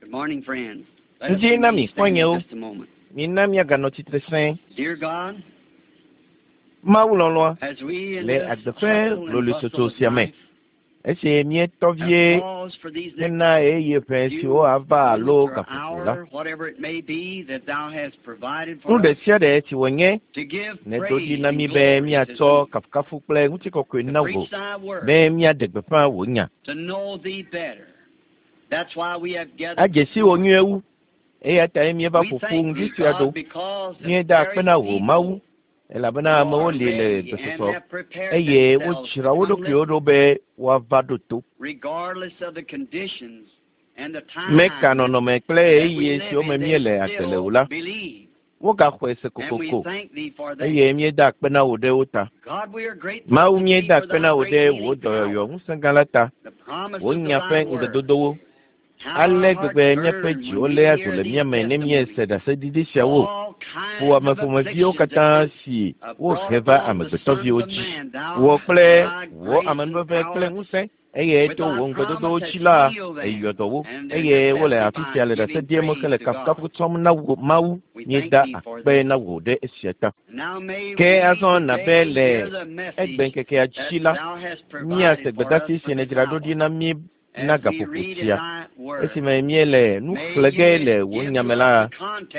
Good morning, friends. Ŋdi na mi xɔ̃nyewo. Mina míaganɔ tsitre sẽe. Mawu lɔlɔ̃a, le agbe ƒe hloloetsotso sia me, esi míetɔ vie hena ɣeyiɣi ʋɛ siwo ava alo gaƒoƒo la, nu ɖe sia ɖe si wònye nèdo ɖi na mí be míatsɔ kafukafu kple ŋutikɔkɔe na wò, be míaɖe gbeƒã wò nya. Adze si wò nyuie wu, eya tae míeva ƒo ƒu ŋdi sia ɖo. Míeda akpe na wò Mawu, elabena amewo li le gbesɔsɔ eye wodzra wo ɖokuiwo ɖo be woava ɖo to. Meka nɔnɔme kple ɣeyiɣi siwo me míele agbe le o la, wogaxɔe se kokoko eye míeda akpe na wò ɖe wo ta. Mawu, míeda akpe na wò ɖe wò dɔyɔyɔ ŋusẽ gã la ta, wò nya ƒe ŋugbedodowo. Ale gbegbe míaƒe dziwo léa dzo le mía me ne míese ɖaseɖiɖi siawo ƒo ame ƒomeviwo katã si wohe va amegbetɔviwo dzi. Wò kple wò amenuveve kple ŋusẽ eye to wò ŋugbedodowo dzi la, èyɔ dɔ wo, eye wole afi sia le ɖase ɖiem hele kafukafu tsɔm na wò Mawu. Míeda akpe na wò ɖe esia ta. Ke azɔ na be le egbeŋkekea dzi la, míase gbedeasi si nèdzra ɖo ɖi na mí na gaƒoƒo sia. Esime míele nu xlẽ ge le wò nya me la,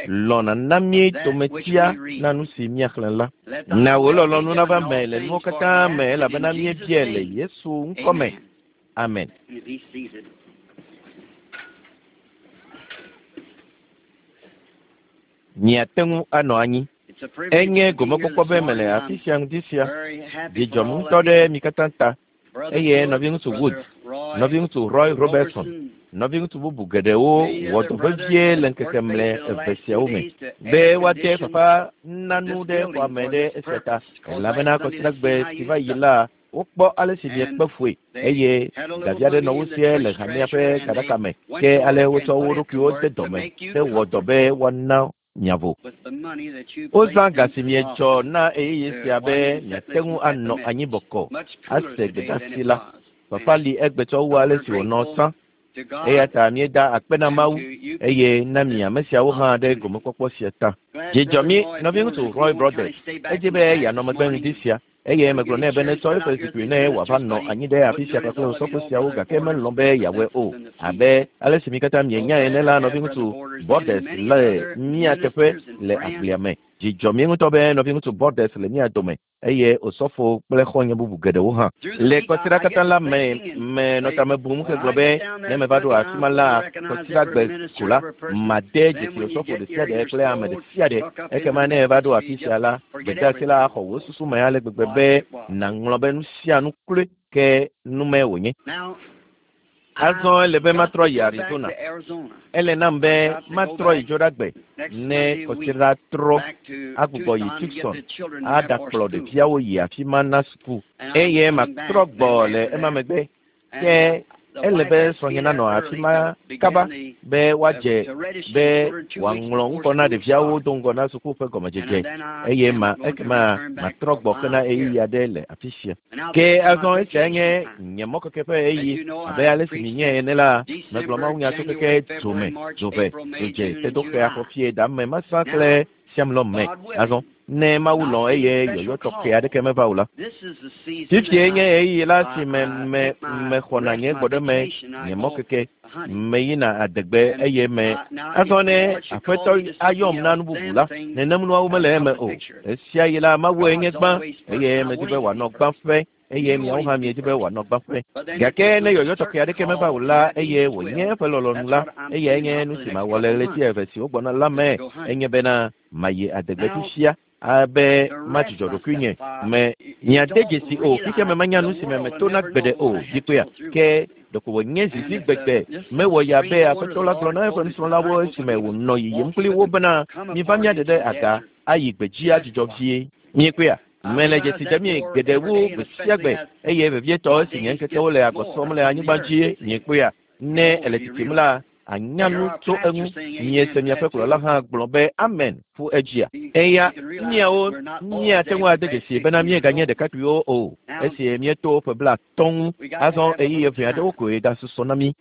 lɔ̃ nàna mí dometia na nu si míaxlẽ la. Na wò lɔlɔ̃nu nava me le nuwo katã me elabena míebiae le Yesu ŋkɔ me. Amen. Miate ŋu anɔ anyi. Enye gomekpɔkpɔ be mele afi sia ŋdi sia. Dzi dzɔm ŋutɔ ɖe mi katã ta. Eye nɔviŋutsu Wood, nɔviŋutsu Roy Robertson, nɔviŋutsu bubu geɖewo wɔ dɔ vevie le ŋkeke mlɛ eve siawo me be woade fafa nanu ɖe xɔa me ɖe esia ta elabena kɔsiɖagbe si va yi la wokpɔ ale si miekpe fue eye gavi aɖe nɔ wo sie le hamea ƒe gaɖaka me ke ale wotsɔ wo ɖokuiwo de dɔme hewɔ dɔ be woana miavo. Wozã ga si mietsɔ na ɣeyiɣi sia be miate ŋu anɔ anyi bɔkɔ ase gbedeasi la. Fafa li egbe tsɔ wu ale si wònɔ tsã. Eya ta míeda akpe na Mawu eye na mi ame siawo hã ɖe gomekpɔkpɔ sia ta. Dzi dzɔ mí, nɔviŋutsu Roy Brothers, edzi be yeanɔ megbe ŋdi sia eye megblɔ nɛ be netsɔ eƒe zikpui ne wòava nɔ anyi ɖe afi sia kpakple osɔfo siawo gake melɔ̃ be yeawɔe o. Abe ale si mi katã mienyae ene la, nɔviŋutsu Borders le mía teƒe le agblea me. Dzi dzɔ mí ŋutɔ be nɔviŋutsu Borders le mía dome eye osɔfo kple xɔ̃nye bubu geɖewo hã. Le kɔsiɖa katã la me, menɔ tame bum hegblɔ be ne meva ɖo afi ma la, kɔsiɖagbe ko la, made dzesi osɔfo ɖe sia ɖe kple ame ɖe sia ɖe. Ekema ne eva ɖo afi sia la, gbedeasi la axɔ wò susu me ale gbegbe be nàŋlɔ be nu sia nu kloe ke nume wònye. Azɔ ele be matrɔ yi Arizona. Ele nam be matrɔ yi Dzoɖagbe ne kɔsiɖa trɔ agbugbɔ yi Tucson aɖakplɔ ɖeviawo yi afi ma na suku eye matrɔ gbɔ le ema megbe. Ke ele be srɔ̃nye nanɔ afi ma kaba be woadze be wòaŋlɔ ŋkɔ na ɖeviawo do ŋgɔ na suku ƒe gɔmedzedze eye ma ekema matrɔ gbɔ hena ɣeyiɣi aɖe le afi sia. Ke azɔ esia nye nye mɔkeke ƒe ɣeyiɣi abe ale si mienyae ene la, megblɔ mawunya tso keke dzome, dzove, dzodze, tedoxea, xɔfie, dame, masã kple siamlɔ me. Azɔ ne Mawu lɔ̃ eye yɔyɔ tɔxɛ aɖeke meva o la, fifie nye ɣeyiɣi la si me me mexɔna nye gbɔɖeme, nye mɔkeke, meyina adegbe eye me azɔ ne Aƒetɔ ayɔm na nu bubu la, nenem nuawo mele eme o. Esia yi la, Mawue nye gbã eye medi be wòanɔ gbãƒe eye miawo hã miedi be wòanɔ gbãƒe. Gake ne yɔyɔ tɔxɛ aɖeke meva o la eye wònye eƒe lɔlɔ̃nu la, eyae nye nu si mawɔ le ɣleti eve siwo gbɔna la me enye bena mayi adegbe fifia abe madzudzɔ ɖokuinye me. Miade dzesi o, fifia me menya nu si me metona gbeɖe o, dzikpea. Ke ɖeko wònye zizi gbegbe mewɔ ya be Aƒetɔ la gblɔ na eƒe nusrɔ̃lawo esime wònɔ yiyim kpli wo bena, miva míaɖe ɖe aga ayi gbedzi adzudzɔ vie. Miekpɔea? Mele dzesi dem mi geɖe wu gbe sia gbe eye vevietɔ esi nye ŋkekewo le agbɔ sɔm le anyigba dzi. Miekpɔea? Ne ele tsitsim la, anya nu tso eŋu. Miese miaƒe kplɔla hã gblɔ be amen ƒu edzia. Eya míawo míate ŋu ade dzesi bena míeganye ɖekakpuiwo o esi míeto ƒe blatɔ̃ ŋu. Azɔ ɣeyiɣi eve aɖewo koe gasusɔ na mí.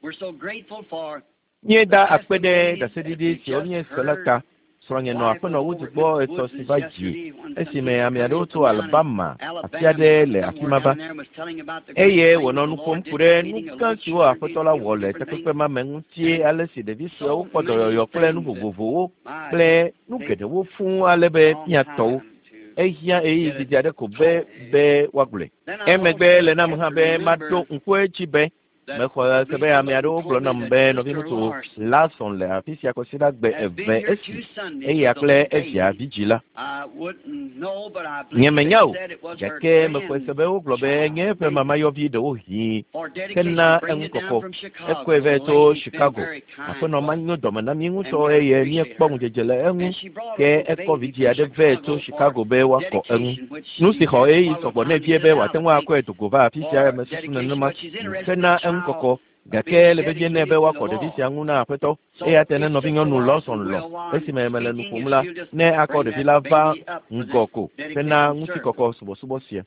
Míeda akpe ɖe ɖaseɖiɖi siwo míese la ta. Srɔ̃nye nɔ aƒenɔ Woods gbɔ etsɔ si va dzi esime ame aɖewo tso Alabama, afi aɖe le afi ma va. Eye wònɔ nu ƒom ku ɖe nu gã siwo Aƒetɔ la wɔ le takpekpe ma me ŋuti, ale si ɖevi suewo kpɔ dɔyɔyɔ kple nu vovovowo kple nu geɖewo fũu ale be míatɔ wo. Ehiã ɣeyiɣi didi aɖe ko be be woagblɔe. Emegbe ele nam hã be maɖo ŋku edzi be Mexɔ se be ame aɖewo gblɔ nam be nɔviŋutsu Larson le afi sia kɔsiɖagbe eve esi eya kple evia vidzĩ la. Nyemenya o, gake mexɔe se be wogblɔ be nye eƒe mamayɔvi ɖewohĩ hena eŋukɔkɔ. Ekɔe vɛ tso Chicago. Aƒenɔ ma nyo dɔme na mí ŋutɔ eye míekpɔ ŋudzedze le eŋu, ke ekɔ vidzĩ aɖe vɛ tso Chicago be woakɔ eŋu. Nu si xɔ ɣeyiɣi sɔgbɔ nɛ vie be wòate ŋu akɔe do go va afi sia mesusu nenema hena eŋukɔkɔ, gake ele vevie nɛ be woakɔ ɖevi sia ŋu na Aƒetɔ. Eya ta ne nɔvinyɔnu Lawson lɔ̃ esime mele nu ƒom la, ne akɔ ɖevi la va ŋgɔ ko hena ŋutikɔkɔ subɔsubɔ sia.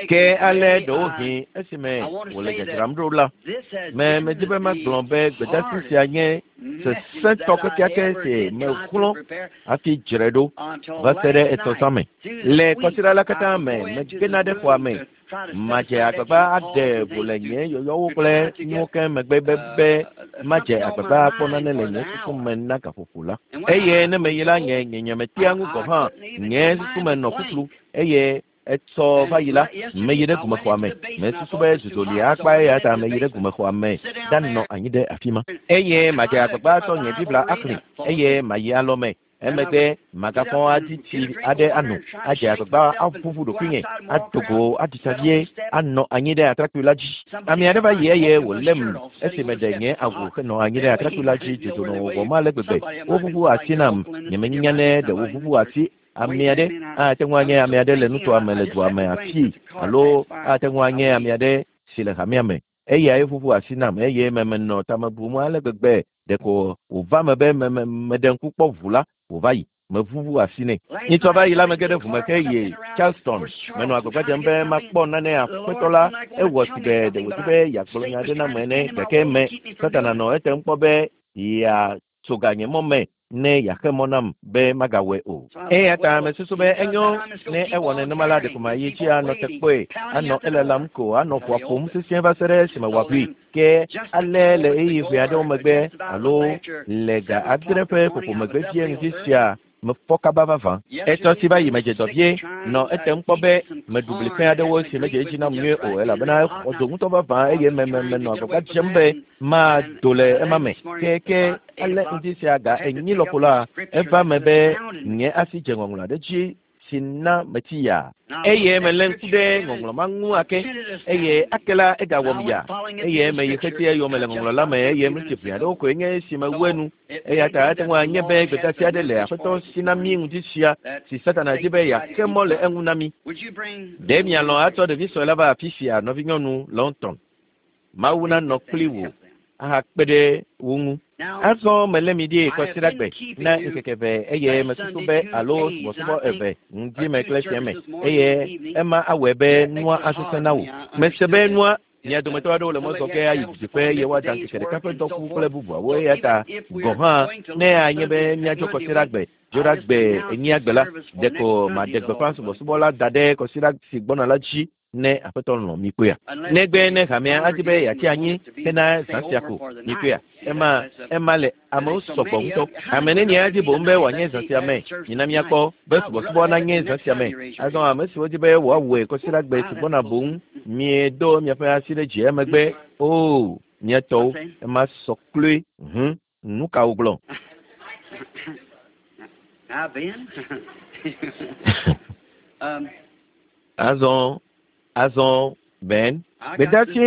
Ke ale ɖewohĩ esime wòle dzadzram ɖo la, me medi be magblɔ be gbedasi sia nye sesẽtɔ kekeake si mexlɔ̃ hafi dzrae ɖo va se ɖe etsɔ zã me. Le kɔsiɖa la katã me, megena ɖe xɔa me, madze agbagba aɖe vo le nye yɔyɔwo kple nuwo ke megbe be be madze agbagba akpɔ nane le nye susu me na gaƒoƒo la. Eye ne meyi la, nye nye nyemetea ŋu gɔ̃ hã, nye susu me nɔ ƒuƒlu eye etsɔ va yi la, meyi ɖe gumexɔa me. Mesusu be dzudzɔ li akpa eya ta meyi ɖe gumexɔa me ɖanɔ anyi ɖe afi ma. Eye madze agbagba atsɔ nye Biblia axlẽ, eye mayi alɔ me. Emegbe magafɔ adi tsi aɖe ano, adze agbagba aʋuʋu ɖokuinye, ado go aɖi tsa vie, anɔ anyi ɖe atrakpui la dzi. Ame aɖe va yi eye wòlém esi meɖe nye awu henɔ anyi ɖe atrakpui la dzi. Dzudzɔ nɔ wɔwɔm ale gbegbe. Woʋuʋu asi nam. Nyemenya ne ɖe woʋuʋu asi Ame aɖe ate ŋu anye ame aɖe le nutoa me le dua me afii, alo ate ŋu anye ame aɖe si le hamea me. Eyae ʋuʋu asi nam eye me menɔ tame bum ale gbegbe ɖeko wòva me be me me meɖe ŋku kpɔ ʋu la wòva yi. Meʋuʋu asi nɛ. Nyitsɔ va yi la mege ɖe ʋu me heyi Charleston. Menɔ agbagba dzem be makpɔ nane Aƒetɔ la. Ewɔ sigbe ɖe wòdi be yeagblɔ nya aɖe nam ene gake me Satana nɔ etem kpɔ be yeatso ga nye mɔ me ne yeaxe mɔ nam be magawɔe o. Eya ta mesusu be enyo ne ewɔ nenema la, ɖeko mayi edzi anɔ te kpɔe, anɔ elalam ko, anɔ ʋua ƒom sesĩe va se ɖe esime wòaʋui. Ke ale le ɣeyiɣi ʋɛ aɖewo megbe alo le ga adre ƒe ƒoƒo megbe vie ŋdi sia, mefɔ kaba vavã. Etsɔ si va yi medze dɔ vie, nɔ etem kpɔ be meɖu bli fẽ aɖewo si medze edzi nam nyuie o elabena exɔ dzo ŋutɔ vavã eye me, me, menɔ agbagba dzem be mado le ema me. Ke, ke ale ŋdi sia ga enyi lɔƒo la, eva me be nye asi dze ŋɔŋlɔ aɖe dzi si na metsi yaa. Eye melé ŋku ɖe ŋɔŋlɔ ma ŋu ake, eye ake la egawɔm yaa. Eye meyi xeti eyome le ŋɔŋlɔ la me, eye mliti ʋɛ aɖewo koe nye esi mewu enu. Eya ta ate ŋu anye be gbedeasi aɖe le Aƒetɔ si na mí ŋdi sia si Satana di be yeaxe mɔ le eŋu na mí. Ɖe mialɔ̃ atsɔ ɖevi sue la va afi sia, nɔvinyɔnu Longton? Mawu nanɔ kpli wò ahakpe ɖe wo ŋu. Azɔ melé mi ɖi kɔsiɖagbe na ŋkeke eve eye mesusu be alo subɔsubɔ eve, ŋdi me kple fiẽ me, eye ema awɔe be nua asesẽ na wò. Mese be nua Mia dometɔ aɖewo le mɔ zɔ ge ayi didiƒe eye woada ŋkeke ɖeka ƒe dɔku kple bubuawo eya ta gɔ̃ hã ne anye be míadzo kɔsiɖagbe Dzoɖagbe enyiagbe la, ɖeko maɖe gbeƒã subɔsubɔ la da ɖe kɔsiɖa si gbɔna la dzi ne Aƒetɔ lɔ̃ mikpɔea. Negbe ne hamea adi be yeatsi anyi hena zã sia ko, mikpɔea. Ema, ema le amewo sɔgbɔ ŋutɔ. Ame nenie adi boŋ be wòanye zã sia me? Mina míakpɔ be subɔsubɔ nanye zã sia me. Azɔ ame siwo di be woawɔe kɔsiɖagbe si gbɔna boŋ, miedo miaƒe asi ɖe dzi emegbe. Oo, mía tɔwo, ema sɔ kloe. Hũ, nu ka wogblɔ? Azɔ, azɔ, Ben, gbedeasi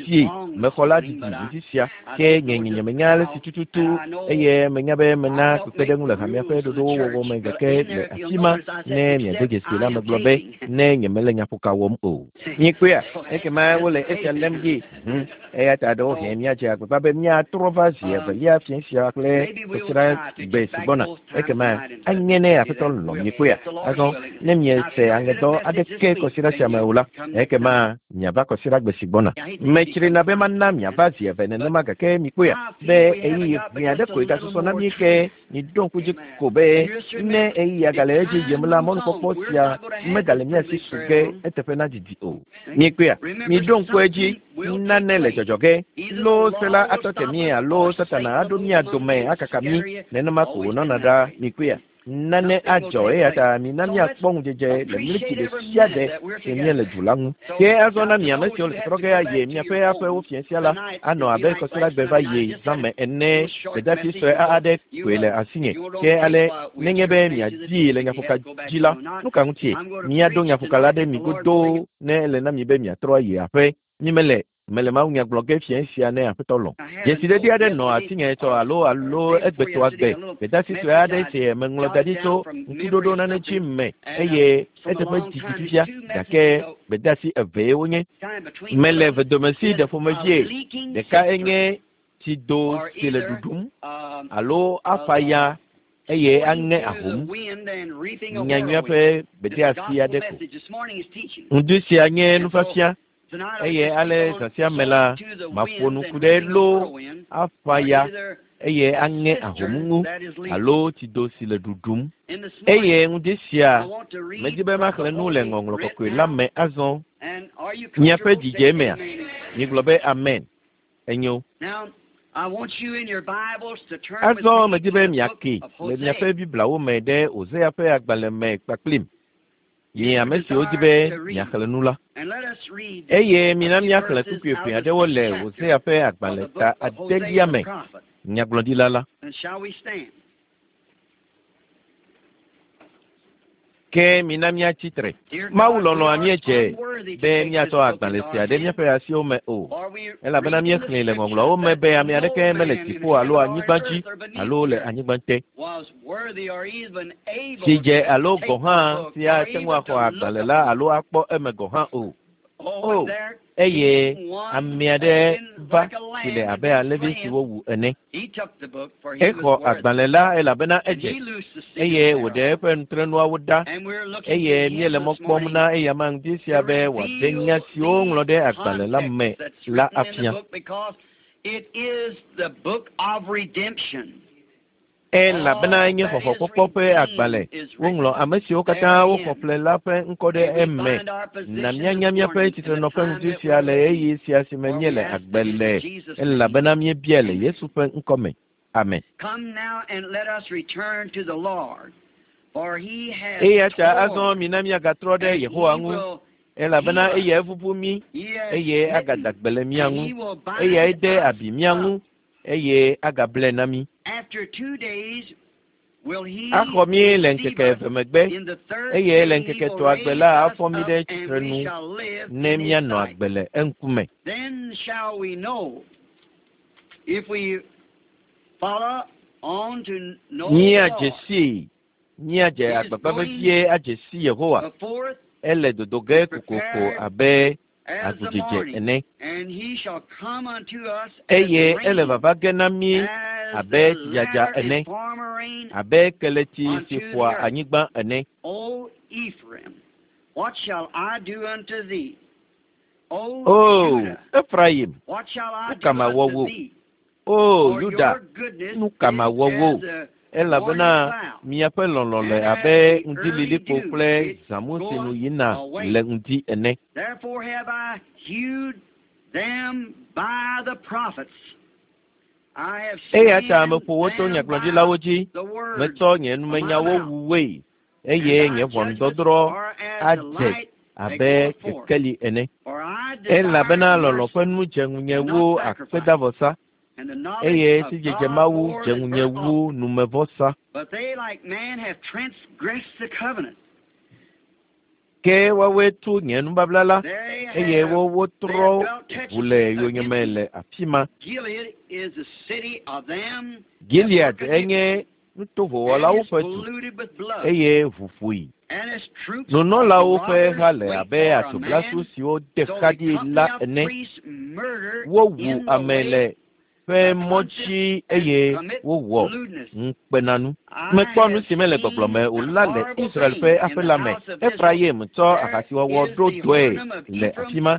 si mexɔ la didi ŋdi sia, ke nye nye nyemenya ale si tututu eye menya be mena kpekpeɖeŋu le hamea ƒe ɖoɖowo wɔwɔ me gake le afi ma ne miade dzesi la megblɔ be ne nyemele nyaƒoka wɔm o. Miekpɔea? Ekema wole esia lém ɖi. Hũ. Eya ta ɖewohĩ míadze agbagba be míatrɔ va zi evelia fiẽ sia kple kɔsiɖa gbe si gbɔna. Ekema anye ne Aƒetɔ lɔ̃ miekpɔea. Azɔ ne miese aŋedɔ aɖeke kɔsiɖa sia me o la, ekema miava kɔsiɖa kɔsiɖagbe si gbɔna. Metsrina be mana miava zi eve nenema gake mikpɔea be ɣeyiɣi ʋɛ aɖe koe gasusɔ na mí ke miɖo ŋku dzi ko be ne ɣeyiɣia gale edzi yim la, mɔnukpɔkpɔ sia megale mía si su ge eteƒe nadidi o. Mikpɔea, miɖo ŋku edzi, nane le dzɔdzɔ ge. Loo se la atɔ te mí alo Satana aɖo mía dome akaka mí, nenema ko wònɔna ɖa. Mikpɔea, nane adzɔ eya ta mina míakpɔ ŋudzedze le mliti ɖe sia ɖe si míele du la ŋu. Ke azɔ na mi ame siwo le tɔtrɔ ge ayi miaƒe aƒewo fiẽ sia la, anɔ abe kɔsiɖagbe va yi zãme ene. Gbedeasi sue aɖe koe le asinye. Ke ale nenye be miadii le nyaƒoka dzi la, nu ka ŋutie? Míaɖo nyaƒoka la ɖe mi godoo ne ele na mi be miatrɔ ayi aƒe. Mímele mele mawunya gblɔ ge fiẽ sia ne Aƒetɔ lɔ̃. Dzesiɖeɖi aɖe nɔ asinye tsɔ alo alo egbetɔa gbe. Gbedeasi sue aɖe si meŋlɔ da ɖi tso ŋkuɖoɖo nane dzi me eye eteƒe didi fifia gake gbedeasi evee wonye. Mele vedomesi ɖe ƒomevie. Ɖeka enye tsido si le ɖuɖum alo afa ya eye aŋe ahom. Nyanyuia ƒe gbedeasi aɖe ko. Ŋdi sia nye nufiafia eye ale zã sia me la, maƒo nu ku ɖe lo afa ya eye aŋe ahom ŋu alo tsido si le ɖuɖum. Eye ŋdi sia, medi be maxlẽ nu le ŋɔŋlɔ kɔkɔe la me azɔ. Miaƒe dzidze mea? Migblɔ be amen. Enyo. Azɔ medi be miake le miaƒe Bibliawo me ɖe Hosea ƒe agbalẽ me kpakplim. Mi ame siwo di be miaxlẽ nu la. Eye mina míaxlẽ kpukpui eve aɖewo le Hosea ƒe agbalẽ ta adelia me, nyagblɔɖila la. Ke mina míatsi tre. Mawu lɔlɔ̃a míedze be míatsɔ agbalẽ sia ɖe míaƒe asiwo me o, elabena míexlẽe le ŋɔŋlɔawo me be ame aɖeke mele dziƒo alo anyigba dzi alo le anyigba te si dze alo gɔ̃ hã si ate ŋu axɔ agbalẽ la alo akpɔ eme gɔ̃ hã o. O, eye ame aɖe va si le abe alẽvi si wowu ene. Exɔ agbalẽ la elabena edze eye wòɖe eƒe nutrenuawo ɖa eye míele mɔ kpɔm na eyama ŋdi sia be wòaɖe nya siwo woŋlɔ ɖe agbalẽ la me la afia. Elabena enye xɔxɔkpɔkpɔ ƒe agbalẽ. Woŋlɔ ame siwo katã woxɔ ƒle la ƒe ŋkɔ ɖe eme. Na míanya míaƒe tsitrenɔƒe ŋdi sia le ɣeyiɣi sia si me míele agbe le elabena míebiae le Yesu ƒe ŋkɔ me. Amen. Eya ta azɔ mina míagatrɔ ɖe Yehowa ŋu elabena eyae ʋuʋu mí eye agada gbe le mía ŋu. Eyae de abi mía ŋu eye agable na mí. Axɔ mí le ŋkeke eve megbe eye le ŋkeke etɔ̃a gbe la afɔ mí ɖe tsitrenu ne míanɔ agbe le eŋkume. Míadze sii, míadze agbagba vevie adze si Yehowa. Ele dodo ge kokoko abe agudzedze ene. Eye ele vava ge na mí abe tsidzadza ene, abe keletsi si ƒoa anyigba ene. O, Efraim, nu ka mawɔ wò? O, Yuda, nu ka mawɔ wò? Elabena miaƒe lɔlɔ̃ le abe ŋdililikpo kple zãmu si nu yina le ŋdi ene. Eya ta meƒo wo to nyagblɔɖilawo dzi, metsɔ nye numenyawo wu woe eye nye ʋɔnudɔdrɔ̃ adze abe kekeli ene. Elabena lɔlɔ̃ ƒe nu dze ŋunye wu akpedavɔsa eye sidzedze Mawu dze ŋunye wu numevɔsa. Ke woawoe tu nye nubabla la eye wotrɔ ʋu le yonyeme le afi ma. Gilead enye nutoƒowɔlawo ƒe du eye ʋu ƒoe. Nunɔlawo ƒe ha le abe atsoblasu siwo de xa ɖi la ene. Wowu ame le ƒe mɔ dzi eye wowɔ ŋukpenanu. Mekpɔ nu si mele gbɔgblɔ me o la le Israel ƒe aƒe la me. Efrayim tsɔ ahasiwɔwɔ ɖo dɔe le afi ma.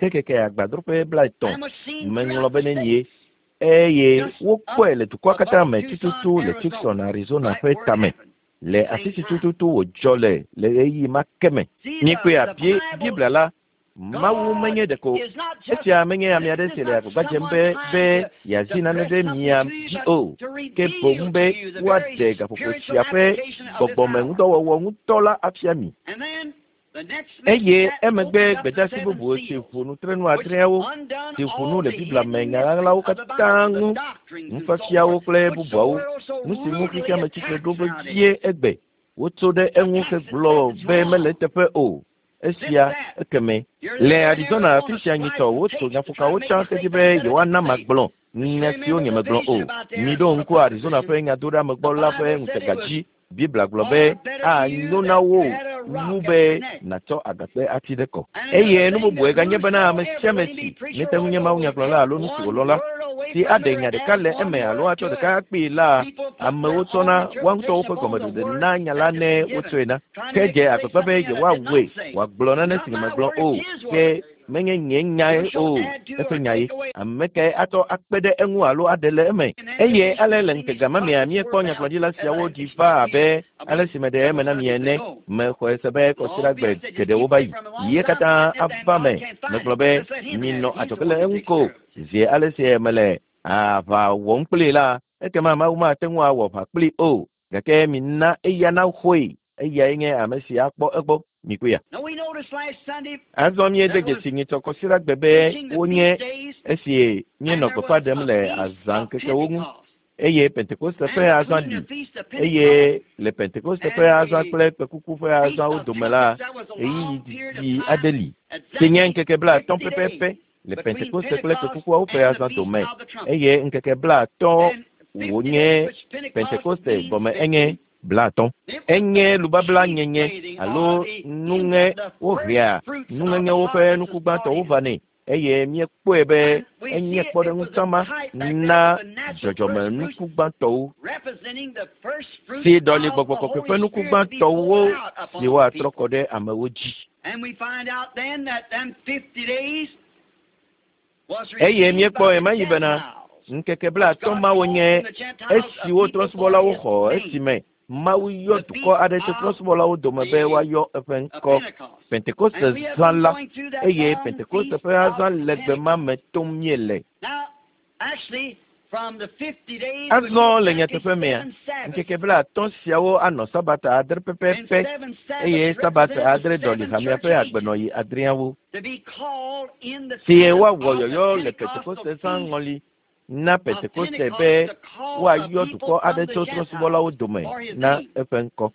Ke keke agbadroƒe 30 How much seen meŋlɔ throughout be the nenie states. Eye wokpɔe le dukɔa katã me tututu le Tucson, Arizona ƒe tame, le afi si tututu wòdzɔ le le ɣeyiɣi ma ke me. Mikpɔe bie Biblia la, Mawu menye ɖeko esia menye ame aɖe si le agbagba dzem be be yeazi nane ɖe mia dzi o, ke boŋ be woaɖe gaƒoƒo sia ƒe gbɔgbɔme ŋudɔwɔwɔ ŋutɔ la afia mi. Eye emegbe gbedeasi bubu si ʋu nutrenu adreawo si ʋu nu le Biblia me nya ɣaɣlawo katã ŋu, nufiafiawo kple bubuawo, nu si ŋu xexeame tsitre ɖo vevie egbe, wotso ɖe eŋu hegblɔ be mele eteƒe o. Esia ekeme le Arizona afi sia nyitɔ wotso nyaƒokawo tsã hedi be yewoana magblɔ nya siwo nyemegblɔ o. Miɖo ŋku Arizona ƒe nyadoɖeamegbɔ la ƒe ŋutega dzi. Biblia gblɔ be anyo na wo wu be nàtsɔ agakpe ati ɖe kɔ. Eye nu bubue ganye bena ame sia ame si mete ŋu nye mawunyagblɔla alo nu si wòlɔ̃ la, si aɖe nya ɖeka le eme alo atsɔ ɖeka akpee la, amewo tsɔna woa ŋutɔwo ƒe gɔmeɖeɖe na nya la ne wotsɔe na. Ke dze agbagba be yewoawɔe wòagblɔ nane si nyemegblɔ o, ke menye nye nyae o, eƒe nyae. Ame kae atsɔ akpe ɖe eŋu alo aɖe le eme? Eye ale le ŋutega ma mea, míekpɔ nyagblɔɖila siawo ɖi va abe ale si meɖe eme na mi ene. Mexɔe se be kɔsiɖagbe geɖewo va yi. Ye katã ava me. Megblɔ be minɔ adzɔge le eŋu ko. Zi ale si mele aʋa wɔm kplii la, ekema Mawu mate ŋu awɔ aʋa kplii o. Gake mina eya naxɔe. Eyae nye ame si akpɔ egbɔ. Mikpɔea. Azɔ míede dzesi nyitsɔ kɔsiɖagbe be wonye esi míenɔ gbeƒã ɖem le azãŋkekewo ŋu eye Pentekoste ƒe azã li eye le Pentekoste ƒe azã kple kpekuku ƒe azãwo dome la, ɣeyiɣi didi aɖe li si nye ŋkeke 50 pɛpɛpɛ le Pentekoste kple kpekukuawo ƒe azã dome eye ŋkeke 50 wònye Pentekoste gɔme enye 50. Enye lubabla nyenye alo nuŋe wohea nuŋeŋewo ƒe nuku gbãtɔwo vanɛ eye míekpɔe be enye kpɔɖeŋutsama na dzɔdzɔme nuku gbãtɔwo si ɖɔli gbɔgbɔ kɔkɔe ƒe nuku gbãtɔwo si woatrɔ kɔ ɖe amewo dzi. Eye míekpɔ ɣemaɣi bena ŋkeke 50 mawo nye esiwo trɔ̃subɔlawo xɔ esime Mawu yɔ dukɔ aɖe tso trɔ̃subɔlawo dome be woayɔ eƒe ŋkɔ Pentekoste zã la, eye Pentekoste ƒe azã legbe ma me tom míele. Azɔ le nyateƒe mea, ŋkeke 50 siawo anɔ Sabata 7 pɛpɛpɛ, eye Sabata 7 ɖɔli hamea ƒe agbenɔɣi adreawo si woawɔ yɔyɔ le Pentekoste zã ŋɔli na Pentekoste be woayɔ dukɔ aɖe tso trɔ̃subɔlawo dome na eƒe ŋkɔ.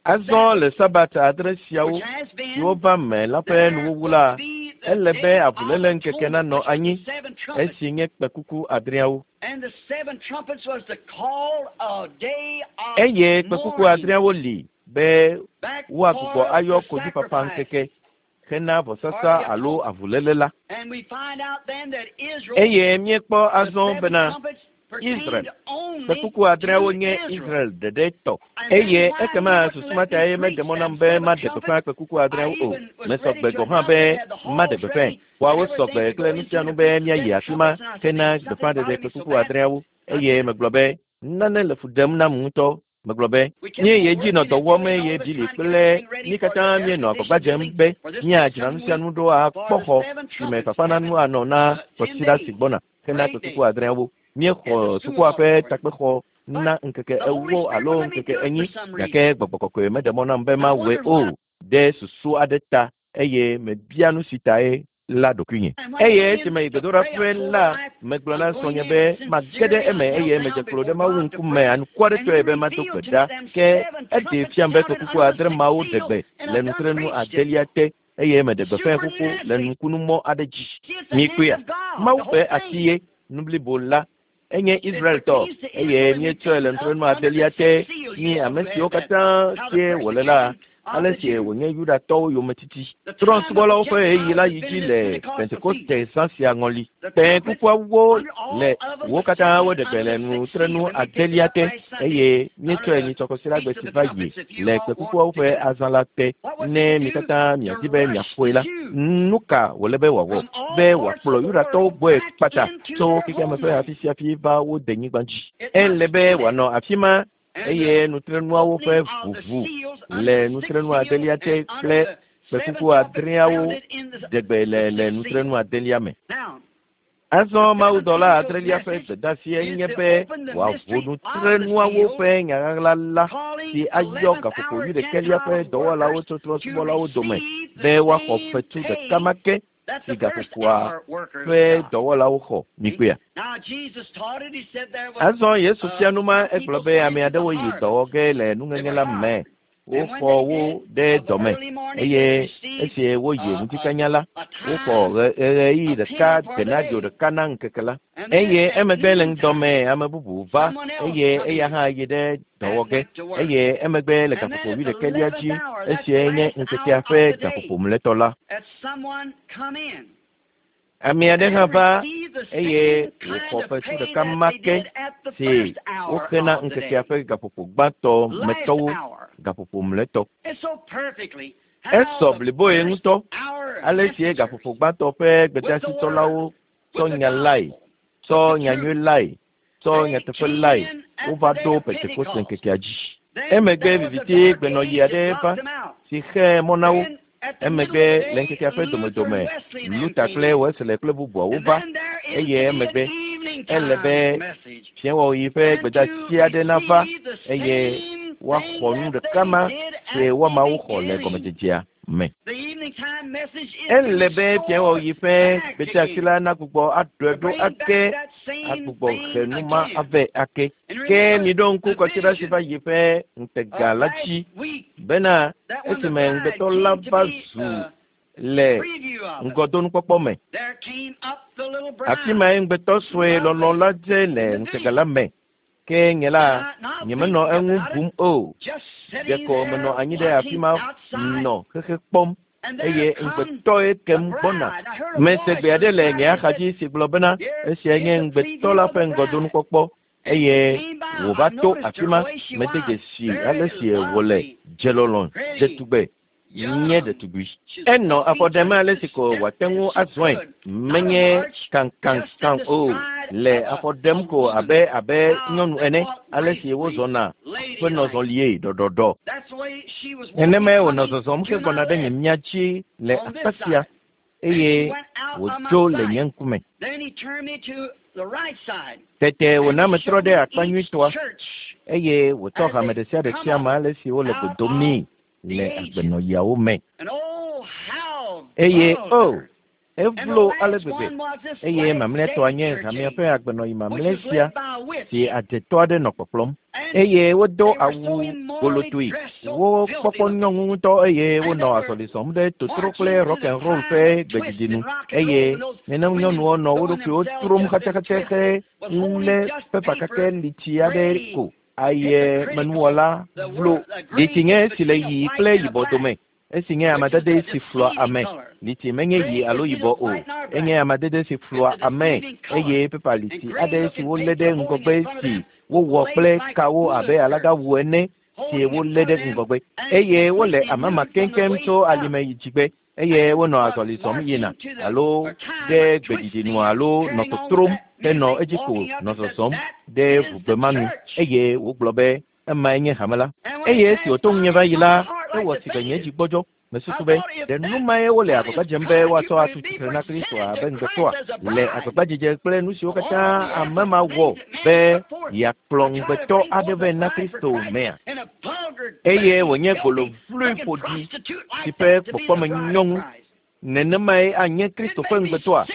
Azɔ le Sabata 7 siawo siwo va me la ƒe nuwuwu la, ele be avuléle ŋkeke nanɔ anyi esi nye kpekuku adreawo. Eye kpekuku adreawo li be woagbugbɔ ayɔ konyifafa ŋkeke hena vɔsasa alo avuléle la. Eye míekpɔ azɔ bena Israel kpekuku adreawo nye Israel ɖeɖe tɔ. Eye ekema susu ma tae meɖe mɔ nam be maɖe gbeƒã kpekuku adreawo o. Mesɔ gbe gɔ̃ hã be maɖe gbeƒãe. Woawo sɔ gbe kple nu sia nu be míayi afi ma hena gbeƒãɖeɖe kpekuku adreawo. Eye megblɔ be nane le fu ɖem nam ŋutɔ. Megblɔ be míeyi edzi nɔ dɔ wɔm eye Bili kple mí katã míenɔ agbagba dzem be míadzra nu sia nu ɖo akpɔ xɔ si me fafananu anɔ na kɔsiɖa si gbɔna hena kpekuku adreawo. Míexɔ sukua ƒe takpexɔ na ŋkeke 40 alo ŋkeke 40, gake gbɔgbɔ kɔkɔe meɖe mɔ nam be mawɔe o ɖe susu aɖe ta eye mebia nu si tae la ɖokuinye. Eye esime yi gbedoɖaƒe la, megblɔ na srɔ̃nye be mage ɖe eme eye medze klo ɖe Mawu ŋkume anukuaretɔe be mado gbe ɖa. Ke eɖee fiam be kpekuku 7 mawo ɖe gbe le nutrenu 9 te eye meɖe gbeƒãe xoxo le nukunumɔ aɖe dzi. Mikpɔea, Mawu ƒe asi ye nu blibo la enye Israeltɔ eye míetsɔe le nutrenu 9 te. Mi ame siwo katã sie wòle la, Ale si wònye Yudatɔwo yometiti. Trɔ̃subɔlawo ƒe ɣeyiɣi la yi dzi le Pentekoste zã sia ŋɔli. Kpẽ kukuawo le wo katã woɖe gbe le nutrenu adelia te eye míetsɔe nyitsɔkɔsiɖagbe si va yi le kpẽkukuawo ƒe azã la te. Ne mi katã miadi be miaƒoe la, nu ka wòle be wòawɔ? Be wòakplɔ Yudatɔwo gbɔe kpata tso xexeame ƒe afi sia afi va wo denyigba dzi. Ele be wòanɔ afi ma eye nutrenuawo ƒe ʋuʋu le nutrenu adelia te kple kpẽkuku adreawo ɖe gbe le le nutrenu adelia me. Azɔ mawudɔla adrelia ƒe gbedeasie nye be wòaʋu nutrenuawo ƒe nyaɣaɣla la si ayɔ gaƒoƒo wuiɖekɛlia ƒe dɔwɔlawo tso trɔ̃subɔlawo dome be woaxɔ fetu ɖeka ma ke si gaƒoƒoa ƒe dɔwɔlawo xɔ. Mikpɔea? Azɔ Yesu fia nu ma egblɔ be ame aɖewo yi dɔwɔ ge le nuŋeŋe la me. Woxɔ wo ɖe dɔme eye esi woyi ŋutikanya la, woxɔ ɣeyiɣi ɖeka denario ɖeka na ŋkeke la. Eye emegbe le ŋdɔme ame bubu va eye eya hã yi ɖe dɔwɔ ge eye emegbe le gaƒoƒo wuiɖekɛlia dzi esie nye ŋkekea ƒe gaƒoƒo mlɔetɔ la. Ame aɖe hã va eye wòxɔ fetu ɖeka ma ke si woxena ŋkekea ƒe gaƒoƒo gbãtɔ metɔwo gaƒoƒo mlɔetɔ. Esɔ bliboe ŋutɔ ale si gaƒoƒo gbãtɔ ƒe gbedeasitsɔlawo tsɔ nya lae, tsɔ nyanyui lae, tsɔ nyateƒe lae wova ɖo Pentekoste ŋkekea dzi. Emegbe viviti gbenɔɣi aɖe va si xe mɔ na wo. Emegbe le ŋkekea ƒe domedome Luther kple Wesley kple bubuawo va eye emegbe ele be fiẽwɔɣi ƒe gbedeasi aɖe nava eye woaxɔ nu ɖeka ma si woamawo xɔ le gɔmedzedzea me. Ele be fiẽwɔɣi ƒe gbedeasi la nagbugbɔ aɖɔe ɖo ake agbugbɔ he nu ma avɛ ake. Ke miɖo ŋku kɔsiɖa si va yi ƒe ŋutega la dzi bena esime ŋugbetɔ la va zu le ŋgɔdonukpɔkpɔ me. Afi mae ŋugbetɔ sue lɔlɔ la dze le ŋutega la me. Ke nye la nyemenɔ eŋu bum o. Ɖeko menɔ anyi ɖe afi ma nɔ xexe kpɔm eye ŋugbetɔe kem gbɔna. Mese gbe aɖe le nye axadzi si gblɔ bena esia nye ŋugbetɔ la ƒe ŋgɔdonukpɔkpɔ eye wòva to afi ma mede dzesi ale si wòle dzelɔlɔ dzetugbe nye ɖetugbui. Enɔ afɔ ɖem ale si ko wòate ŋu azɔe menye kankankan o le afɔ ɖem ko abe abe nyɔnu ene ale si wozɔna ƒe nɔzɔlie ɖɔɖɔɖɔ. Nenemae wònɔ zɔzɔm hegbɔna ɖe nye mia dzi le akpa sia eye wòdzo le nye ŋkume. Tete wòna metrɔ ɖe akpa nyuitɔa eye wòtsɔ hame ɖe sia ɖe fia me ale si wole go dom nɛ le agbenɔɣiawo me. Eye o, evlo ale gbegbe eye mamlɛtɔa nye hamea ƒe agbenɔɣi mamlɛ sia si adetɔ aɖe nɔ kpɔkplɔm. Eye wodo awu golotoe, wo kpɔkpɔ nyɔnu ŋutɔ eye wonɔ azɔli zɔm ɖe totro kple rock and roll ƒe gbeɖiɖi nu eye nenem nyɔnuwo nɔ wo ɖokuiwo trom xatsaxatsa he lé pepa kakɛ litsi aɖe ko aye menuwɔla vlo. Litsi nye esi le ɣi kple yibɔ dome. Esi nye amadede si flɔa ame. Litsi menye ɣi alo yibɔ o. Enye amadede si flɔa ame eye pepa litsi aɖe si wolé ɖe ŋgɔgbe si wowɔ kple kawo abe alagawu ene si wolé ɖe ŋgɔgbe eye wole amama keŋkeŋ tso alime yi dzigbe eye wonɔ azɔli zɔm yina alo ɖe gbeɖiɖi nu alo nɔ totrom henɔ edzi ko nɔ zɔzɔm ɖe ʋugbe ma nu eye wògblɔ be emae nye hame la. Eye esi wòto ŋunye va yi la, ewɔ si be nye dzi gbɔdzɔ. Mesusu be ɖe nu mae wole agbagba dzem be woatsɔ atu tsitre na Kristo abe ŋugbetɔa le agbagbadzedze kple nu siwo katã ame ma wɔ be yeakplɔ ŋugbetɔ aɖe vɛ na Kristo mea. Eye wònye golo vloe ƒoɖi si ƒe kpɔkpɔme nyɔŋu. Nenemae anye Kristo ƒe ŋugbetɔa.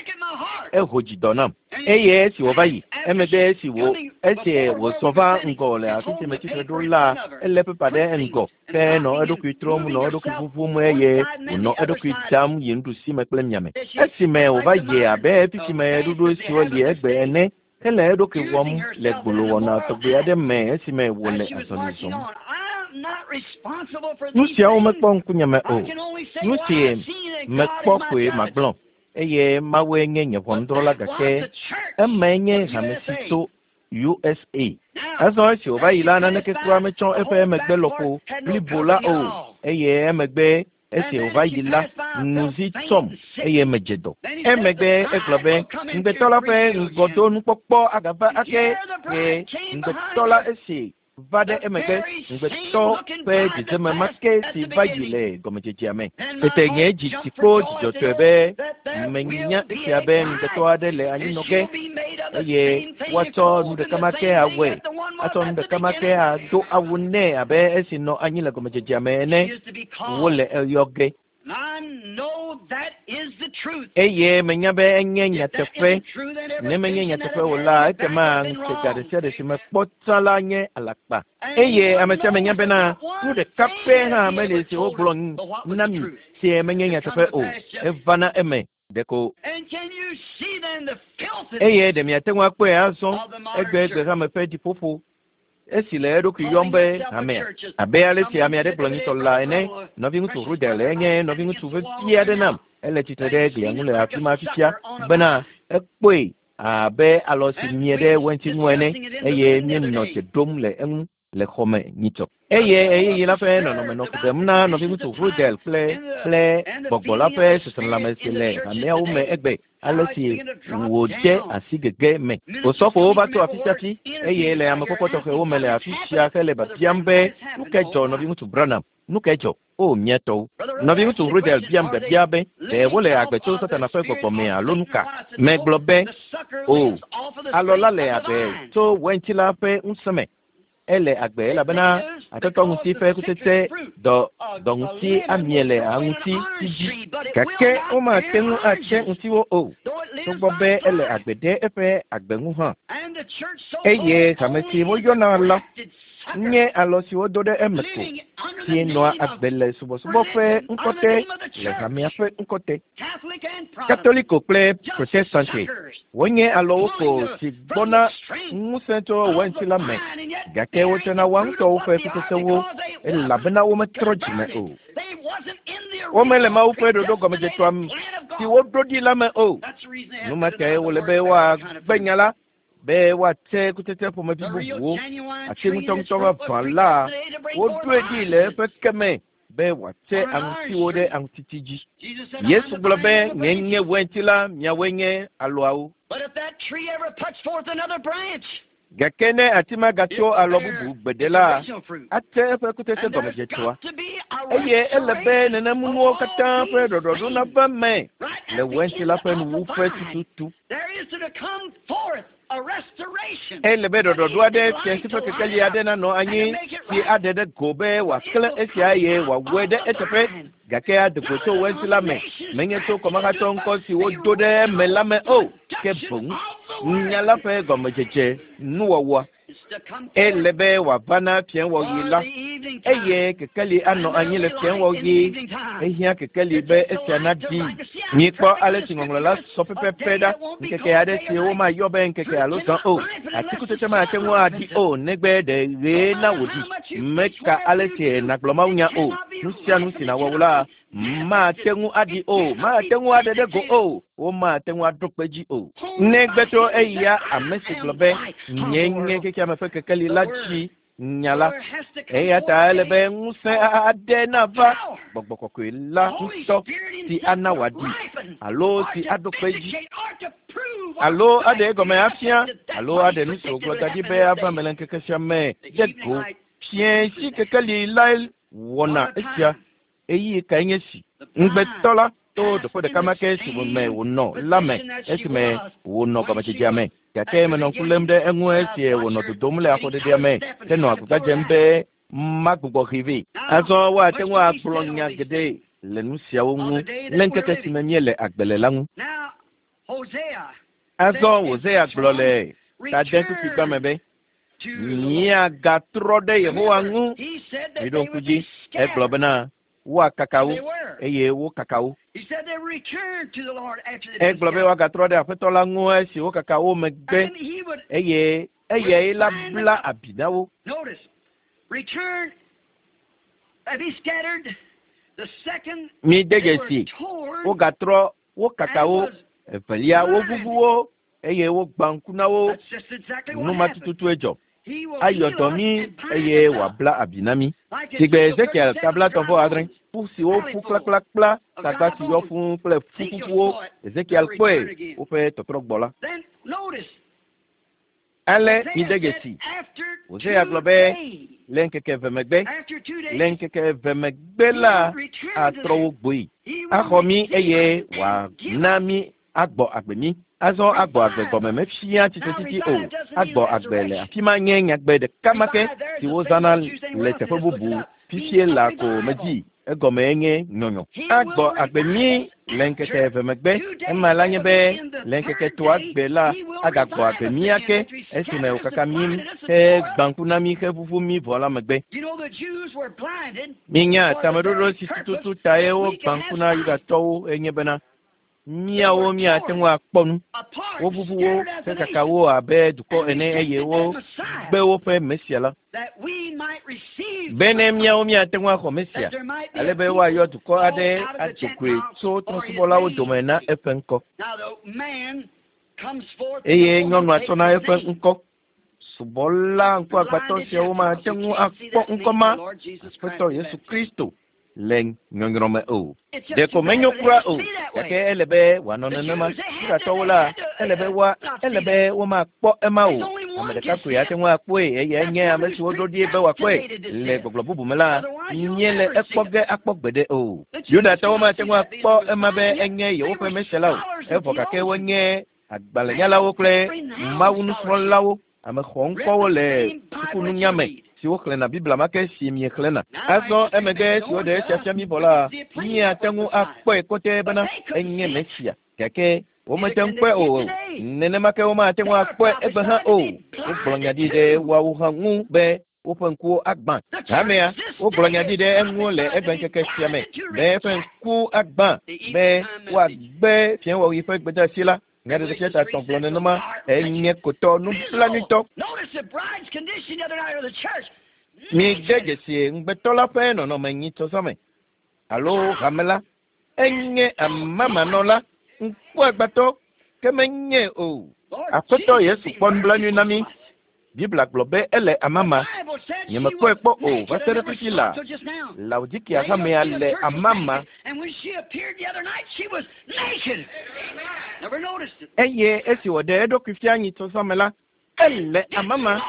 Eho dzi dɔ nam. Eye esi wòva yi emegbe esi wò esi wòzɔ va ŋgɔ le afi si metsitre ɖo la, elé pepa ɖe ŋgɔ ke nɔ eɖokui trɔm nɔ eɖokui ʋuʋum eye wònɔ eɖokui dam yi nuɖusime kple miame. Esime wòva yi abe fi si me ɣeɖuɖu siwo li egbe ene hele eɖokui wɔm le gbolowɔna tɔgbi aɖe me esime wòle azɔli zɔm. Nu siawo mekpɔ ŋkunyeme o. Nu si mekpɔ koe magblɔ eye Mawue nye nye ʋɔnudrɔ̃la gake emae nye hame si tso USA. Azɔ esi wòva yi la, naneke kura metsɔ eƒe emegbe lɔƒo blibo la o eye emegbe esi wòva yi la, ŋuzi tsɔm eye medze dɔ. Emegbe egblɔ be ŋugbetɔ la ƒe ŋgɔdonukpɔkpɔ agava ake ye ŋugbetɔ la esi va ɖe emegbe ŋugbetɔ ƒe dzedzeme ma ke si va yi le gɔmedzedzea me. Tete nye dzi tsi kpo dzidzɔtɔe be menya esia be ŋugbetɔ aɖe le anyinɔ ge eye woatsɔ nu ɖeka ma ke awɔe, atsɔ nu ɖeka ma ke ado awu nɛ abe esi nɔ anyi le gɔmedzedzea me ene. Wole eyɔ ge. Eye menya be enye nyateƒe. Ne menye nyateƒe o la, ekema ŋutega ɖe sia ɖe si mekpɔ tsã la nye alakpa. Eye ame sia ame nya bena nu ɖeka pɛ hã meli si wogblɔ na mi si menye nyateƒe o. Evana eme ɖeko. Eye ɖe miate ŋu akpɔe azɔ egbegbe hame ƒe ɖiƒoƒo esi le eɖokui yɔm be hamea. Abe ale si ame aɖe gblɔ nyitɔ la ene, nɔviŋutsu Rudel enye nɔviŋutsu vevi aɖe nam. Ele tsitre ɖe glia ŋu le afi ma fifia bena ekpɔe abe alɔ si mie ɖe wɛnti ŋu ene eye míenɔ dze ɖom le eŋu le xɔme nyitsɔ. Eye ɣeyiɣi la ƒe nɔnɔme nɔ fu ɖem na nɔviŋutsu Rudel kple kple gbɔgbɔ la ƒe seselelãme si le hameawo me egbe ale si wòde asi gege me. Osɔfowo va to afi sia afi eye le amekpɔkpɔ tɔxɛwo me le afi sia hele biabiam be nu kae dzɔ nɔviŋutsu Branham? Nu kae dzɔ? O mía tɔwo. Nɔviŋutsu Rudel biam biabia be ɖe wole agbe tso Satana ƒe gbɔgbɔ me alo nu ka? Megblɔ be o, alɔ la le agbe tso wɛnti la ƒe ŋusẽ me. Ele agbe elabena atetɔ ŋuti ƒe kutsetse dɔ dɔ ŋuti amie le aŋuti si dzi. Gake womate ŋu atse ŋutiwo o, togbɔ be ele agbe ɖe eƒe agbe ŋu hã. Eye hame si woyɔna la nye alɔ si wodo ɖe eme ko, si nɔa agbe le subɔsubɔ ƒe ŋkɔ te le hamea ƒe ŋkɔ te. Katoliko kple Protestante wonye alɔwo ko si gbɔna ŋusẽ tso wɛnti la me, gake wotsɔna woa ŋutɔwo ƒe kutsetsewo elabena wometrɔ dzime o. Womele Mawu ƒe ɖoɖo gɔmedzetɔa si woɖo ɖi la me o. Nu ma tae wòle be woagbe nya la be woatse kutsetse ƒomevi bubuwo. Ati ŋutɔŋutɔ vavã la, woɖoe ɖi le eƒe ke me be wòatse aŋutiwo ɖe aŋutiti dzi. Yesu gblɔ be nye nye wɛnti la, miawoe nye alɔawo. Gake ne ati ma gatso alɔ bubu gbeɖe la, atse eƒe kutsetse gɔmedzetɔa. Eye ele be nenemunuwo katã ƒe ɖɔɖɔɖo nava me le wɛnti la ƒe nuwuƒe tututu. Ele be ɖɔɖɔɖo aɖe fiasi ƒe kekeli aɖe nanɔ anyi si aɖe ɖe go be wòaklẽ esia eye wòawɔe ɖe eteƒe gake ade go tso wɛnti la me menye tso kɔmahatsɔ ŋkɔ si wodo ɖe eme la me o ke boŋ nya la ƒe gɔmedzedze nuwɔwɔa. Ele be wòava na fiẽwɔɣi la eye kekeli anɔ anyi le fiẽwɔɣi. Ehiã kekeli be esia naɖi. Mikpɔ ale si ŋɔŋlɔ la sɔ pɛpɛpɛ ɖa. Ŋkeke aɖe si womayɔ be ŋkeke alo zã o. Atikutsetse mate ŋu aɖi o negbe ɖe ɣee na wòɖi. Meka ale si nàgblɔ mawunya o. Nu sia nu si nàwɔ wo la mate ŋu aɖi o, mate ŋu aɖe ɖe go o, womate ŋu aɖo kpe dzi o. Negbe tso eya ame si gblɔ be nye nye xexeame ƒe kekeli la dzi nya la. Eya ta ele be ŋusẽ aɖe nava gbɔgbɔ kɔkɔe la ŋutɔ si ana wòaɖi alo si aɖo kpe dzi alo aɖe egɔme afia alo aɖe nu si wògblɔ da ɖi be ava me le ŋkeke sia me ɖe go. Fiẽ si kekeli lae wɔna esia. Ɣeyiɣi kae nye si? Ŋugbetɔ la to ɖoƒe ɖeka ma ke si me wònɔ la me esime wònɔ gɔmedzedzea me. Gake menɔ ŋku lém ɖe eŋu esi wònɔ dodom le afɔɖeɖea me henɔ agbagba dzem be magbugbɔ hee vɛ. Azɔ woate ŋu agblɔ nya geɖe le nu siawo ŋu le ŋkeke si me míele agbe le la ŋu. Azɔ Hosea gblɔ le tadekpukpuigba me be, Míagatrɔ ɖe Yehowa ŋu. Miɖo ŋku dzi, egblɔ bena woakaka wo eye wokaka wo. Egblɔ be woagatrɔ ɖe Aƒetɔ la ŋu esi wokaka wo megbe eye eyae la bla abi na wo. Mi de dzesi, wogatrɔ wo kaka wo, evelia wovuvu wo eye wogbã ŋku na wo. Nu ma tututue dzɔ. Ayɔ dɔ mí eye wòabla abi na mí. Sigbe Ezekiel tabla 36, ƒu siwo ƒu kplakplakpla, tagba si yɔ fũu kple ƒu ƒuƒuwo, Ezekiel kpɔe woƒe tɔtrɔ gbɔ la. Ale mi de dzesi, Hosea gblɔ be le ŋkeke eve megbe, le ŋkeke eve megbe la, atrɔ wo gboe, axɔ mí eye wòana mí agbɔ agbe mí. Azɔ agbɔ agbe gɔme mefia tsitretsitsi o. Agbɔ agbe le afi ma nye nyagbe ɖeka ma ke si wozãna le teƒe bubu fifie la ko medzi. Egɔme nye nyɔnyɔ. Agbɔ agbe mí le ŋkeke eve megbe. Ema la nye be le ŋkeke etɔ̃a gbe la agagbɔ agbe mí ake esime wòkaka mí hegbã ŋku na mí hevuvu mí vɔ la megbe. Minya tameɖoɖo si tututu tae wogbã ŋku na Yudatɔwo enye bena míawo míate ŋu akpɔ nu. Wovuvu wo hekaka wo abe dukɔ ene eye wogbe woƒe Mesia la. Bene míawo míate ŋu axɔ Mesia, ale be woayɔ dukɔ aɖe ado goe tso trɔ̃subɔlawo dome na eƒe ŋkɔ. Eye nyɔnua tsɔna eƒe ŋkɔ. Subɔla ŋkuagbãtɔ siawo mate ŋu akpɔ ŋkɔ ma, Aƒetɔ Yesu Kristo, le nyɔnyrɔ me o. Ɖeko menyo kura o, gake ele be wòanɔ nenema. Yudatɔwo la, ele be woa, ele be womakpɔ ema o. Ame ɖeka koe ate ŋu akpɔe, eyae nye ame si woɖo ɖi be wòakpɔe. Le gbɔgblɔ bubu me la, míele ekpɔ ge akpɔ gbeɖe o. Yudatɔwo mate ŋu akpɔ ema be enye yewoƒe Mesia la o. Evɔ gake wonye agbalẽnyalawo kple mawunusrɔ̃lawo, ame xɔŋkɔwo le sukununya me si woxlẽna Biblia ma ke si miexlẽna. Azɔ emegbe si woɖe esia fia mí vɔ la, míate ŋu akpɔe kɔtɛ bena enye Mesia. Gake womete ŋu kpɔe o. Nenema ke womate ŋu akpɔe egbe hã o. Wogblɔ nya ɖi ɖe woawo hã ŋu be woƒe ŋkuwo agbã. Hamea, wogblɔ nya ɖi ɖe eŋu le egbe ŋkeke sia me be eƒe ŋku agbã be woagbe fiẽwɔɣi ƒe gbedeasi la. Nyaɖeɖefia ta 3 gblɔ nenema enye kotɔ nublanuitɔ. Mide dzesi ŋugbetɔ la ƒe nɔnɔme nyitsɔzɔme alo hame la. Enye amamanɔla, ŋkuagbãtɔ, ke menye o. Aƒetɔ Yesu kpɔ nublanui na mí. Biblia gblɔ be ele amama. Nyemekpɔe kpɔ o va se ɖe fifi la. Laodikia hamea le amama. Eye esi wòɖe eɖokui fia nyitsɔzɔme la, ele amama.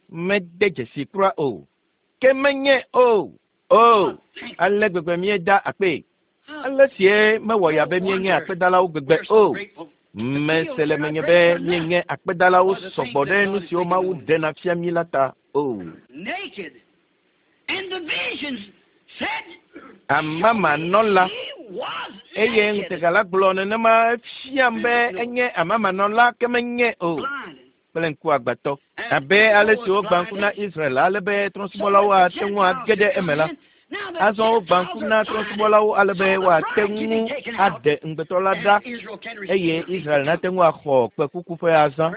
Mede dzesi kura o. Ke menye o. O, ale gbegbe míeda akpee. Ale sie mewɔ ya be míenye akpedalawo gbegbe o. Mese le menye be míenye akpedalawo sɔgbɔ ɖe nu siwo Mawu ɖena fia mí la ta o. Amamanɔla eye ŋutega la gblɔ nenema efiam be enye amamanɔla ke menye o. Kple ŋkuagbãtɔ. Abe ale si wogbã ŋku na Israel ale be trɔ̃subɔlawo ate ŋu age ɖe eme la, azɔ wogbã ŋku na trɔ̃subɔlawo ale be woate ŋu aɖe ŋugbetɔ la ɖa eye Israel nate ŋu axɔ kpẽkuku ƒe azã.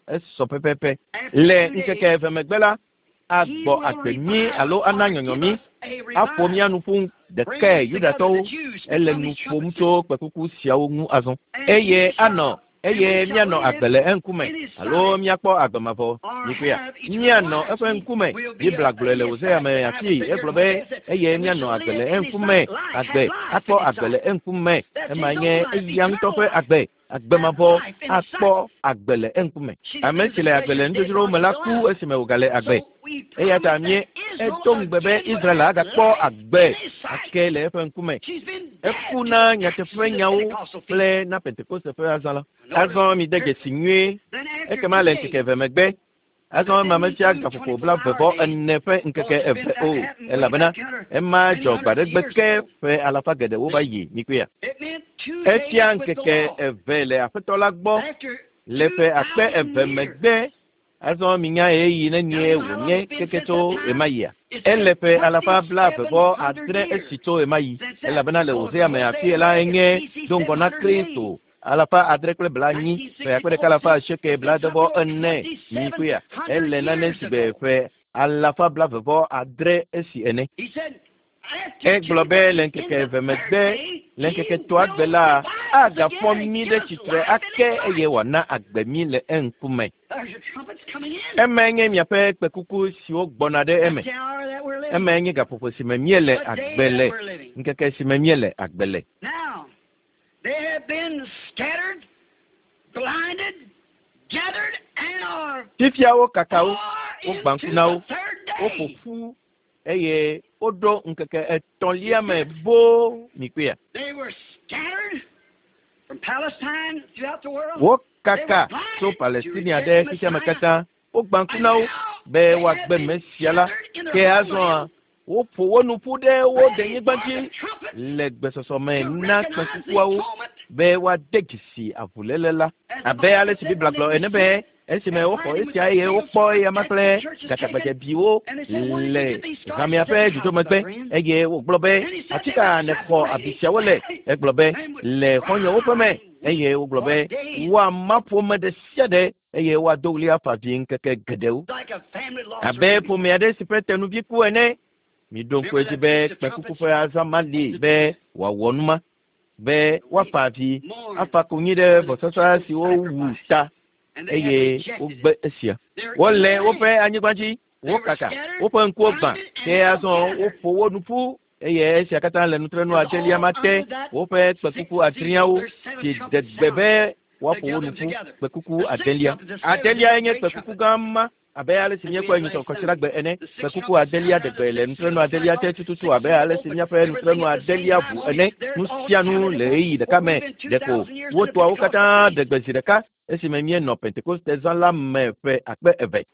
Esɔ pɛpɛpɛ. Le ŋkeke eve megbe la, agbɔ agbe mí alo ana nyɔnyɔ mí, aƒo mía nu ƒu ɖekae Yudatɔwo. Ele nu ƒom tso kpẽkuku siawo ŋu azɔ. Eye anɔ eye míanɔ agbe le eŋkume alo míakpɔ agbe mavɔ. Mikpɔea? Míanɔ eƒe ŋkume. Biblia gblɔe le Hosea me afii. Egblɔ be eye míanɔ agbe le eŋkume. Agbe, akpɔ agbe le eŋkume. Ema nye eya ŋutɔ ƒe agbe. Agbe mavɔ akpɔ agbe le eŋkume. Ame si le agbe le nudzodzrowo me la ku esime wògale agbe. Eya ta mí edo ŋugbe be Israel agakpɔ agbe ake le eƒe ŋkume. Eku na nyateƒenyawo kple na Pentekoste ƒe azã la. Azɔ mide dzesi nyuie. Ekema le ŋkeke eve megbe, azɔ ema mefia gaƒoƒo 44 ƒe ŋkeke eve o, elabena ema dzɔ gbe aɖe gbe ke ƒe alafa geɖewo va yi mikpɔea. Efia ŋkeke eve le Aƒetɔ la gbɔ le ƒe 2000 megbe. Azɔ minya ɣeyiɣi nenie wònye keke tso ɣemaɣia. Ele ƒe alafa 26 esi tso ɣemaɣi, elabena le Hosea me afie la enye do ŋgɔ na Kristo 640, ƒe 1884 mikpɔea. Ele nane si gbe ƒe alafa 26 esi ene. Egblɔ be le ŋkeke eve megbe, le ŋkeke etɔ̃a gbe la, agafɔ mí ɖe tsitre ake eye wòana agbe mí le eŋkume. Emae nye miaƒe kpekuku siwo gbɔna ɖe eme. Emae nye gaƒoƒo si me míele agbe le, ŋkeke si me míele agbe le. Fifia wokaka wo, wogbã ŋku na wo, woƒo ƒu eye woɖo ŋkeke etɔ̃lia me boo mikpɔea. Wokaka tso Palestinia ɖe xexeame katã. Wogbã ŋku na wo be woagbe Mesia la. Ke azɔa, woƒo wo nu ƒu ɖe wo denyigba dzi le gbesɔsɔ me na kpẽkukuawo be woade dzesi avuléle la. Abe ale si Biblia gblɔ ene be esime woxɔ esia eye wokpɔ eyama kple gatagbadzebiwo le hamea ƒe dzodzo megbe eye wògblɔ be afi ka nèxɔ abi siawo le? Egblɔ be le xɔ̃nyewo ƒe me eye wogblɔ be woama ƒome ɖe sia ɖe eye woado ɣli afa avi ŋkeke geɖewo abe ƒome aɖe si ƒe tenuvi ku ene. Miɖo ŋku edzi be kpẽkuku ƒe azã ma li be wòawɔ nu ma, be woafa avi, afa konyi ɖe vɔsasa si wowu ta eye wogbe esia. Wole woƒe anyigba dzi, wokaka, woƒe ŋkuwo gbã, ke azɔ woƒo wo nu ƒu eye esia katã le nutrenu adelia ma te, woƒe kpekuku adreawo si de gbe be woaƒo wo nu ƒu, kpekuku adelia. Adeliae nye kpekuku gã ma abe ale si míekpɔe nyitsɔ kɔsiɖagbe ene. Kpekuku adelia de gbe le nutrenu adelia te tututu abe ale si míaƒe nutrenu adelia ʋu ene. Nu sia nu le ɣeyiɣi ɖeka me. Ɖeko wotoawo katã ɖe gbe zi ɖeka esime míenɔ Pentekoste zã la me ƒe akpe eve.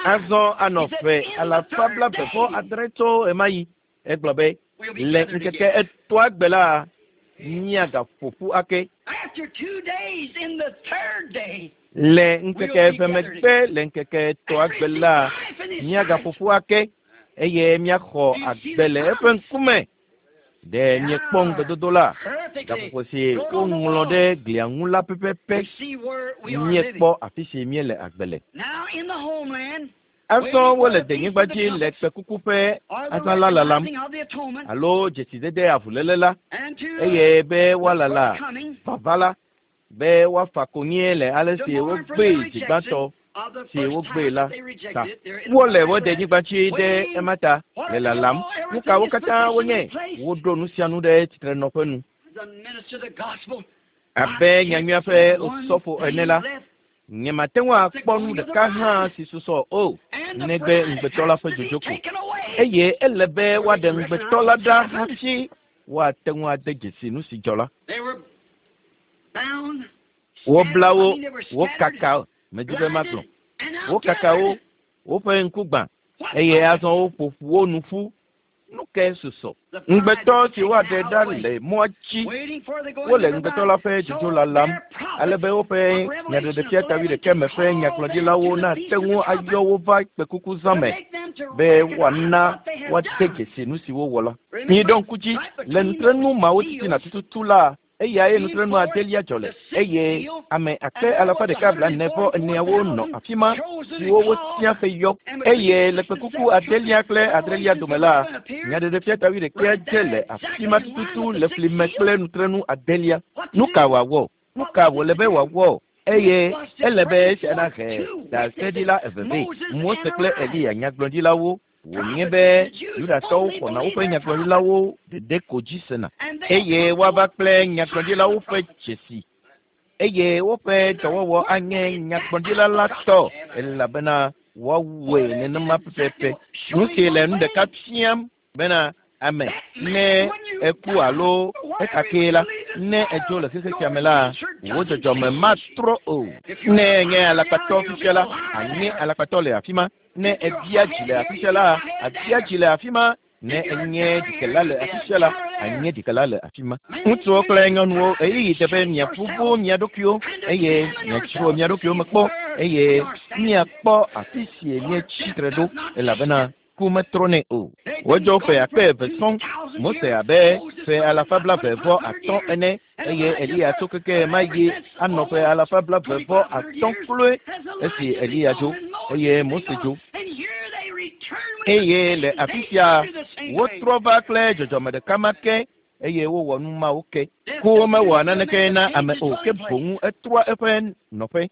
Azɔ anɔ ƒe alafa blaeve vɔ adre tso ɣemaɣi. Egblɔ be, Le ŋkeke etɔ̃a gbe la, míagaƒo ƒu ake. Le ŋkeke eve megbe le ŋkeke etɔ̃a gbe la, míagaƒo ƒu ake eye míaxɔ agbe le eƒe ŋkume. Ɖe miekpɔ ŋugbedodo la? Gaƒoƒo si woŋlɔ ɖe glia ŋu la pɛpɛpɛ. Míekpɔ afi si míele agbe le. Azɔ wole denyigba dzi le kpekuku ƒe azã la lalam, alo dzesidede avuléle la, eye be woalala vava la, be woafa konyie le ale si wogbee zi gbãtɔ si wogbee la ta. Wole wo denyigba dzi ɖe ema ta le lalam. Nu kawo katã wonye? Woɖo nu sia nu ɖe tsitrenɔƒe nu. Abe nyanyuia ƒe osɔfo ene la, Nyemate ŋu akpɔ nu ɖeka hã si susɔ o, negbe ŋugbetɔ la ƒe dzodzo ko. Eye ele be woaɖe ŋugbetɔ la ɖa hafi woate ŋu ade dzesi nu si dzɔ la. Wobla wo, wokaka, medi be magblɔ, wokaka wo, woƒe ŋku gbã, eye azɔ woƒo ƒu wo nu ƒu. Nu kae susɔ? Ŋugbetɔ si woaɖe ɖa le mɔa dzi. Wole ŋugbetɔ la ƒe dzodzo lalam ale be woƒe nyaɖeɖefia ta wuiɖekɛ me ƒe nyagblɔɖilawo nate ŋu ayɔ wo va kpekuku zã me be woana woade dzesi nu si wowɔ la. Miɖo ŋku dzi, le nutrenu mawo titina tututu la, Eyae nutrenu adelia dzɔ le, eye ame akpe alafa ɖeka blaene vɔ eneawo nɔ afi ma, siwo wotia heyɔ. Eye le kpekuku adelia kple adrelia dome la, nyaɖeɖefia ta wuiɖekɛa dze le afi ma tututu le fli me kple nutrenu adelia. Nu ka wòawɔ? Nu ka wòle be wòawɔ? Eye ele be esia nahe ɖaseɖila eve vɛ, Mose kple Eliya, nyagblɔɖilawo. Wònye be Yudatɔwo xɔna woƒe nyagblɔɖilawo ɖeɖe ko dzi sena, eye woava kple nyagblɔɖilawo ƒe dzesi, eye woƒe dɔwɔwɔ anye nyagblɔɖila la tɔ, elabena woawɔe nenema pɛpɛpɛ. Nu si le nu ɖeka fiam bena ame ne eku alo ekakee la, ne edzo le xexe sia me la, wò dzɔdzɔme matrɔ o. Ne enye alakpatɔ fifia la, ànye alakpatɔ le afi ma. Ne èbia dzi le afi sia la, àbia dzi le afi ma. Ne ènye ɖikela le afi sia la, ànye ɖikela le afi ma. Ŋutsuwo kple nyɔnuwo, ɣeyiɣi de be miaʋuʋu mia ɖokuiwo eye miadzro mia ɖokuiwo me kpɔ eye miakpɔ afi si mietsi tre ɖo, elabena ku metrɔnɛ o. Wodzo ƒe akpe eve sɔŋ, Mose abe ƒe alafa blaeve vɔ atɔ̃ ene, eye Eliya tso keke ma yi anɔ ƒe alafa blaeve vɔ atɔ̃ kloe esi Eliya dzo, eye Mose dzo. Eye le afi sia wotrɔ va kple dzɔdzɔme ɖeka ma ke eye wowɔ nu mawo ke. Ku mewɔa naneke na ame o ke boŋ etrɔa eƒe nɔƒe.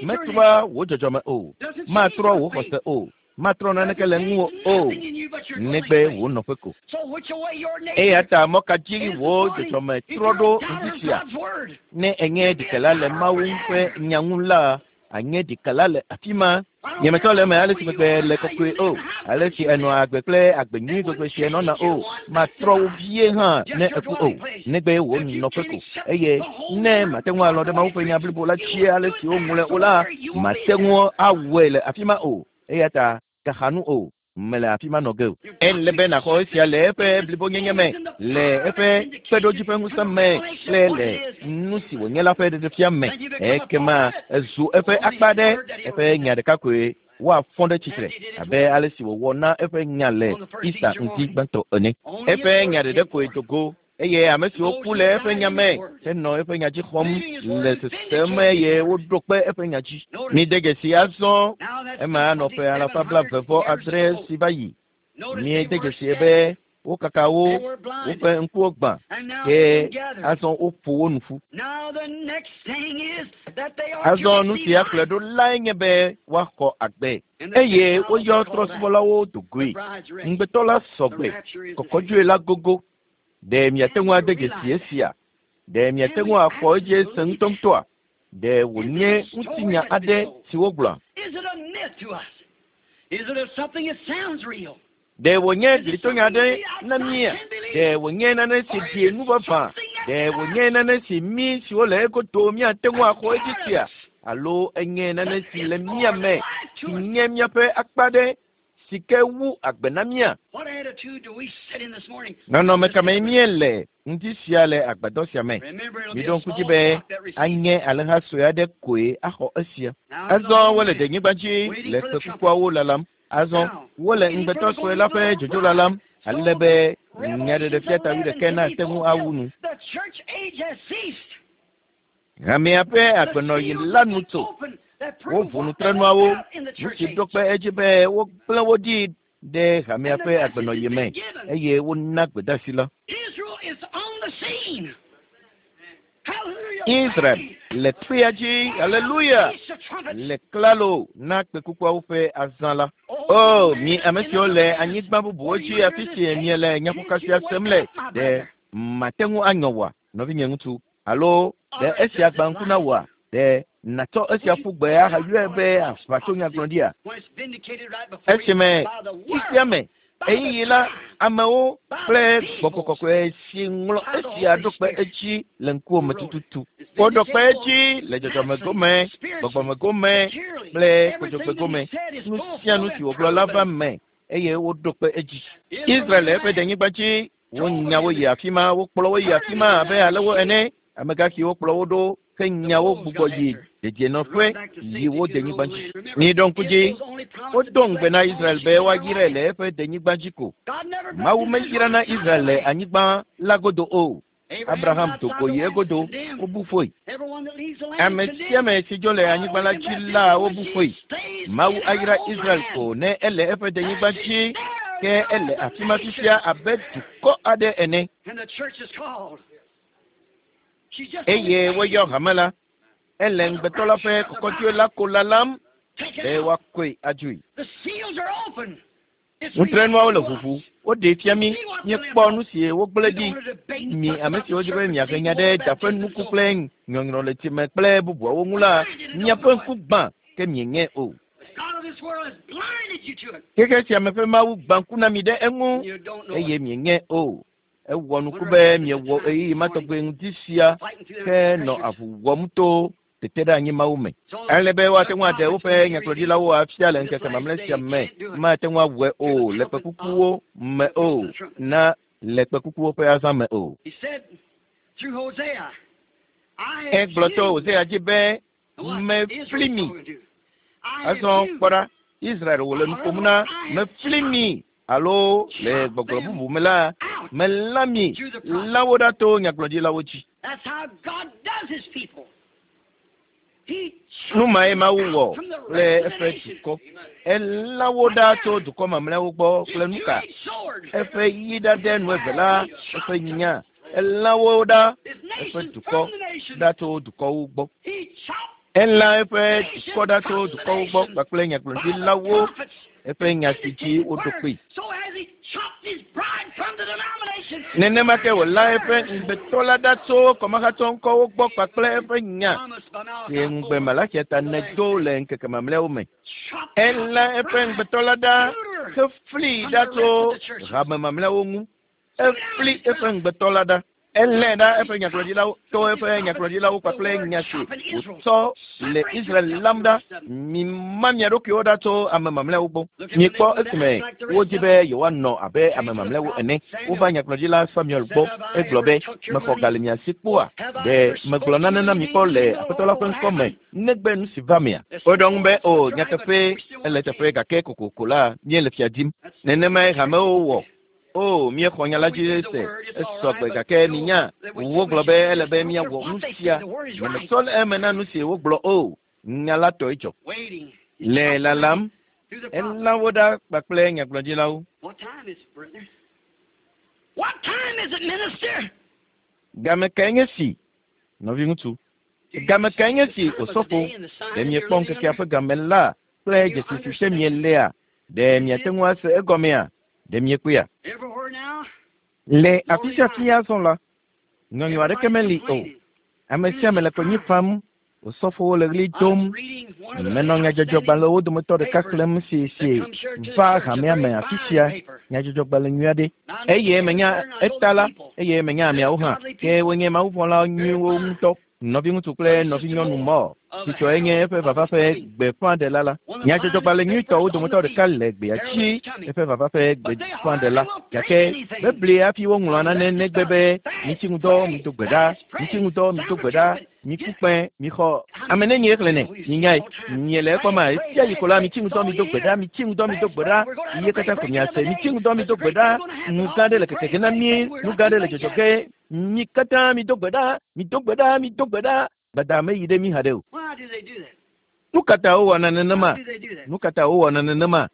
Metrɔa wò dzɔdzɔme o, matrɔ wò xɔse o, matrɔ naneke le ŋuwò o, negbe wò nɔƒe ko. Eya ta mɔ ka dzi wò dzɔdzɔme trɔ ɖo ŋdi sia? Ne enye ɖikela le Mawu ƒe nya ŋu la, anye ɖikela le afi ma. Nyemetɔ le eme ale si gbegbe le kɔkɔe o, ale si enɔa agbe kple agbe nyui gbegbe si enɔna o, matrɔ wo vie hã ne eku o, negbe wò nɔƒe ko. Eye ne mate ŋu alɔ̃ ɖe Mawu ƒe nya blibo la dzi ale si woŋlɔe o la, mate ŋu awɔe le afi ma o. Eya ta gaxa nu o, mele afi ma nɔ ge o. Ele be nàxɔ esia le eƒe blibonyenye me, le eƒe kpeɖodzi ƒe ŋusẽ me kple le nu si wònye la ƒe ɖeɖefia me. Ekema ezu eƒe akpa ɖe, eƒe nya ɖeka koe woafɔ ɖe tsitre abe ale si wòwɔ na eƒe nya le Easter ŋdi gbãtɔ ene. Eƒe nya ɖeɖe koe do go eye ame siwo ku le eƒe nya me henɔ eƒe nya dzi xɔm le sesem eye woɖo kpe eƒe nya dzi. Mide dzesi azɔ ema anɔ ƒe alafa 78 si va yi. Miede dzesi be wokaka wo, woƒe ŋkuwo gbã ke azɔ woƒo wo nu ƒu. Azɔ nu si akplɔe ɖo lae nye be woaxɔ agbe eye woyɔ trɔ̃subɔlawo do goe. Ŋugbetɔ la sɔgbe, kɔkɔdzoe la gogo. Ɖe miate ŋu ade dzesi esia? Ɖe miate ŋu axɔ edzi ese ŋutɔŋutɔa? Ɖe wònye ŋutinya aɖe si wogblɔa? Ɖe wònye glitonya aɖe na mía? Ɖe wònye nane si ɖi nu vavã? Ɖe wònye nane si mí siwo le egodo míate ŋu axɔ edzi sia? Alo enye nane si le mía me si nye míaƒe akpa ɖe si ke wu agbe na mía? Nɔnɔme ka mee míele ŋdi sia le agbadɔ sia me? Miɖo ŋku dzi be anye alẽha sue aɖe koe axɔ esia. Azɔ wole denyigba dzi le kpekukuawo lalam. Azɔ wole ŋugbetɔ sue la ƒe dzodzo lalam ale be nyaɖeɖefia ta wuiɖekɛ nate ŋu awu nu. Hamea ƒe agbenɔɣi la nu tso. Woʋu nutrenuawo, nu si ɖo kpe edzi be wogblẽ wo ɖi ɖe hamea ƒe agbenɔɣi me eye wona gbedeasi la. Israel le kpea dzi, haleluya, le klalo na kpekukuawo ƒe azã la. O, mi ame siwo le anyigba bubuwo dzi afi si miele nyaƒoka sia sem le, ɖe mate ŋu anyɔ wòa, nɔvinye ŋutsu? Alo ɖe esia gbã ŋku na wòa? Ɖe nàtsɔ esia ƒu gbe ahayɔe be aʋatsonyagblɔɖia? Esime xexea me ɣeyiɣi la, amewo kple gbɔgbɔ kɔkɔe si ŋlɔ esia ɖo kpe edzi le ŋkuwò me tututu. Woɖo kpe edzi le dzɔdzɔme gome, gbɔgbɔme gome kple kodzogbe gome. Nu sia nu si wògblɔ la va me eye woɖo kpe edzi. Israel le eƒe denyigba dzi, wonya wo yi afi ma, wokplɔ wo yi afi ma abe alewo ene. Amegãxiwo kplɔ wo ɖo ke nyawo gbugbɔ yi dedienɔƒe yi wo denyigba dzi. Miɖo ŋku dzi, wodo ŋugbe na Israel be woayrae le eƒe denyigba dzi ko. Mawu meyrana Israel le anyigba la godo o. Abraham do go yi egodo, wobu foe. Ame sia ame si dzo le anyigba la dzi la, wobu foe. Mawu ayra Israel ko ne ele eƒe denyigba dzi, ke ele afi ma fifia abe dukɔ aɖe ene. Eye woyɔ hame la, ele ŋugbetɔ la ƒe kɔkɔdzoe la ko lalam be woakɔe adzoe. Nutrenuawo le ʋuʋu, woɖee fia mí, míekpɔ nu si wogblẽ ɖi. Mi ame siwo dzi be miahe nya ɖe daƒe nuku kple nyɔnyrɔ le tsime kple bubuawo ŋu la, miaƒe ŋku gbã ke mienye o. Xexe sia me ƒe Mawu gbã ŋku na mi ɖe eŋu eye mienye o. Ewɔ nuku be miewɔ ɣeyiɣi ma tɔgbe ŋdi sia ke nɔ avu wɔm to tete ɖe anyi Mawu me. Ale be woate ŋu aɖe woƒe nyagblɔɖilawo afia le ŋkeke mamlɛ sia me. Mate ŋu awɔe o le kpekukuwo me o na le kpekukuwo ƒe azã me o. Egblɔ to Hosea dzi be mefli mi. Azɔ kpɔ ɖa, Israel wòle nu ƒom na mefli mi alo le gbɔgblɔ bubu me la, melã mi lã wo ɖa to nyagblɔɖilawo dzi. Nu mae Mawu wɔ kple eƒe dukɔ. Elã wo ɖa tso dukɔ mamlɛawo gbɔ kple nu ka? Eƒe yi ɖaɖɛ nu eve la, eƒe nya. Elã wo ɖa, eƒe dukɔ ɖa tso dukɔwo gbɔ. Elã eƒe dukɔ ɖa tso dukɔwo gbɔ kpakple nyagblɔɖilawo, eƒe nya si dzi woɖo kpee. Nenema ke wòlã eƒe ŋugbetɔ la ɖa tso kɔmahatsɔ ŋkɔwo gbɔ kpakple eƒe nya si ŋugbe Malaxia ta nèdo le ŋkeke mamlɛawo me. Elã eƒe ŋugbetɔ la ɖa heflii ɖa tso hame mamlɛawo ŋu. Efli eƒe ŋugbetɔ la ɖa. Elãe ɖa eƒe nyagblɔɖilawo to eƒe nyagblɔɖilawo kpakple nya si wòtsɔ le Israel lam ɖa. Mima mia ɖokuiwo ɖa tso ame mamlɛawo gbɔ. Mikpɔ esime wodi be yewoanɔ abe ame mamlɛawo ene. Wova nyagblɔɖila Samuel gbɔ. Egblɔ be, Mexɔ ga le mia si kpɔa? Ɖe megblɔ nane na mi kpɔ le Aƒetɔ la ƒe ŋkɔ me negbe nu si va mea? Woɖo eŋu be, O, nyateƒee, ele eteƒe gake kokoko la, míele fia dim. Nenemae hamewo wɔ. O, míexɔ nya la dzi se, esɔ gbe gake minya, wogblɔ be ele be míawɔ nu sia. Nyemesɔ le eme na nu si wogblɔ o. Nya la tɔe dzɔ. Le lalam, elã wo ɖa kpakple nyagblɔɖilawo. Game kae nye si, nɔviŋutsu? Game kae nye si, osɔfo? Ɖe miekpɔ ŋkekea ƒe game la kple dzesi si te mielea? Ɖe miate ŋu ase egɔmea? Ɖe miekpɔea? Le afi sia afi azɔ la, nyɔnyɔ aɖeke meli o. Ame sia ame le konyi fam, osɔfowo le ɣli dom. Menɔ nyadzɔdzɔgbalẽwo dometɔ ɖeka xlẽm si si va hamea me afi sia, nyadzɔdzɔgbalẽ nyui aɖe. Eye menya etala, eye menya ameawo hã, ke wonye mawuvɔ̃la nyuiwo ŋutɔ. Nɔviŋutsu kple nɔvinyɔnu Moore, si tsɔe nye eƒe vava ƒe gbeƒãɖela la. Nyadzɔdzɔgbalẽ nyuitɔwo dometɔ ɖeka le gbea dzi, eƒe vava ƒe gbeƒãɖela. Gake bebli hafi woŋlɔa nane negbe be mitsi ŋudɔ, mido gbe ɖa, mitsi ŋudɔ, mido gbe ɖa, miku kpẽ, mixɔ. Ame nenye xlẽnɛ, minyae, miele ekpɔm ma, esia yi ko la, mitsi ŋudɔ, mido gbe ɖa, mitsi ŋudɔ, mido gbe ɖa, ye katã ko miase, mitsi ŋudɔ, mido gbe ɖa, nu gã aɖe le keke ge na mí, nu gã aɖe le dzɔdzɔ ge. Mi katã mido gbe ɖa, mido gbe ɖa, mido gbe ɖa. Gbada meyi ɖe mi haɖe o. Nu ka ta wowɔna nenema? Nu ka ta wowɔna nenema?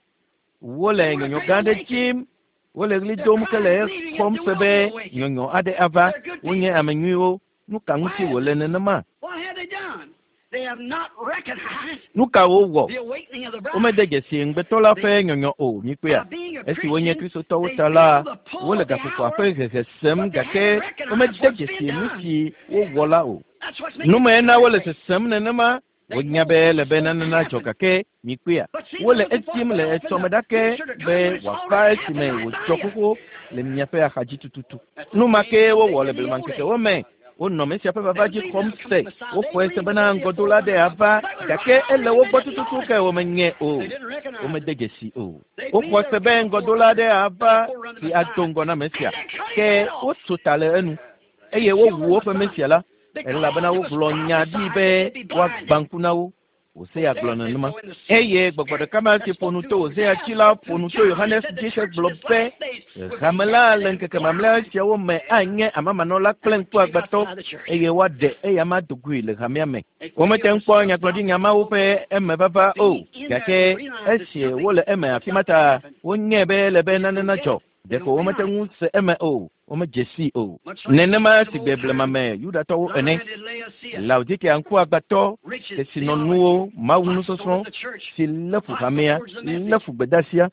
Wole nyɔnyɔ gã aɖe dzim. Wole ɣli dom ke le exɔm se be nyɔnyɔ aɖe ava. Wonye ame nyuiwo. Nu ka ŋuti wòle nenema? Nu ka wowɔ? Womede dzesi ŋugbetɔ la ƒe nyɔnyɔ o, mikpɔea? Esi wonye Kristotɔwo ta la, wole gaƒoƒoa ƒe hehe sem gake womede dzesi nu si wowɔ la o. Nu mae na wole sesem nenema. Wonya be ele be nane nadzɔ gake mikpɔea? Wole edim le etsɔme ɖake be wòava esime wòdzɔ xoxo le miaƒe axadzi tututu. Nu ma kee wowɔ le blemaŋkekewo me. Wonɔ Mesia ƒe vava dzi xɔm se. Woxɔe se bena ŋgɔdola aɖe ava gake ele wo gbɔ tututu ke womenyae o. Womede dzesi o. Woxɔ se be ŋgɔdola aɖe ava si ado ŋgɔ na Mesia ke wotso ta le enu eye wowu woƒe Mesia la elabena wogblɔ nya ɖi be woagbã ŋku na wo. Hosea gblɔ nenema. Eye gbɔgbɔ ɖeka ma si ƒo nu to Hosea dzi la ƒo nu to Yohanes dzi hegblɔ be hame la le ŋkeke mamlɛ siawo me anye amamanɔla kple ŋkuagbãtɔ eye woaɖe eyama do goe le hamea me. Womete ŋu kpɔ nyagblɔɖinya mawo ƒe emevava o, gake esi wole eme afi ma ta, wonyae be ele be nane nadzɔ. Ɖeko womete ŋu se eme o, womedze sii o. Nenema si gbe blema me Yudatɔwo ene, Laodikea ŋkuagbãtɔ, kesinɔnuwo, mawunusɔsrɔ̃ si lé fu hamea, lé fu gbedeasia.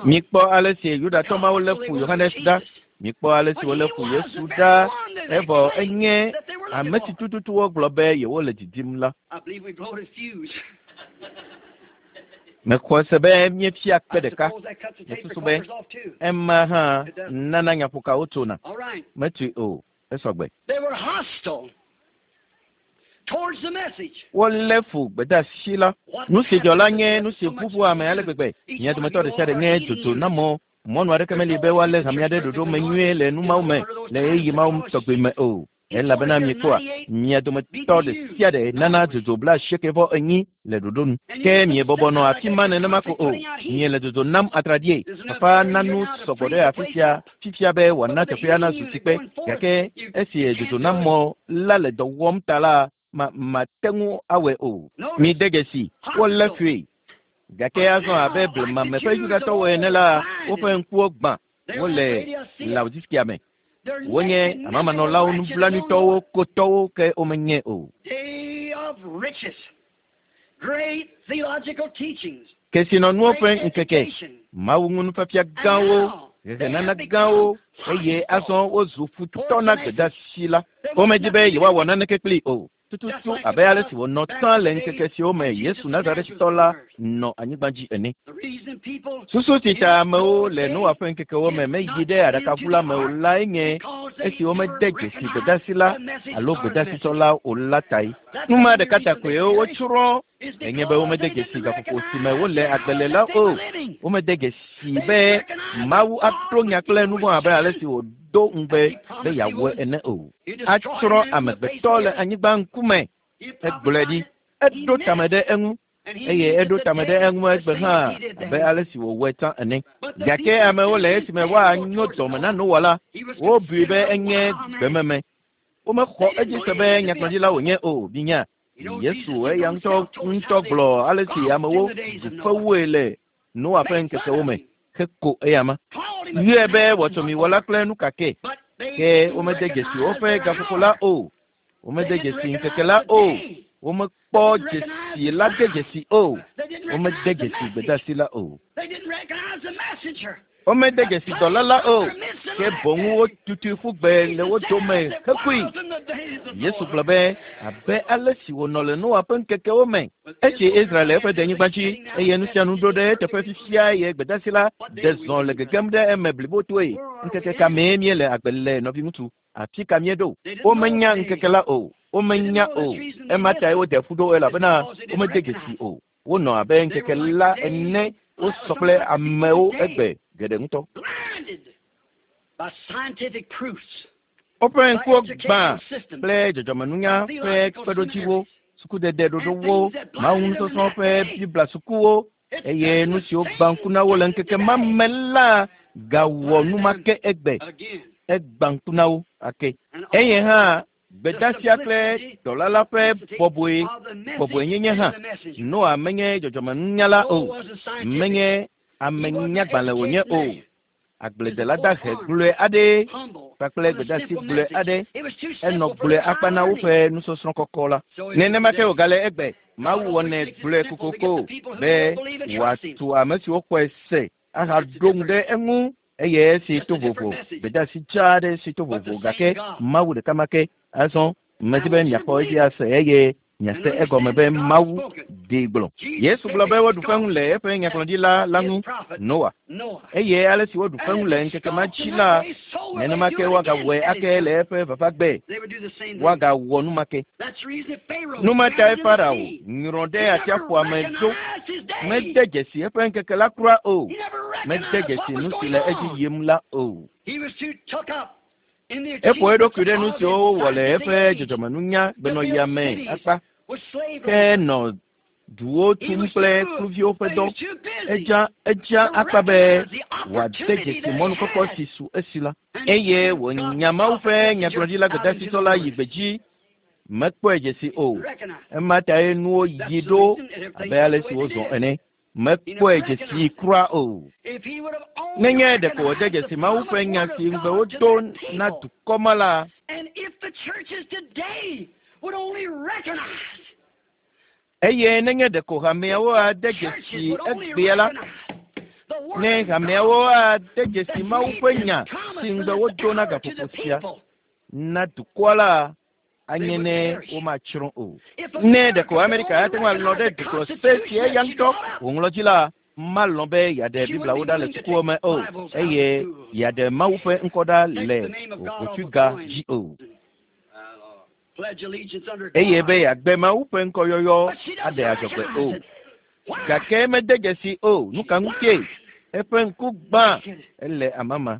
Mikpɔ ale si Yudatɔ mawo lé fu Yohanes ɖa. Mikpɔ ale si wolé fu Yesu ɖa, evɔ enye ame si tututu wogblɔ be yewole didim la. Mexɔe se be míefia kpe ɖeka. Mesusu be ema hã nana nyaƒokawo tsona. Metui o. Esɔ gbe. Wolé fu gbedeasi la. Nu si dzɔ la nye nu si ʋuʋu ame ale gbegbe. Mia dometɔ ɖe sia ɖe nye dzodzo na mɔ. Mɔnu aɖeke meli be woalé hamea ɖe ɖoɖo me nyuie le nu mawo me le ɣeyiɣi mawo tɔgbi me o. Elabena miekpɔa, mia dometɔ ɖe sia ɖe nana dzodzo 94 le ɖoɖo nu. Ke miebɔbɔ nɔ afi ma nenema ko o. Miele dzodzo nam atraɖie. Papa na nu sɔgbɔ ɖe afi sia fifia be wòana teƒea nazu tsikpe. Gake esi dzodzonamɔ la le dɔ wɔm ta la, mate ŋu awɔe o. Mide dzesi, wolé fui. Gake azɔ abe blemame ƒe Yudatɔwo ene la, woƒe ŋkuwo gbã. Wole Laodicea me. Wonye amamanɔlawo, nublanuitɔwo, kotɔwo ke womenye o. Kesinɔnuwo ƒe ŋkeke, Mawu ŋu nufiafia gãwo, hehenana gãwo, eye azɔ wozu futɔ na gbedeasi la. Womedi be yewoawɔ naneke kplii o. Tututu abe ale si wònɔ tsã le ŋkeke siwo me Yesu Nazaretitɔ la nɔ anyigba dzi ene. Susu si ta amewo le Noa ƒe ŋkekewo me meyi ɖe aɖakaʋu la me o lae nye esi womede dzesi gbedeasi la alo gbedasitɔ la o la tae. Nu ma ɖeka ta koe wotsrɔ̃ enye be womede dzesi gaƒoƒo si me wole agbe le la o. Womede dzesi be Mawu aɖo nya kple nu vɔ̃ abe ale si wòdo ŋugbe be yeawɔe ene o. Atsrɔ̃ amegbetɔ le anyigba ŋkume. Egblɔe ɖi. Eɖo tame ɖe eŋu. Eye eɖo tame ɖe eŋu egbe hã abe ale si wòwɔe tsã ene. Gake amewo le esime woanyo dɔme na Noa la, wobui be enye gbememe. Womexɔ edzi se be nyagblɔɖila wònye o. Minya, Yesu eya ŋutɔ gblɔ ale si amewo ɖu fewoe le Noa ƒe ŋkekewo me heko eyama. Yɔe be wɔtsɔmiwɔla kple nukake. Ke womede dzesi woƒe gaƒoƒo la o. Womede dzesi ŋkeke la o. Womekpɔ dzesi la de dzesi o. Womede dzesi gbedeasi la o. Womede dzesi dɔla la o. Ke boŋ wotutui ƒu gbe le wo dome hekui. Yesu gblɔ be abe ale si wònɔ le Noa ƒe ŋkekewo me. Esi Israel le eƒe denyigba dzi eye nu sia nu ɖo ɖe eteƒe fifia eye gbedeasi la ɖe zɔ le gegem ɖe eme blibotoe. Ŋkeke ka mee míele agbe le nɔviŋutsu? Afi ka míeɖo? Womenya ŋkeke la o. Womenya o. Ema tae wode ƒu ɖo elabena womede dzesi o. Wonɔ abe ŋkeke la ene wosɔ kple amewo egbe geɖe ŋutɔ. Woƒe ŋkuwo gbã kple dzɔdzɔmenunya ƒe kpeɖodziwo, sukudede ɖoɖowo, Mawu nusɔsrɔ̃ ƒe Biblia sukuwo eye nu siwo gbã ŋku na wo le ŋkeke ma me la gawɔ nu ma ke egbe. Egbã ŋku na wo ake. Eye hã gbedeasia kple dɔla la ƒe bɔbɔenyenye hã. Noa menye dzɔdzɔmenunyala o. Menye amenyagbalẽ wònye o. Agbledela dahe gblɔe aɖe kpakple gbedeasi gblɔe aɖe enɔ gblɔe akpa na woƒe nusɔsrɔ̃ kɔkɔ la. Nenema ke wògale egbe. Mawu wɔnɛ gblɔe kokoko be wòatu ame siwo xɔe se ahaɖo ŋu ɖe eŋu eye esi to vovo gbedeasi dzaa aɖe si to vovo gake Mawu ɖeka ma ke. Azɔ medi be miaxɔ edzi ase eye miase egɔme be Mawu ɖee gblɔ. Yesu gblɔ be woɖu feŋu le eƒe nyagblɔɖila la ŋu, Noa. Eye ale si woɖu feŋu le ŋkeke ma dzi la, nenema ke woagawɔe ake le eƒe vavagbe. Woagawɔ nu ma ke. Nu ma tae Farao nyrɔ ɖe atsiaƒua me ɖo. Mede dzesi eƒe ŋkeke la kura o. Mede dzesi nu si le edzi yim la o. Eƒo eɖokui ɖe nu siwo wowɔ le eƒe dzɔdzɔmenunya gbenɔɣia me akpa. Ke nɔ duwo tum kple kluviwo ƒe dɔ. Edza akpa be wòade dzesi mɔnukpɔkpɔ si su esi la. Eye wònya Mawu ƒe nyagblɔɖila gbedeasitɔ la yi gbedzi. Mekpɔe dzesi o. Ema tae nuwo yi ɖo abe ale si wozɔ ene. Mekpɔe dzesi kura o. Nenye ɖeko wòde dzesi Mawu ƒe nya si ŋugbe wodo na dukɔ ma la, eye nenye ɖeko hameawo ade dzesi egbea la, ne hameawo ade dzesi Mawu ƒe nya si ŋugbe wodo na gaƒoƒo sia na dukɔa la, anye ne womatsrɔ̃ o. Ne ɖeko Amerika ate ŋu alɔ̃ ɖe dukplɔse si eya ŋutɔ wòŋlɔ dzi la, malɔ̃ be yeaɖe Bibliawo ɖa le sukuwo me o eye yeaɖe Mawu ƒe ŋkɔ ɖa le ʋɔtsuga dzi o. Eye be yeagbe Mawu ƒe ŋkɔyɔyɔ aɖe adzɔgbe o. Gake mede dzesi o. Nu ka ŋutie? Eƒe ŋku gbã ele amama.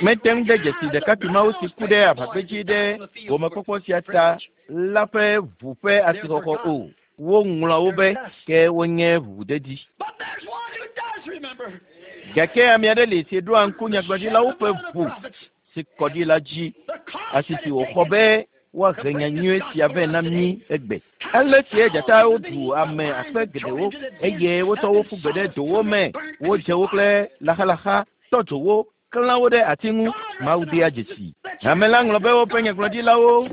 Mete ŋu de dzesi ɖekakpui mawo si ku ɖe aʋagbedzi ɖe gomekpɔkpɔ sia ta la ƒe ʋu ƒe asixɔxɔ o. Woŋlɔ wo be ke wonye ʋuʋudedi. Gake ame aɖe li si ɖoa ŋku nyagblɔɖilawo ƒe ʋu si kɔ ɖi la dzi, asi si wòxɔ be woahe nya nyui sia vɛ na mí egbe. Ale sie dzatawo ɖu ame akpe geɖewo eye wotsɔ wo ƒu gbe ɖe dowo me, wodze wo kple laxalaxa, tɔ dzo wo, klã wo ɖe ati ŋu. Mawu dea dzesi. Hame la ŋlɔ be woƒe nyagblɔɖilawo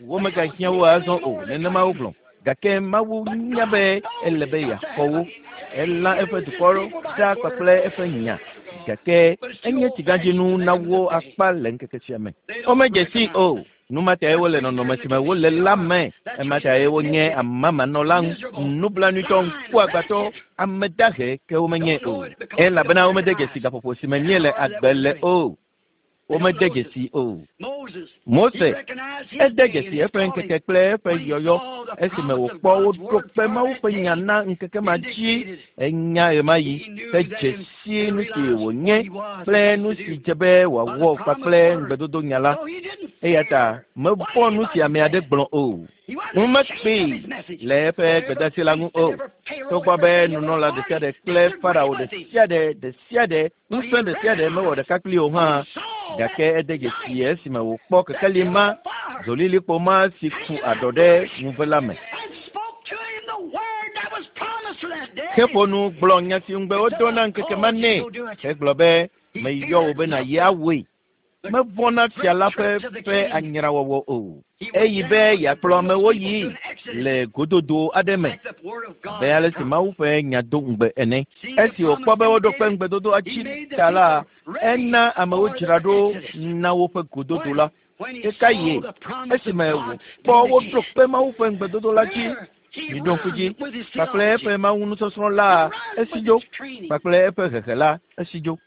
womegahiã wo azɔ o, nenema wogblɔ. Gake Mawu nya be ele be yeaxɔ wo. Elã eƒe dukɔ ɖa kpakple eƒe nya. Gake enye tsigãdzinu na wo akpa le ŋkeke sia me. Womedze sii o. Nu ma tae wole nɔnɔme si me wole la me. Ema tae wonye amamanɔla, nublanuitɔ, ŋkuagbãtɔ, ame dahe ke womenye o. Elabena womede dzesi gaƒoƒo si me míele agbe le o. Womede dzesi o. Mose ede dzesi eƒe ŋkeke kple eƒe yɔyɔ esime wòkpɔ woɖo kpe Mawu ƒe nya na ŋkeke ma dzi. Enya ɣemaɣi hedze si nu si wònye kple nu si dze be wòawɔ kpakple ŋugbedodo nya la. Eya ta mevɔ̃ nu si ame aɖe gblɔ o. Ŋu mekpee le eƒe gbedeasi la ŋu o. Togbɔ be nunɔla ɖe sia ɖe kple Farao ɖe sia ɖe ɖe sia ɖe ŋusẽ ɖe sia ɖe mewɔ ɖeka kpli o hã, gake ede dzesi esime wòkpɔ kekeli ma, dzolilikpo ma si ku aɖɔ ɖe ŋuve la me. Heƒo nu gblɔ nya si ŋugbe wodo na ŋkeke ma nɛ hegblɔ be, meyɔ wò be nàyi awɔe. Mevɔ̃ na fia la ƒe ƒe anyrawɔwɔ o. Eyi be yeakplɔ amewo yi le gododo aɖe me abe ale si Mawu ƒe nya do ŋugbe ene. Esi wòkpɔ be woɖo kpe ŋugbedodoa dzi ta la, ena amewo dzra ɖo na woƒe gododo la. Ɣekaɣie esime wòkpɔ woɖo kpe Mawu ƒe ŋugbedodo la dzi, miɖo ŋku dzi, kpakple eƒe Mawu nusɔsrɔ̃ la esi dzo, kpakple eƒe hehe la esi dzo.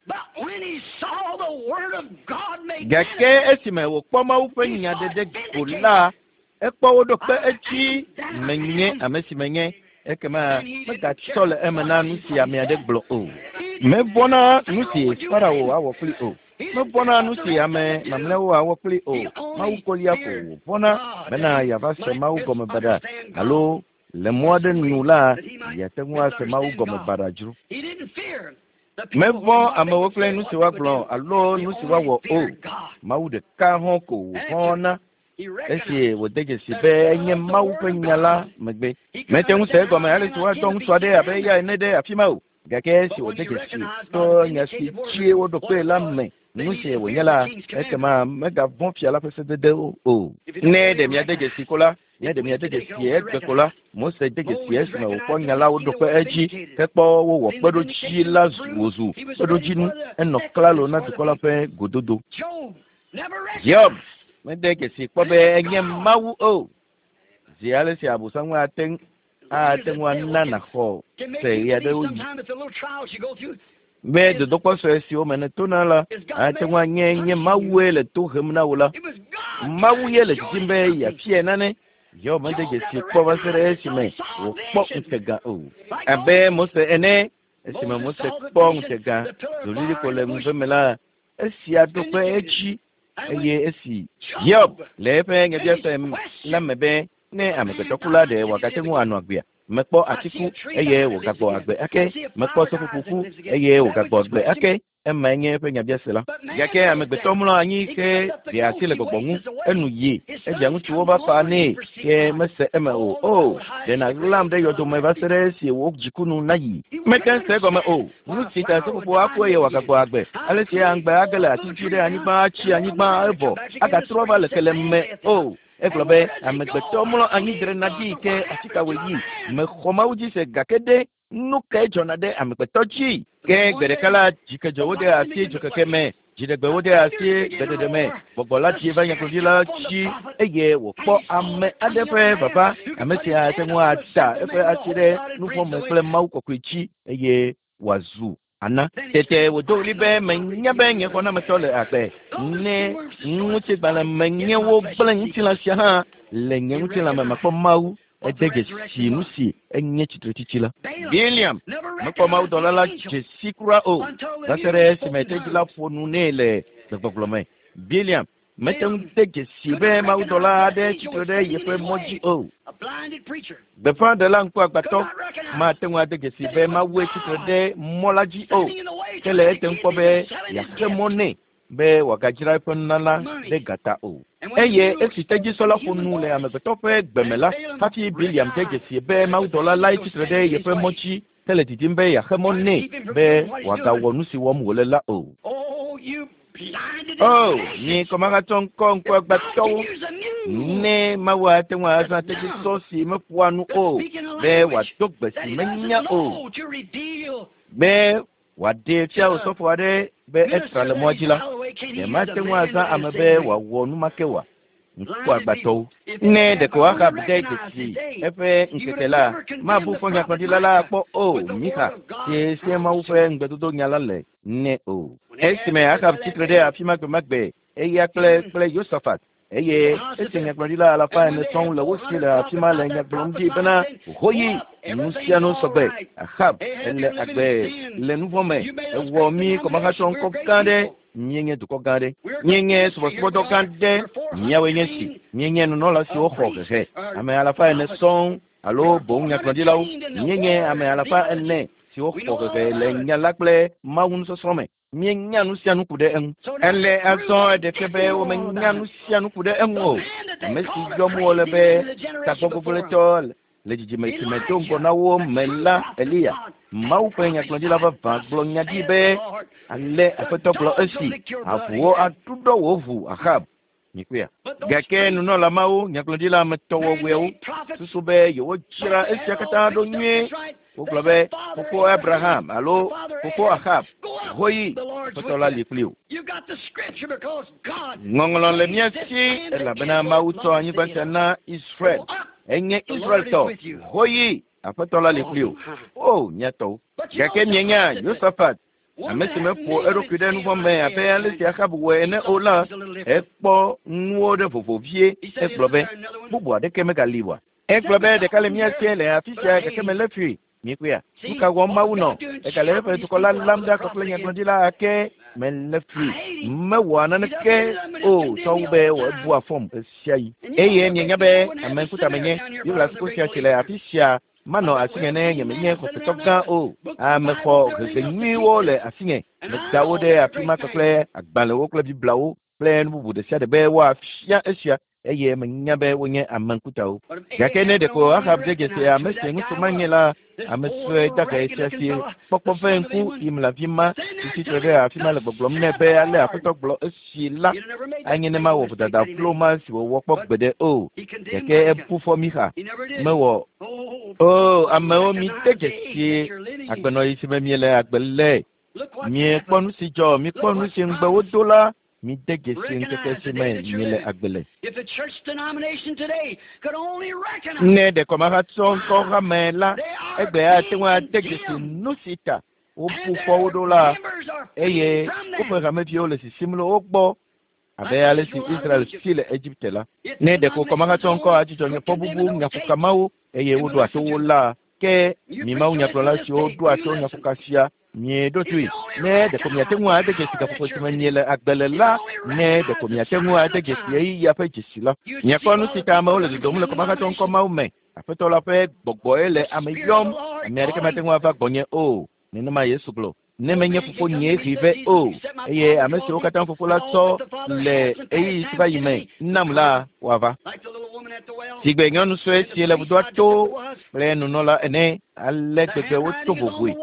Gake esime wòkpɔ Mawu ƒe nya ɖeɖe go la, ekpɔ woɖo kpe edzi menye ame si menye, ekema megatsɔ le eme na nu si ame aɖe gblɔ o. Mevɔ̃ na nu si Farao awɔ kpli o. Mevɔ̃ na nu si ame mamlɛawo awɔ kpli o. Mawu kolia ko wòvɔ̃na bena yeava se Mawu gɔme baɖa alo le mɔ aɖe nu la, yeate ŋu ase Mawu gɔme baɖa dzro. Mevɔ̃ amewo kple nu si woagblɔ alo nu si woawɔ o. Mawu ɖeka hɔ̃ ko wòvɔ̃ na esi wòde dzesi be enye Mawu ƒe nya la megbe. Mete ŋu se egɔme ale si woadɔ ŋutsu aɖe abe eya ene ɖe afi ma o. Gake esi wòde dzesi to nya si dzie woɖo kpee la me nu si wònye la, ekema megavɔ̃ fia la ƒe sededewo o. Ne ɖe miade dzesi ko la, ne ɖe miade dzesi egbe ko la, Mose de dzesi esime wòkpɔ nya la woɖo kpe edzi hekpɔ wowɔ kpeɖodzi la wòzu kpeɖodzinu enɔ klalo na dukɔ la ƒe gododo. Hiob mede dzesi kpɔ be enye Mawu o. Zi ale si Abosam ate ŋu ana nàxɔ se ɣeaɖewoɣi be dodokpɔ sue siwo me nètona la ate ŋu anye nye Mawue le to hem na wò la. Mawu ye le didim be yeafiae nane. Hiob mede dzesi kpɔ va se ɖe esime wòkpɔ ŋutega o. Abe Mose ene, esime Mose kpɔ ŋutega dzolilikpo le ŋuve me la, esia ɖo kpe edzi eye esi Hiob le eƒe nyabiase la me be ne amegbetɔkula ɖe wòagate ŋu anɔ agbea, mekpɔ atiku eye wògagbɔ agbe ake, mekpɔ seƒoƒo ku eye wògagbɔ agbe ake. Emae nye eƒe nyabiase la. Gake amegbetɔ mlɔ anyi ke ɖe asi le gbɔgbɔ ŋu, enu yi, evia ŋutsuwo va fa nɛ ke mese eme o. O, ɖe nàɣlam ɖe yɔdome va se ɖe esi wò dzikunu nayi. Mete ŋu se egɔme o. Nu si ta seƒoƒo aku eye wòagagbɔ agbe. Ale si aŋgbe age le ati dzi ɖe anyigba atsi anyigba evɔ agatrɔ va le kele me o. Egblɔ be amegbetɔ mlɔ anyi drena ɖi ke afi ka wòyi. Mexɔ Mawu dzi se gake ɖe nu kae dzɔna ɖe amegbetɔ dzi? Ke gbe ɖeka la, dzikedzo wode asi dzokeke me, dziɖegbe wode asi gbeɖeɖe me. Gbɔgbɔ la dzi va nyagblɔɖi la dzi eye wòkpɔ ame aɖe ƒe vava. Ame sia ate ŋu ada eƒe asi ɖe nuvɔ̃ me kple Mawu kɔkɔe dzi eye wòazu ana. Tete wòdo ɣli be menya be nye xɔnametɔ le agbe. Ne ŋutigbalẽ menye wo gblẽ ŋutilã sia hã le nye ŋutilã me makpɔ Mawu. Ede dzesi nu si enye tsitretsitsi la. Biliam mekpɔ mawudɔla la dzesi kura o va se ɖe esime tedzi la ƒo nu nɛ le gbegbɔgblɔ me. Biliam mete ŋu de dzesi be mawudɔla aɖe tsitre ɖe yeƒe mɔ dzi o. Gbeƒãɖela ŋkuagbãtɔ mate ŋu ade dzesi be Mawue tsitre ɖe mɔ la dzi o, ke le ete ŋu kpɔ be yeaxe mɔ nɛ be wòagadzra eƒe nunana ɖe gata o. Eye esi tedzisɔ la ƒo nu le amegbetɔ ƒe gbeme la, hafi Biliam de dzesi be mawudɔla lae tsitre ɖe yeƒe mɔ dzi hele didim be yeaxe mɔ nɛ be wòagawɔ nu si wɔm wòle la o. O, mi kɔmahatsɔ ŋkɔ ŋkuagbãtɔwo, ne Mawu ate ŋu azã tedzisɔ si meƒoa nu o be wòado gbe si menya o, be wòaɖee fia osɔfo aɖe be etra le mɔa dzi la, ɖe mate ŋu azã ame be wòawɔ nu ma ke oa? Ŋkuagbãtɔwo. Ne ɖeko Ahab de dzesi eƒe ŋkeke la, mabu fɔ nyagblɔɖila la akpɔ o, Mixa, si sie Mawu ƒe ŋugbedodo nya la le nɛ o. Esime Ahab tsitre ɖe afi ma gbemagbe, eya kple kple Yosafat, eye esi nyagblɔɖila alafa ene sɔŋ le wo si le afi ma le nya gblɔm ɖi bena, Hoyi, nu sia nu sɔgbe, Ahab ele agbe le nu vɔ̃ me, ewɔ mí kɔmahatsɔ ŋkɔ gã ɖe, míenye dukɔ gã ɖe, míenye subɔsubɔdɔ gã ɖe, míawoe nye si, míenye nunɔla siwo xɔ hehe, ame alafa ene sɔŋ alo boŋ nyagblɔɖilawo, míenye ame alafa ene siwo xɔ hehe le nya la kple Mawu nusɔsrɔ̃ me. Míenya nu sia nu ku ɖe eŋu. Ele azɔ eɖe fia be womenya nu sia nu ku ɖe eŋu o. Ame si yɔm wole be tagbɔgbɔgblẽtɔ le dzidzime si me do ŋgɔ na wo me la, Eliya, Mawu ƒe nyagblɔɖila vavã gblɔ nya ɖi be, Ale Aƒetɔ gblɔ esi, avuwo aɖuɖɔ wò ʋu, Ahab. Mikpɔea? Gake nunɔla mawo, nyagblɔɖila ametɔwɔwɔewo, susu be yewodzra esia katã ɖo nyuie. Wogblɔ be, Fofo Abraham alo Fofo Ahab, hoyi, Aƒetɔ la li kpli wò. Ŋɔŋlɔ le mía si elabena Mawu tsɔ anyigba sia na Israel. Enye Israeltɔ. Hoyi, Aƒetɔ la li kpli wò. O, mía tɔwo. Gake mienya Yosafat, ame si meƒo eɖokui ɖe nu vɔ̃ me abe ale si Ahab wɔe ene o la, ekpɔ nuwo ɖe vovo vie. Egblɔ be, bubu aɖeke megali oa? Egblɔ be ɖeka le mía sie le afi sia gake melé fui. Mikpɔea? Nu ka wɔm Mawu nɔ? Egale eƒe dukɔ la lam ɖa kpakple nyagblɔɖila ake melé fui. Mewɔa naneke o tsɔ wu be wòebua fɔm ɣe sia ɣi. Eye mienya be ame ŋkuta menye. Biblia suku sia si le afi sia manɔ asinye ne nyemenye xɔsetɔ gã o. Ame xɔ hehe nyuiwo le asinye. Meda wo ɖe afi ma kpakple agbalẽwo kple Bibliawo kple nu bubu ɖe sia ɖe be woafia esia eye menya be wonye ame ŋkutawo. Gake ne ɖeko Ahab de dzesi ame si ŋutsu ma nye la, ame sue dahe sia si kpɔkpɔ ƒe ŋku Imla vi ma si tsitre ɖe afi ma le gbɔgblɔm nɛ be ale Aƒetɔ gblɔ esi la, anye ne mawɔ vodada vlo ma si wòwɔ kpɔ gbeɖe o. Gake ebu fɔ Mixa. Mewɔ o. Amewo mi de dzesi agbenɔɣi si me miele agbe le. Miekpɔ nu si dzɔ, mikpɔ nu si ŋugbe wodo la, mi de dzesi ŋkeke si me miele agbe le. Ne ɖe kɔmahatsɔ ŋkɔ hame la, egbe ate ŋu ade dzesi nu si ta wobu fɔ wo ɖo la, eye woƒe hameviwo le sisim le wo gbɔ abe ale si Israel si le Egipte la. Ne ɖeko kɔmahatsɔ ŋkɔ adzudzɔ nye fɔbubu nyaƒoka mawo eye woɖoa to wo la, ke mi Mawu nyagblɔla siwo ɖoa to nyaƒoka sia mieɖo toe. Ne ɖeko miate ŋu ade dzesi gaƒoƒo si me miele agbe le la, ne ɖeko miate ŋu ade dzesi ɣeyiɣia ƒe dzesi la, miakpɔ nu si ta amewo le dodom le kɔmahatsɔ ŋkɔ mawo me. Aƒetɔ la ƒe gbɔgbɔe le ame yɔm. Ame aɖeke mate ŋu ava gbɔnye o. Nenema Yesu gblɔ. Ne menye fofo nyee hee vɛ o, eye ame siwo katã fofo la tsɔ le ɣeyiɣi si va yi me nam la, woava. Sigbe nyɔnu sue si le vudoa to kple nunɔla ene, ale gbegbe woto vovoe.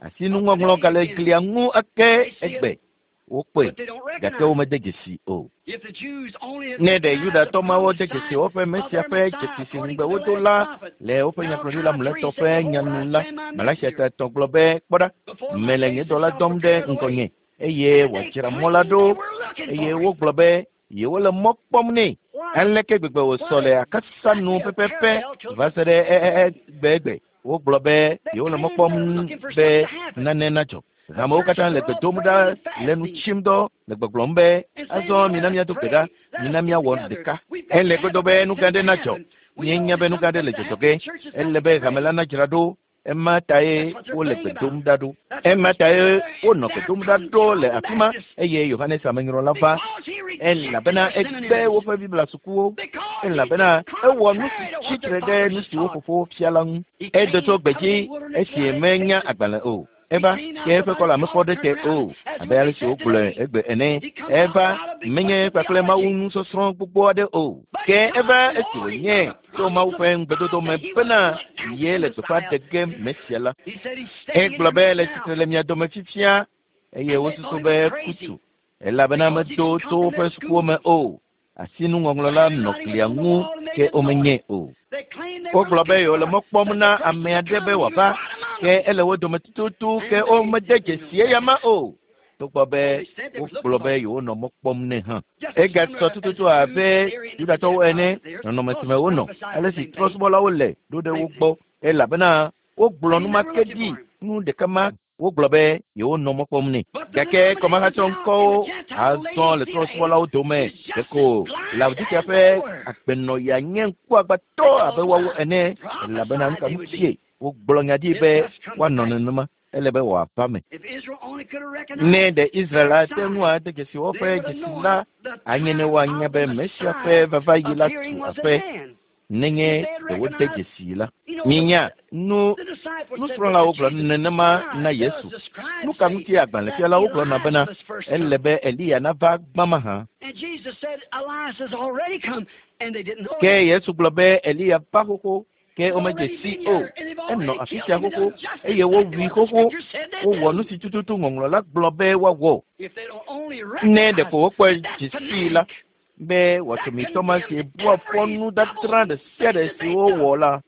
Asinuŋɔŋlɔ gale glia ŋu ake egbe. Wokpɔe, gake womede dzesi o. Ne ɖe Yudatɔ mawo de dzesi woƒe Mesia ƒe dzesi si ŋugbe wodo la le woƒe nyagblɔɖila mlɔetɔ ƒe nya nu la, Malaxia ta etɔ̃ gblɔ be, Kpɔ ɖa, mele nye dɔla dɔm ɖe ŋgɔnye, eye wòadzra mɔ la ɖo. Eye wogblɔ be yewole mɔ kpɔm nɛ. Aleke gbegbe wòsɔ le akasa nu pɛpɛpɛ va se ɖe egbegbe. Wogblɔ be yewole mɔ kpɔm be nane nadzɔ. Hamewo katã le gbe dom ɖa le nu tsim dɔ le gbɔgblɔm be azɔ mina míado gbe ɖa, mina míawɔ ɖeka. Ele godo be nu gã ɖe nadzɔ. Míenya be nu gã aɖe le dzɔdzɔ ge. Ele be hame la nadzra ɖo. Ema tae wole gbe dom ɖa ɖo. Ema tae wonɔ gbe dom ɖa ɖo le afi ma eye Yohanes Amenyrɔla va elabena egbe woƒe Biblia sukuwo elabena ewɔ nu si tsi tre ɖe nu si wo fofowo fia la ŋu. Edo tso gbedzi esi menya agbalẽ o. Eva ke eƒe kɔla mekpɔ ɖe te o abe ale si wogblɔe egbe ene. Eva menye kpakple Mawu nusɔsrɔ̃ gbogbo aɖe o. Ke eva esi wònye tso Mawu ƒe ŋugbedodo me bena ye le gbeƒã ɖe ge Mesia la. Egblɔ be le tsitre le mia dome fifia eye wosusu be kutu elabena medo tso woƒe sukuwo me o. Asinuŋɔŋlɔ la nɔ glia ŋu ke womenye o. Wogblɔ be yewole mɔ kpɔm na ame aɖe be wòava ke ele wo dome tututu ke womede dzesi eya ma o. Togbɔ be wogblɔ be yewonɔ mɔ kpɔm nɛ hã. Egasɔ tututu abe Yudatɔwo ene nɔnɔme si me wonɔ ale si trɔ̃subɔlawo le ɖo ɖe wo gbɔ elabena wogblɔ nu ma ke ɖi nu ɖeka ma wogblɔ be yewonɔ mɔ kpɔm nɛ. Gake kɔmahatsɔŋkɔwo azɔ le trɔ̃subɔlawo dome ɖeko Laodikea ƒe agbenɔɣia nye ŋkuagbãtɔ abe woawo ene elabena nu ka ŋutie wogblɔ nya ɖi be woanɔ nenema ele be wòava me. Ne ɖe Israel ate ŋu ade dzesi woƒe dzesi la, anye ne woanya be Mesia ƒe vavaɣi la tu aƒe nenye ɖe wode dzesi la. Minya nu nusrɔ̃lawo gblɔ nenema na Yesu. Nu ka ŋuti agbalẽfialawo gblɔna bena ele be Eliya nava gbã mahã? Ke Yesu gblɔ be Eliya va xoxo ke womedze si o. Enɔ afi sia xoxo eye wowui xoxo. Wowɔ nu si tututu ŋɔŋlɔ la gblɔ be woawɔ. Ne ɖeko wokpɔe dze sii la be wɔtsomitɔ ma si bua fɔ nudadra ɖe sia ɖe si wowɔ la,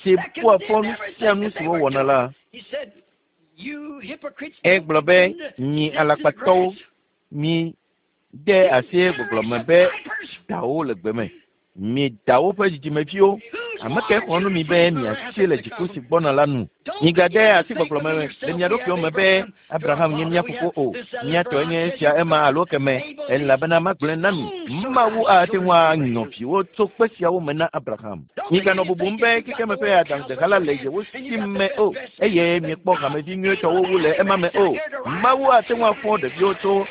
si bua fɔ nu sia nu si wowɔna la, egblɔ be mi alakpatɔwo, mi de asi gbɔgblɔ me be dawo le gbe me. Mi dawo ƒe dzidzimeviwo, ame ke xlɔ̃ nu mi be miasi le dziku si gbɔna la nu. Migade asi gbɔgblɔ me le mia ɖokuiwo me be Abraham nye mía fofo o. Mía tɔe nye esia ema alo keme elabena magblɔe na mi. Mawu ate ŋu anyɔ viwo tso kpe siawo me na Abraham. Miganɔ bubum be xexeme ƒe adaŋudeha la le yewo si me o eye miekpɔ hamevi nyuietɔwo wu le ema me o. Mawu ate ŋu afɔ ɖeviwo tso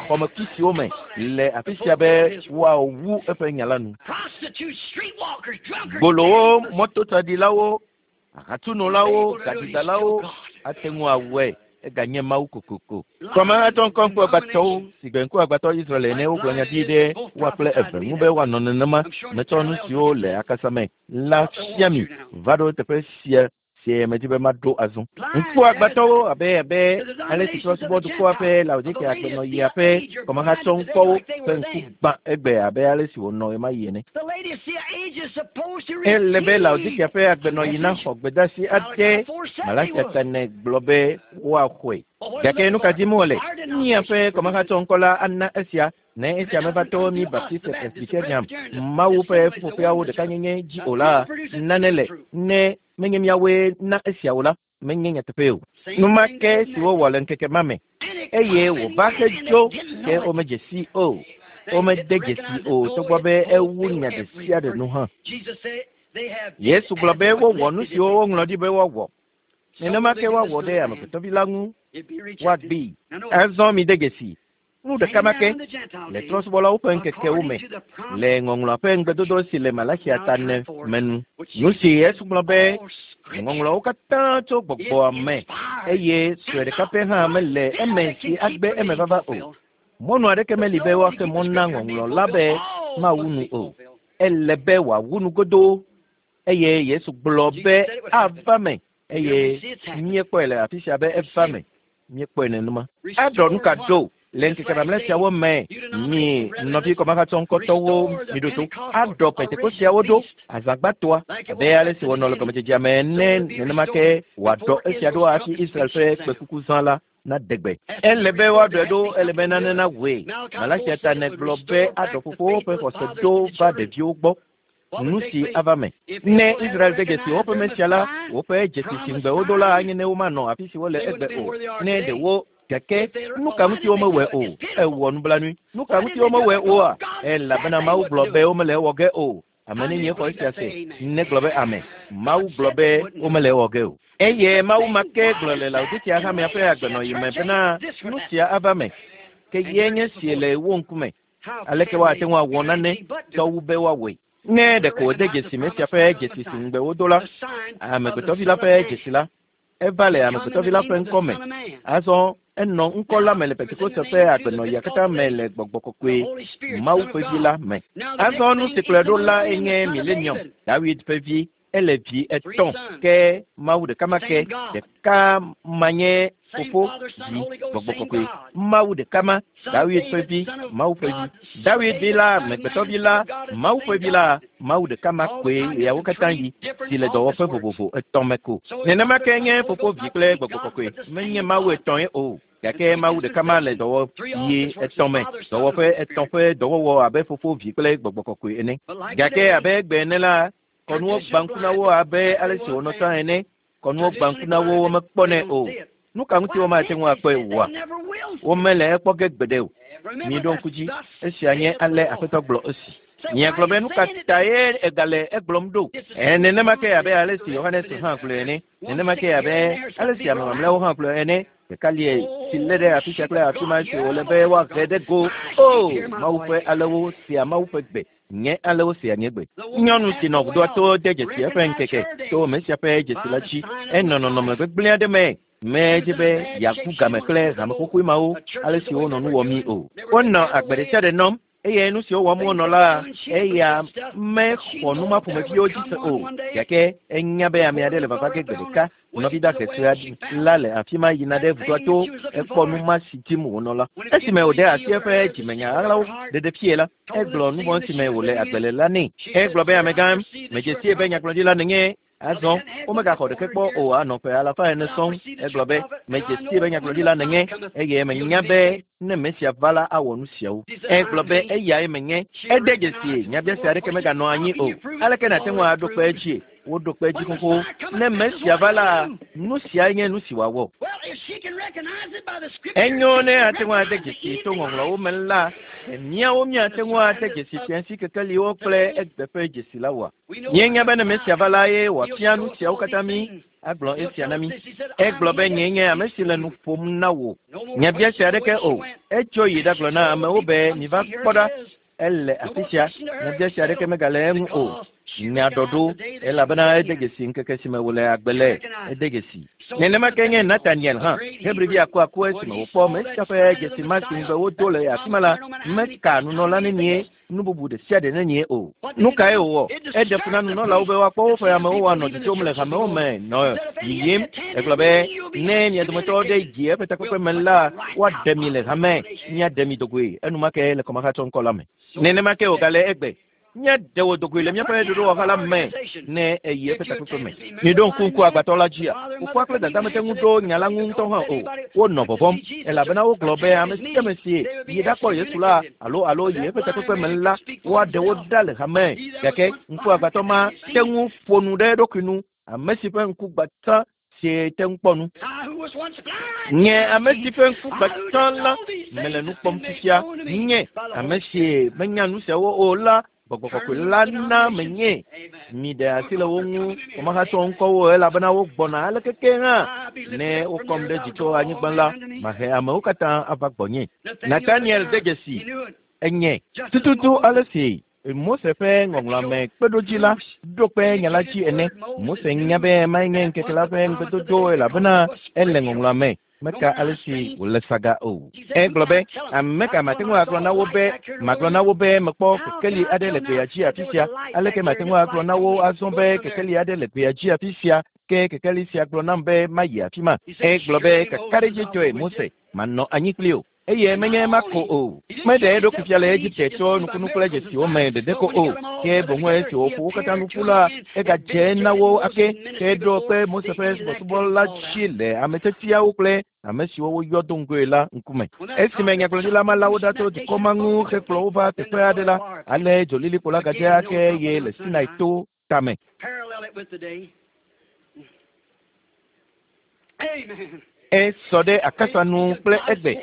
xɔmekui siwo me le afi sia be woawu eƒe nya la nu. Gbolowo, mɔtotsaɖilawo, ahatunɔlawo, gadidalawo ate ŋu awɔe eganye Mawu kokoko. Kɔmahatɔ ŋkɔ ŋkuagbãtɔwo si gbe ŋkuagbãtɔ Israel ene wogblɔ nya ɖi ɖe woa kple eve ŋu be woanɔ nenema. Metsɔ nu siwo le akasa me la fia mi va ɖo teƒe sia sie medi be maɖo azɔ. Ŋkuagbãtɔwo abe abe ale si trɔ̃subɔdukɔa ƒe Laodikea agbenɔɣia ƒe kɔmahatsɔŋkɔwo ƒe ŋku gbã egbe abe ale si wònɔ ɣemaɣi ene. Ele be Laodikea ƒe agbenɔɣi naxɔ gbedeasi aɖe Malakia tane gblɔ be woaxɔe. Gake nu ka dim wole? Míaƒe kɔmahatsɔŋkɔ la ana esia ne esia meva to mí Baptist Presbyterian Mawu ƒe ƒuƒoƒeawo ɖekanyenye dzi o la, nane le ne menye míawoe na esia o la, menye nyateƒe o. Nu ma ke si wowɔ le ŋkeke ma me eye wòva hedzo ke womedze si o. Womede dzesi o togbɔ be ewu nya ɖe sia ɖe nu hã. Yesu gblɔ be wowɔ nu siwo woŋlɔ ɖi be woawɔ. Nenema ke woawɔ ɖe amegbetɔvi la ŋu woagbee. Azɔ mide dzesi nu ɖeka ma ke le trɔ̃subɔlawo ƒe ŋkekewo me le ŋɔŋlɔa ƒe ŋugbedodo si le Malakia ta ne me nu. Nu si Yesu gblɔ be ŋɔŋlɔawo katã tso gbɔgbɔa me eye sue ɖeka pɛ hã mele eme si agbe eme vava o. Mɔnu aɖeke meli be woaxe mɔ na ŋɔŋlɔ la be mawu nu o. Ele be wòawu nu godoo eye Yesu gblɔ be ava me eye míekpɔe le afi sia be eva me. Míekpɔe nenema. Aɖɔ nu ka ɖo le ŋkeke mamlɛ siawo me mi nɔvi kɔmahatsɔŋkɔtɔwo miɖo to aɖɔ pentekostiawo ɖo azãgbãtɔa abe ale si wònɔ le gɔmedzedzea me ene nenema ke wòaɖɔ esia ɖo hafi Israel ƒe kpekuku zã la naɖe gbe. Ele be woaɖɔe ɖo ele be nane nawɔe. Malakia ta ne gblɔ be aɖɔ fofowo ƒe xɔse ɖo va ɖeviwo gbɔ. Nu si ava me. Ne Israel de dzesi woƒe Mesia la, woƒe dzesi si ŋugbe wodo la anye ne womanɔ afi si wole egbe o. Ne ɖewo gake nu ka ŋuti womewɔe o? Ewɔ nublanui. Nu ka ŋuti womewɔe oa? Elabena Mawu gblɔ be womele ewɔ ge o. Ame nenie xɔ esia se? Negblɔ be amen. Mawu gblɔ be womele ewɔ ge o. Eye Mawu ma ke gblɔ le Laodikea hamea ƒe agbenɔɣi me bena nu sia ava me. Ke ye nye si le wo ŋkume. Aleke woate ŋu awɔ nane tɔ wu be woawɔe? Ne ɖeko wòde dzesi Mesia ƒe dzesi si ŋugbe wodo la, amegbetɔvi la ƒe dzesi la, eva le amegbetɔvi la ƒe ŋkɔ me. Azɔ enɔ ŋkɔ la me le Pentekoste ƒe agbenɔɣia katã me le gbɔgbɔ kɔkɔe Mawu ƒe vi la me. Azɔ nu si kplɔe ɖo la enye Millennium, Dawid ƒe vi, ele vi etɔ̃ ke Mawu ɖeka ma ke, ɖeka ma nye fofo, vi, gbɔgbɔ kɔkɔe. Mawu ɖeka ma, Dawid ƒe vi, Mawu ƒe vi. Dawid vi la, amegbetɔvi la, Mawu ƒe vi la, Mawu ɖeka ma koe ɣeawo katã yi, si le dɔwɔƒe vovovo etɔ̃ me ko. Nenema ke nye fofo, vi kple gbɔgbɔ kɔkɔe. Menye Mawu etɔ̃e o, gake Mawu ɖeka ma le dɔwɔɣi etɔ̃ me, dɔwɔƒe etɔ̃ ƒe dɔwɔwɔ abe fofo, vi kple gbɔgbɔ kɔkɔe ene. Gake abe egbe ene la, kɔnuwo gbã ŋku na wo abe ale si wònɔ tsã ene. Kɔnuwo gbã ŋku na wo womekpɔnɛ o. Nu ka ŋuti womate ŋu akpɔe oa? Womele ekpɔ ge gbeɖe o. Miɖo ŋku dzi, esia nye ale Aƒetɔ gblɔ esi. Miagblɔ be nu ka tae egale egblɔm ɖo? Nenema ke abe ale si Yohanes hã gblɔe ene. Nenema ke abe ale si ame mamlɛawo hã gblɔe ene. Ɖeka lie si lé ɖe afi sia kple afi ma si wòle be woahe ɖe go. O, Mawu ƒe alewo sea Mawu ƒe gbe. Nye alewo sea nye gbe. Nyɔnu si nɔ ʋudoa to de dzesi eƒe ŋkeke to Mesia ƒe dzesi la dzi. Enɔ nɔnɔme gbegblẽ aɖe me. Medze be yeaku game kple hame xoxoe mawo ale si wonɔ nu wɔmii o. Wonɔ agbe ɖe sia ɖe nɔm eye nu siwo wɔm wonɔ la, eya mexɔ nu ma ƒomeviwo dzi se o. Gake enya be ame aɖe le vava ge gbe ɖeka. Nɔvi dahe sue aɖe la le afi ma yina ɖe ʋudoa to ekpɔ nu ma si dim wònɔ la. Esime wòɖe asi eƒe dzimenya ɣaɣlawo ɖeɖe fie la, egblɔ nu vɔ̃ si me wòle agbe le la nɛ. Egblɔ be, amegã, medze sie be nyagblɔɖila nènye. Azɔ womegaxɔ ɖeke kpɔ o anɔ ƒe alafa ene sɔŋ. Egblɔ be, medze sie be nyagblɔɖila nènye eye menya be ne Mesia va la awɔ nu siawo. Egblɔ be eyae menye. Ede dzesi nyabiase aɖeke meganɔ anyi o. Aleke nàte ŋu aɖo kpe edzie? Woɖo kpe edzi xoxo. Ne Mesia va la, nu siae nye nu si wòawɔ. Enyo ne ate ŋu ade dzesi to ŋɔŋlɔwo me la, míawo míate ŋu ade dzesi fiasi kekeliwo kple egbe ƒe dzesi la oa? Míenya be ne Mesia va la ye wòafia nu siawo katã mí, agblɔ esia na mí. Egblɔ be nyee nye ame si le nu ƒom na wò. Nyabiase aɖeke o. Etso yi ɖagblɔ na amewo be miva kpɔ ɖa, ele afi sia. Nyabiase aɖeke megale eŋu o. Nya ɖɔɖo, elabena ede dzesi ŋkeke si me wòle agbe le. Ede dzesi. Nenema ke nye Nathaniel hã, Hebrivi akuaku esime wòkpɔ Mesia ƒe dzesi ma si ŋugbe wodo le afi ma la, meka nunɔla nenie nu bubu ɖe sia ɖe nenie o. Nu kae wòwɔ? Eɖe fu na nunɔlawo be woakpɔ woƒe amewo woanɔ dzodzom le hamewo me nɔ yiyim. Egblɔ be, ne mia dometɔ aɖe yi eƒe takpekpe me la, woaɖe mi le hame, míaɖe mi dogoe enumake le kɔmahatsɔ ŋkɔ la me. Nenema ke wògale egbe. Míaɖe wò dogoe le míaƒe ɖoɖowɔha la me ne èyi eƒe takpekpe me. Miɖo ŋku ŋku agbatɔ la dzia? Fofoa kple dada mete ŋu ɖo nya la ŋu ŋutɔ hã o. Wonɔ vɔvɔ̃m elabena wogblɔ be ame sia ame si yi ɖakpɔ Yesu la alo alo yi eƒe takpekpe me la, woaɖe wo ɖa le hame. Gake ŋku agbatɔ ma te ŋu ƒo nu ɖe eɖokui nu. Ame si ƒe ŋku gbã tsã sie te ŋu kpɔ nu. Nye ame si ƒe ŋku gbã tsã la, mele nu kpɔm fifia. Nye ame si menya nu siawo o la, gbɔgbɔ kɔkɔe la na menye. Miɖe asi le wo ŋu, womahatsɔ ŋkɔwo elabena wogbɔna aleke ke hã. Ne wokɔm ɖe dzi tso anyigba la, mahe amewo katã ava gbɔnye. Nathaniel de dzesi enye tututu ale si Mose ƒe ŋɔŋlɔa me kpeɖodzi la ɖo kpe nya la dzi ene. Mose nya be mae nye ŋkeke la ƒe ŋugbedodo elabena ele ŋɔŋlɔa me. Meka ale si wòle saga o. Egblɔ be, ame ka mate ŋu agblɔ na wo be, magblɔ na wo be mekpɔ kekeli aɖe le gbea dzi afi sia? Aleke mate ŋu agblɔ na wo azɔ be kekeli aɖe le gbea dzi afi sia? Ke kekeli sia gblɔ nam be mayi afi ma. Egblɔ be, kakaɖedzitɔe Mose, manɔ anyi kpli wò. Eye menye ema ko o. Meɖe eɖokui fia le Egipte tso nukunu kple dzesiwo me ɖeɖe ko o, ke boŋ esi wòƒo wo katã nu ƒu la, egadze na wo ake, ke ɖo kpe Mose ƒe subɔsubɔ la dzi le ame tiatiawo kple ame siwo woyɔ do ŋgɔe la ŋkume. Esime nyagblɔɖila ma la wo ɖa tso dukɔ ma ŋu hekplɔ wo va teƒe aɖe la, ale dzolilikpo la gadze ake eye le Sinai to tame. Esɔ ɖe akasa nu kple egbe.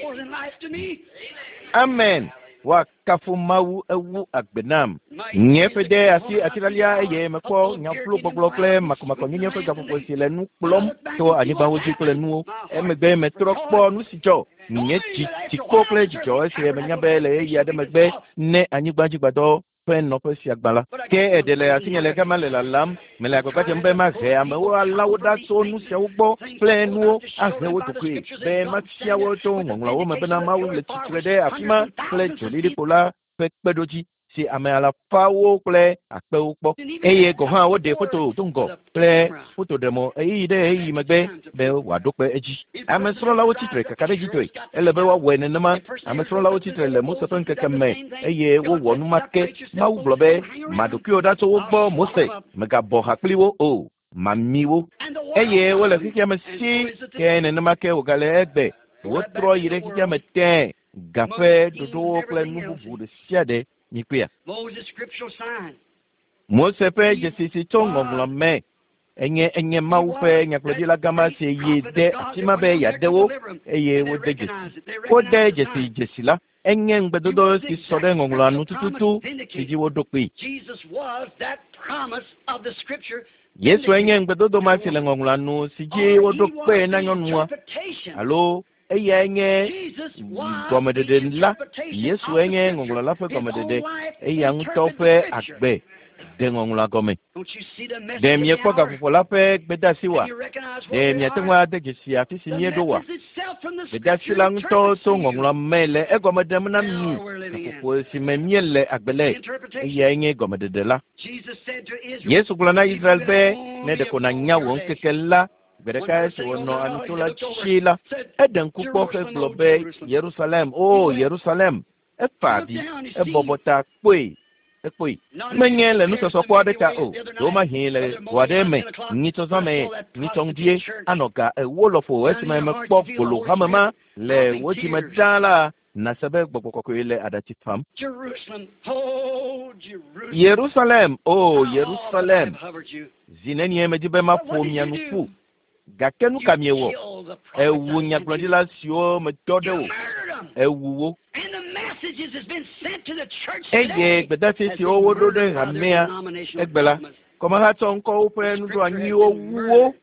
Amen. Woakafu Mawu ewu agbe nam. Nye ƒe de asi atilalia eye mekpɔ nyaflo gbɔgblɔ kple makɔmakɔnyenye ƒe gaƒoƒo si le nu kplɔm to anyigbawo dzi kple nuwo. Emegbe metrɔ kpɔ nu si dzɔ. Nye dzi tsikpo kple dzidzɔ esi menya be le ɣeyiɣi aɖe megbe ne anyigbadzigbadɔ ƒe nɔƒe sia gbã la. Ke eɖe le asinye le gama le lalam. Mele agbagba dzem be mahe amewo alã wo ɖa tso nu siawo gbɔ kple nuwo ahe wo ɖokoe be mafia wo tso ŋɔŋlɔawo me bena Mawu le tsitre ɖe afi ma kple dzolilikpo la ƒe kpeɖodzi si ame alafawo kple akpewo kpɔ. Eye gɔ̃ hã woɖe foto do ŋgɔ kple fotoɖemɔ ɣeyiɣi ɖe ɣeyiɣi megbe be wòaɖo kpe edzi. Amesrɔ̃lawo tsitre kakaɖedzitɔe. Ele be woawɔe nenema. Amesrɔ̃lawo tsitre le Mose ƒe ŋkeke me eye wowɔ nu ma ke. Mawu gblɔ be, ma ɖokuiwò ɖa tso wo gbɔ Mose, mègabɔ ha kpli wo o, mami wo. Eye wole xexea me si ke nenema ke wògale egbe. Wotrɔ yi ɖe xexea me tẽe, gaƒe ɖoɖowo kple nu bubu ɖe sia ɖe mikpɔea. Moses' scriptural sign. Mose ƒe dzesi si tso ŋɔŋlɔ me enye enye Mawu ƒe nyagblɔɖila gama si yi de afi ma be yeaɖe wo eye wode dzesi. Wode dzesi dzesi la enye ŋugbedodo si sɔ ɖe ŋɔŋlɔa nu tututu si dzi woɖo kpee. Jesus was that promise of the scripture. Yesu enye ŋugbedodo ma si le ŋɔŋlɔa nu si dzi woɖo kpee na nyɔnua alo eyae nye Jesus was gɔmeɖeɖe la. Yesu enye ŋɔŋlɔ la ƒe gɔmeɖeɖe. Eya ŋutɔ ƒe agbe ɖe ŋɔŋlɔa gɔme. Don't you see the message Ɖe of the miekpɔ hour? gaƒoƒo la ƒe gbedeasi Do wa? you recognize Ɖe where we miate ŋu are? ade dzesi afi si The míeɖo wa? message itself from the Gbedeasi scripture la ŋutɔ interprets tso to you ŋɔŋlɔa me le egɔme ɖem na the mi hour we're living in. gaƒoƒo si me míele agbe le. The interpretation. Eyae nye gɔmeɖeɖe la. Jesus said to Israel, Yesu gblɔ na if you Israel had be ne only ɖeko have nànya known wò your day. ŋkeke la, gbe One ɖeka person esi said, wònɔ "Oh, no, amito he la looked over, dzi la, said, eɖe ŋku kpɔ Jerusalem, hegblɔ oh, be Jerusalem. Yerusalem, o He wept. Yerusalem. Efa He looked avi, down, he ebɔbɔ seen ta kpɔe, ekpɔe. not in Menye le his nusɔsɔkpɔ aɖe ta o, the other night, ɖewomahi le Brother go aɖe Mosley, me, 10 o'clock, nyitsɔ when zã I me, saw that nyitsɔ prostitute ŋdie, church anɔ ga ewo lɔƒo down in esime your heart, mekpɔ you feel the gbolo Holy hame ma Spirit le dropping wò dzime tears. ɖaa la, nàse be gbɔgbɔ kɔkɔe le aɖatsi fam. Jerusalem, oh, Jerusalem. Yerusalem, o How often I Yerusalem, have hovered you. zi nenie medzi be But maƒo what did mia you nu do? ƒu. Gake nu You ka miewɔ? killed the prophets Ewu I sent you. nyagblɔɖila siwo medɔ ɖe You wò. murdered them. Ewu wo. And the messages has been sent to the church Eye today gbedeasi has siwo been woɖo ɖe murdered by their hamea denominational egbe la, dogmas. kɔmehatsɔ ŋkɔwo ƒe The scripture has nuɖoanyiwo been wu wo. murdered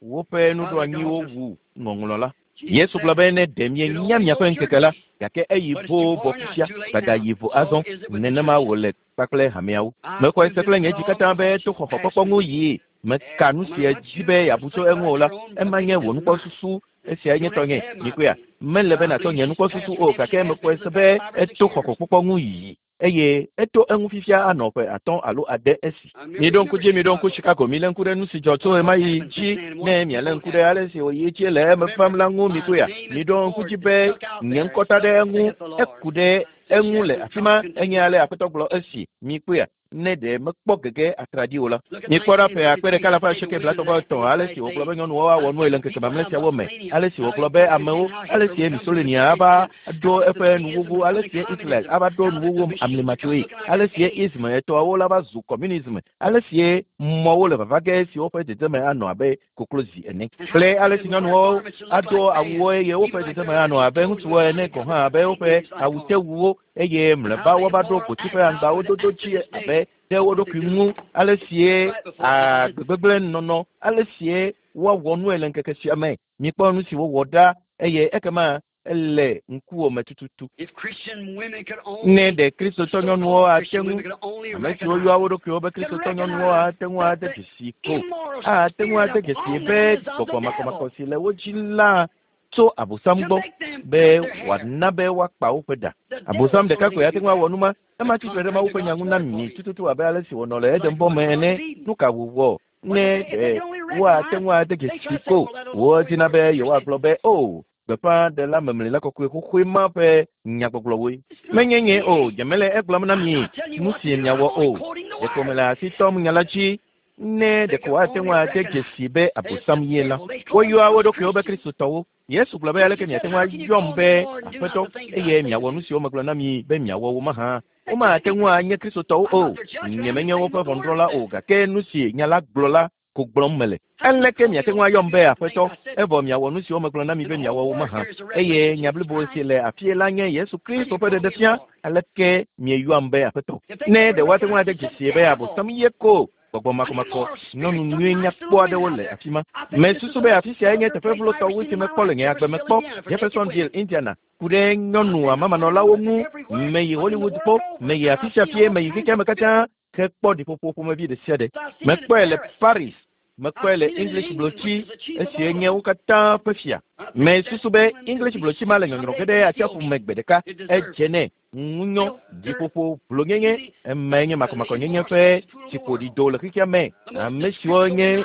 Woƒe by the nuɖoanyiwo dogmas. wu ŋɔŋlɔ la. Jesus Yesu gblɔ said, be ne ɖe you mienya only know miaƒe your ŋkeke la, day, gake eyi but it's vo too vɔ far now. It's fifia, too late gbada now. yi vo So azɔ. is it with the Nenema churches. wòle kpakple hameawo. I Mexɔe proved se it kple nye with dzi all katã my be heart. to She's xɔxɔkpɔkpɔ pastor. ŋu yii. Meka nu No si matter what edzi you be yeabu tso think eŋu about o la, your own ema nye opinion wò is mine. nukpɔsusu. Esiae You nye don't have tɔnye. to have my Mikpɔea, opinion. mele But be I nàtsɔ believe nye she's nukpɔsusu passed o redemption gake has been mekpɔe for se the be past 5 or 6 eto years. xɔxɔkpɔkpɔ ŋu yii eye eto eŋu fifia anɔ ƒe atɔ̃ alo ade esi. I remember Miɖo ŋku remember dzi, miɖo ŋku Chicago. Chicago, milé ŋku ɖe nu si dzɔ tso What ɣemaɣi happened dzi since then and ne what mialé won't ŋku ɖe happen. ale si wòyi edzi le eme vam Remember, la ŋu my mikpɔea. name is Miɖo ŋku Ford dzi is be stuck out nye there. ŋkɔ ta ɖe Thus eŋu, saith the Lord. eku ɖe Since eŋu le Jethro afi ma Tull enye continued. ale Aƒetɔ gblɔ esi mikpɔea. Ne ɖe mekpɔ gege atraɖi o la. Look at Mikpɔ ɖa ƒe akpe 1953, ɖeka alafa how they asieke say the blatɔ̃ women vɔ act in etɔ̃ the ale last si wògblɔ days. be nyɔnuwo awɔ How nue le some ŋkeke people, mamlɛ how siawo me, Mussolini, ale si how wògblɔ be Hitler amewo, and how ale Hitler si would come to the Mussolini president, ava ɖo how the eƒe theism nuwuwu, was ale coming si Hitler communism, ava ɖo how that the nuwuwu machines would come amlimatsoe, looking like ale an si A. ism etɔawo la va zu communism, ale si mɔwo le vava ge si woƒe dzedzeme anɔ abe koklozi ene And how kple the ale si women wear nyɔnuwo garments that look ado like awuwo men, eye even woƒe like dzedzeme their anɔ abe clothes ŋutsuwo would ene finally gɔ̃ come hã with abe woƒe dignity like on. awutewuwo eye And mlɔeba how the woava ɖo immoral gboti act ƒe out aŋgbawo would dodo act to dzi this day. abe ɖe wo What they ɖokui do ŋu ale sie right before us. agbegbegblẽ nɔnɔ ale sie woawɔ nue le ŋkeke sia me mikpɔ nu si wowɔ ɖa eye ekema ele ŋkuwò me tututu. If Christian women could Ne only, ɖe kristotɔ nyɔnuwo so-called ate Christian ŋu women could only ame siwo recognize, yɔa wo ɖokuiwo be could kristotɔ nyɔnuwo recognize ate ŋu that ade the dzesi ko immoral ate ŋu spirit ade dzesi upon be them is of gbɔgbɔ the devil makɔmakɔ si le wo dzi la tso abosam to gbɔ make them be cut their hair. wòana be woakpa woƒe ɖa. The Abosam devil's ɖeka going koe to ate do ŋu awɔ that. nu ma. Ema That's tsitre ɖe contrary Mawu to ƒe nya God's ŋu na word for mi you. tututu abe ale si wònɔ le Like Edenbɔ it me was in ene. Garden of Eden. Nu ka wòwɔ What ne if they, if ɖe they could only woate recognize, ŋu ade they try dzesi to say, ko well, that old wodina story be wasn't yewoagblɔ Christian. be o gbeƒãɖela memlila kɔkɔe xoxoe ma ƒe nyagbɔgblɔwoe. It's not Menye nye o, me. nye mele egblɔm na I'm mi not telling you nu what to si do. I'm miawɔ only o. quoting the Ɖeko word. mele asi tɔm nya la dzi ne They ɖeko could woate only ŋu ade recognize dzesi be that it's the abosam ye la. devil. They call Woyɔa wo themselves ɖokuiwo be Christians. kristotɔwo. Yesu gblɔ be aleke Jesus miate said, ŋu how can you ayɔm call me be Lord and do not Aƒetɔ the things that I eye say to miawɔ do? nu siwo megblɔ na mi be miawɔ wo mahã? They can't Womate be ŋu Christians. anye kristotɔwo I'm o. not their judge, but Nye I'm menye just saying woƒe what the word ʋɔnudrɔ̃la says. o gake nu si nya la gblɔ la ko gblɔm mele. Aleke miate ŋu ayɔm be aƒetɔ evɔ miawɔ nu siwo megblɔ na mi be miawɔ wo mahã? Eye nya blibo si le afie la nye Yesu Kristo ƒe ɖeɖefia. Aleke mieyɔam be aƒetɔ? Ne ɖe woate ŋu ade dzesi be Abosam ye ko gbɔgbɔ makɔmakɔ nyɔnu nyui nyakpɔ aɖewo le afi ma. Mesusu be afi siae nye teƒe vlotɔ wu si mekpɔ le nye agbe me kpɔ. Jeffersonville, Indiana. Ku ɖe nyɔnu amamanɔlawo ŋu. Meyi Hollywood kpɔ, meyi afi sia fie, meyi xexea me katã hekpɔ ɖiƒoƒo ƒomevi ɖe sia ɖe. Mekpɔe le Paris, mekpɔe le English blotsi esie nye wo katã ƒe fia. Mesusu be English blotsi ma le nyɔnyrɔ ge ɖe atsiaƒu me gbe ɖeka. Edze nɛ ŋunyɔ ɖiƒoƒo vlonyenye emae nye makɔmakɔnyenye ƒe tsiƒoɖido le xexea me. Ame siwo nye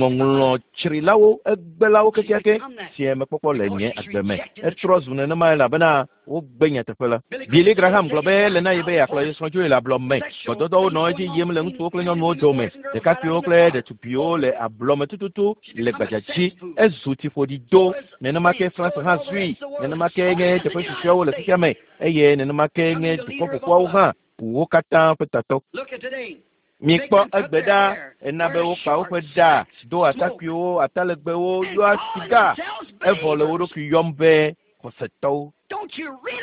ŋɔŋlɔtsrilawo egbelawo kekeake si mekpɔkpɔ le nye agbe me. Etrɔ zu nenema elabena wogbe nyateƒe la. Billy Graham gblɔ be ele na ye be yeakplɔ ye srɔ̃ dzoe le ablɔ me. Gbɔdɔdɔwo nɔ edzi yim le ŋutsuwo kple nyɔnuwo dome. Ɖekakpuiwo kple ɖetugbiwo le ablɔ me tututu le gbadza dzi. Ezu tsiƒoɖido. Nenema ke France hã zui. Nenema ke nye teƒe susɔeawo le xexea me eye nenema ke nye dukɔ ƒoƒuawo hã wo katã ƒe tatɔ. Mikpɔ egbe ɖa ena be wokpa woƒe ɖa do atakpuiwo, atalegbewo, yɔa siga evɔ le wo ɖokui yɔm be xɔsetɔwo.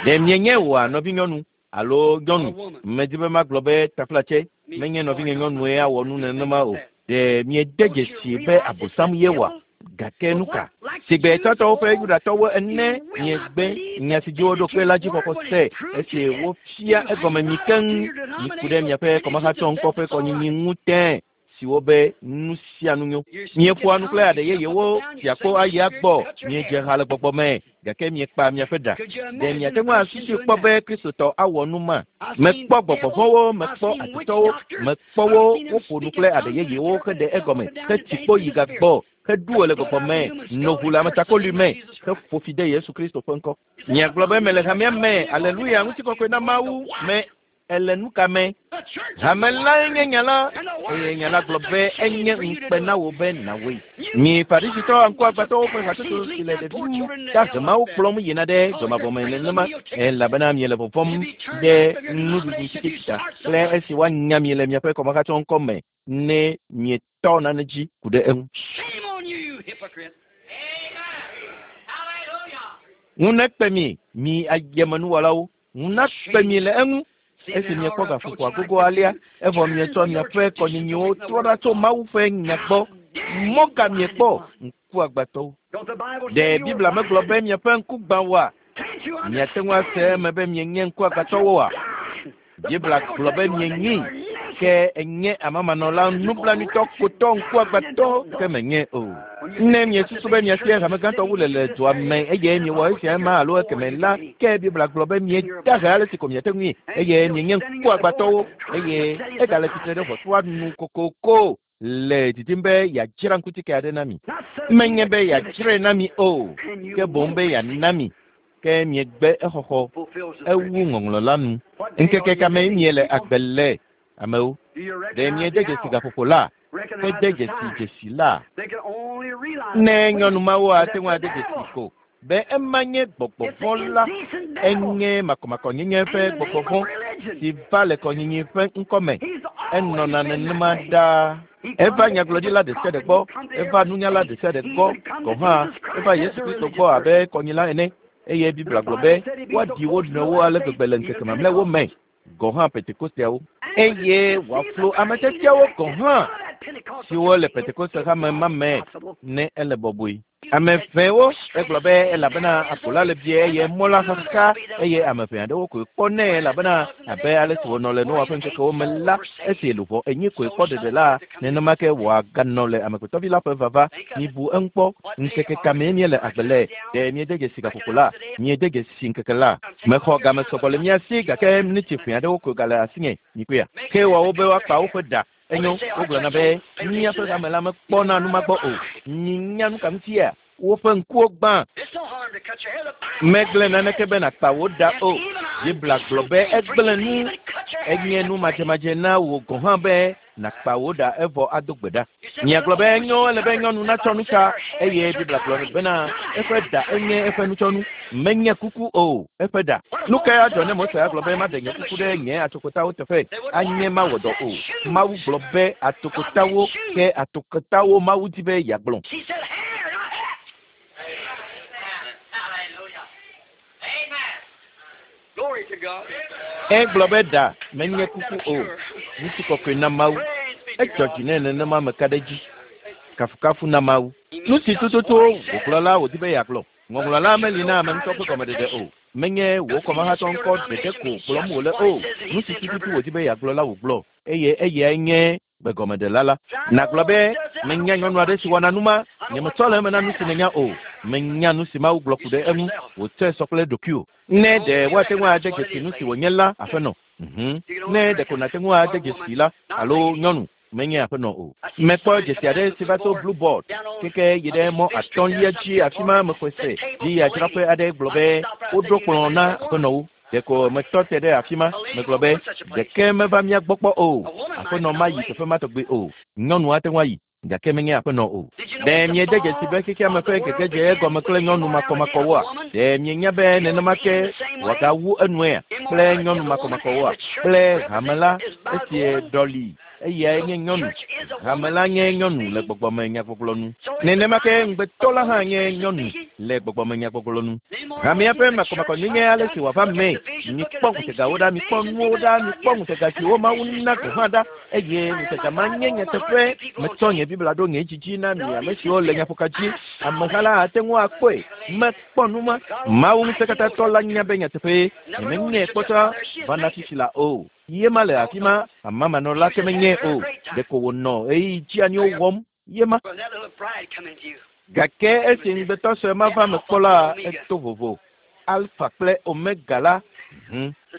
Ɖe mienye wòa nɔvinyɔnu alo nyɔnu? Medi be magblɔ be taflatse menye nɔvinye nyɔnue awɔ nu nenema o. Ɖe miede dzesi be Abosam ye wɔa? Gake nu ka? Sigbe tsãtɔwo ƒe Yudatɔwo ene miegbe nya si dzi woɖo kpe la dzi xɔxɔ se esi wofia egɔme mi keŋ. Miku ɖe miaƒe kɔmahatsɔ ŋkɔ ƒe kɔnyinyi ŋu tẽ siwo be nu sia nu nyo. Mieƒoa nu kple aɖe yeyewo fiakpo ayi agbɔ. Miedze ha le gbɔgbɔ me gake miekpa miaƒe ɖa. Ɖe miate ŋu asusui kpɔ be Kristotɔ awɔ nu ma? Mekpɔ gbɔgbɔvɔ̃wo, mekpɔ adetɔwo, mekpɔ wo woƒo nu kple aɖe yeyewo heɖe egɔme hetsi kpo yi gagbɔ heɖu le gbɔgbɔ me no ʋu le ametakoli me heƒo fi de Yesu Kristo ƒe ŋkɔ. Miagblɔ be mele hamea me, aleluya, ŋutikɔkɔe na Mawu me. Ele nu ka me? Hame lae nye nya la, eye nya la gblɔ be enye ŋukpe na wò be nàwɔe. Mi Farisitɔ ŋkuagbãtɔwo ƒe hatsotso si le ɖevi dahemawo kplɔm yina ɖe dzɔmavɔ me nenema elabena miele vɔvɔ̃m ɖe nuɖuɖu tsitsita kple esi woanya mi le miaƒe kɔmahatsɔ ŋkɔ me ne mietɔ nane dzi ku ɖe eŋu. Shame on you, you hypocrite. Ŋu nekpe mi, mi ayemenuwɔlawo. Ŋu nakpe mi le eŋu. Esi miekpɔ gaƒoƒoa gogo alea, evɔ mietsɔ miaƒe kɔnyinyiwo trɔ ɖa tso Mawu ƒe nya gbɔ. Mɔ ka miekpɔ ŋkuagbãtɔwo? Don't the Bible Ɖe say you Biblia were megblɔ be miaƒe ŋku gbã woa? Can't you Miate ŋu ase understand? eme be mienye ŋkuagbãtɔwoa? Biblia gblɔ be mienyi ke enye amamanɔla nublanuitɔ kotɔ ŋkuagbãtɔ ke menye o. Ne miesusu be miasie hame gãtɔ wu le le dua me eye miewɔ esia ema alo ekeme la, ke Biblia gblɔ be mieda he ale si ko miate ŋui eye mienye ŋkuagbãtɔwo eye egale tsitre ɖe ʋɔtrua nu kokoko le didim be yeadzra ŋkutike aɖe na mi. Menye be yeadzrae na mi o, ke boŋ be yeana mi. Ke miegbe exɔxɔ Fulfills the ewu scripture. ŋɔŋlɔ la nu. What day Ŋkeke are ka you me living, miele people? agbe le amewo? Do you Ɖe recognize miede the dzesi hour? gaƒoƒo la? Recognize Hede the dzesi sign? dzesi la? They can only realize Ne that nyɔnu mawo that ate ŋu the ade dzesi devil. ko be ema nye gbɔgbɔ It's the vɔ̃ la, indecent devil. enye makɔmakɔnyenye In ƒe the name gbɔgbɔ of vɔ̃ religion. si va le kɔnyinyi ƒe ŋkɔ me. He's Enɔna always been that nenema way. ɖaa. He Eva come to nyagblɔɖila every ɖe sia ɖe prophet, gbɔ, he come to eva every nunyala saint, ɖe sia ɖe he gbɔ even come to gɔ̃ hã Jesus eva Christ as Yesu a Kristo religious gbɔ abe person. kɔnyila ene eye The Biblia gblɔ Bible be said he'd be so woaɖi wo close to the nɔewo last ale days, gbegbe le even ŋkeke mamlɛawo me Pentecostals. gɔ̃ hã Pentekosteawo And would eye deceive the wòaflu very ame tiatiawo gɔ̃ elect hã out of that Pentecostal siwo le church if Pentekoste it hame ma was me possible. ne ele bɔbɔe. Ame ʋɛwo egblɔ be elabena aƒo la le vie eye mɔ la xaxa eye ame ʋɛ aɖewo koe kpɔnɛ elabena abe ale si wònɔ le Noa ƒe ŋkekewo me la, esi luʋɔ enyi koe kpɔ ɖeɖe la, nenema ke wòaganɔ le amegbetɔvi la ƒe vava. Mibu eŋu kpɔ. Ŋkeke ka mee míele agbe le? Ɖe miede dzesi gaƒoƒo la? Miede dzesi ŋkeke la? Mexɔ game sɔgbɔ le mía si gake miniti ʋɛ aɖewo koe gale asinye. Mikpɔea? Ke woawo be woakpa woƒe ɖa. Enyo, wogblɔna be míaƒe hame la mekpɔna nu ma gbɔ o. Minya nu ka ŋutia? Woƒe ŋkuwo gbã. It's no harm to cut your hair. The Bible Megblẽ says naneke be nàkpa wò ɖa Yes, o. even Biblia gblɔ unbecoming be thing for egblẽ you to nu even cut your hair enye is nu a praise. madzemadze na wò gɔ̃ hã be Nàkpa wò ɖa evɔ ado gbe ɖa. Miagblɔ be enyo ele be nyɔnu natsɔ nu ta eye Biblia gblɔ bena eƒe ɖa enye eƒe nutsɔnu. Menye kuku o, eƒe ɖa. Nu kae adzɔ ne Mose agblɔ be maɖe nye kuku ɖe nye atsokotawo teƒe? Anye mawɔ dɔ o. Mawu gblɔ be atsokotawo ke atsokotawo Mawu di be yeagblɔ. She said hair, not hat. Hallelujah. Amen. Glory to God. Egblɔ be ɖa menye kuku o. Ŋutikɔkɔe na Mawu. Edzɔ dzi nɛ nenema meka ɖe edzi. Kafukafu na Mawu. Nu si tututu wògblɔ la wòdi be yeagblɔ. Ŋɔŋlɔ la meli na ame ŋutɔ ƒe gɔmeɖeɖe o. Menye wò kɔmahatɔ ŋkɔ ɖeɖe ko gblɔm wòle o. Nu si tututu wòdi be yeagblɔ la wògblɔ eye eyae nye gbegɔmeɖela la. Nàgblɔ be menya nyɔnu aɖe si wɔna nu ma. Nyemetsɔ le eme na nu si nènya o. Menya nu si Mawu gblɔ ku ɖe eŋu. Wòtsɔe sɔ kple ɖokuiwò. Ne ɖe woate ŋu ade dzesi nu si wònye la, aƒenɔ. Ne ɖeko nàte ŋu ade dzesi la alo nyɔnu, menye aƒenɔ o. Mekpɔ dzesi aɖe si va tso Blue Board keke yi ɖe mɔ atɔ̃lia dzi afi ma mexɔe se dziyadzraƒe aɖe gblɔ be woɖo kplɔ̃ na aƒenɔwo. Ɖeko metɔ te ɖe afi ma megblɔ be ɖeke meva mía gbɔ kpɔ o. Aƒenɔ mayi teƒe ma tɔgbi o. Nyɔnu ate ŋu ayi gake menye aƒenɔ o. Ɖe miede dzesi be xexeame ƒe gegedze egɔme kple nyɔnu makɔmakɔwoa? Ɖe mienya be nenema ke wòagawu enuea kple nyɔnu makɔmakɔwoa? Kple hame la esie ɖɔli eyae nye nyɔnu. Hame la nye nyɔnu le gbɔgbɔme nyagbɔgblɔ nu. Nenema ke ŋugbetɔ la hã nye nyɔnu le gbɔgbɔme nyagbɔgblɔ nu. Hamea ƒe makɔmakɔnyenye ale si wòava mee. Mikpɔ ŋutegawo ɖa, mikpɔ nuwo ɖa, mikpɔ ŋutega siwo Mawu na gɔ̃ hã ɖa eye ŋutega ma nye nyateƒe. Metsɔ nye Biblia ɖo nye dzidzi na mi ame siwo le nyaƒoka dzi. Ameha la ate ŋu akpɔe. Mekpɔ nu ma. Mawu ŋusẽkatãtɔ la nya be nyateƒee. Nyemenyae kpɔtɔ va na fifi la o. Ye ma le afi ma, amamanɔla ke menye o. Ɖeko wònɔ ɣeyiɣi dzeaniwo wɔm. Ye ma. When that little bride come into you. Gake esi ŋugbetɔ sue ma va me kpɔ la, eto vovo. Alfa kple Omega la.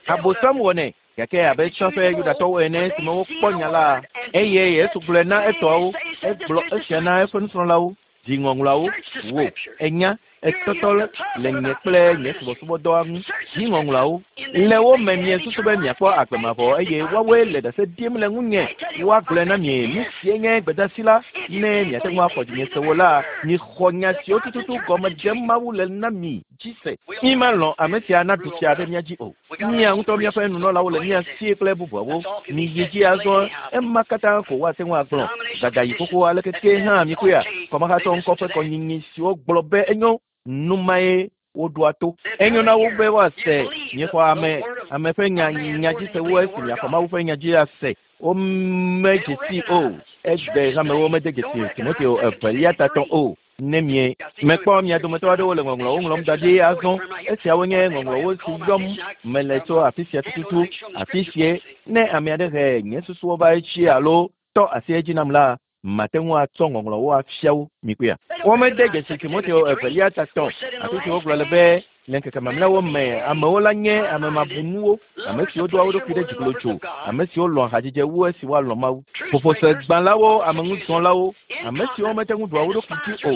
Abosam wɔnɛ. Gake abe tsã ƒe Yudatɔwo ene esime wokpɔ nya la, eye Yesu gblɔe na etɔawo, egblɔ esia na eƒe nusrɔ̃lawo, di ŋɔŋlɔawo, wò, enya, etɔtɔ le nye kple nye subɔsubɔdɔa ŋu, di ŋɔŋlɔawo. Le wo me miesusu be miakpɔ agbe mavɔ eye woawoe le ɖase ɖim le ŋunye. Woagblɔe na mi nu sie nye gbedeasi la, ne miate ŋu axɔ dzinye se wo la, mixɔ nya siwo tututu gɔme ɖem Mawu le na mi dzi se. Mi malɔ̃ ame sia naɖu fia ɖe mía dzi o. Mía ŋutɔ míaƒe nunɔlawo le mía si kple bubuawo. Miyi dzi azɔ, ema katã ko woate ŋu agblɔ. Dada yi xoxo aleke ke hã mikpɔea, kɔmahatɔ ŋkɔ ƒe kɔnyinyi siwo gblɔ be enyo, nu mae woɖoa to. Enyo na wo be woase miexɔ ame ame ƒe nya nya dzi se wu esi miaxɔ Mawu ƒe nya dzi ase. Wome dzesi o. Egbe hamewo mede dzesi Timoteo evelia tatɔ o. Ne mie mekpɔ mia dometɔ aɖewo le ŋɔŋlɔwo ŋlɔm da ɖi azɔ. Esiawo nye ŋɔŋlɔwo si yɔm mele tso afi sia tututu. Afi sie ne ame aɖe he nye susuwo va edzi alo tɔ asi edzi nam la, mate ŋu atsɔ ŋɔŋlɔwo afia wo mikpɔea. Womede dzesi Timoteo evelia tatɔ afi si wogblɔ le be le ŋkeke mamlɛawo me amewo la nye ame mabunuwo, ame siwo doa wo ɖokui ɖe dziglodzo, ame siwo lɔ̃a hadzidze wu esi woalɔ̃ Mawu. Ƒoƒosegbalẽwo, ameŋuzɔlawo, ame siwo mete ŋu ɖua wo ɖokui dzi o,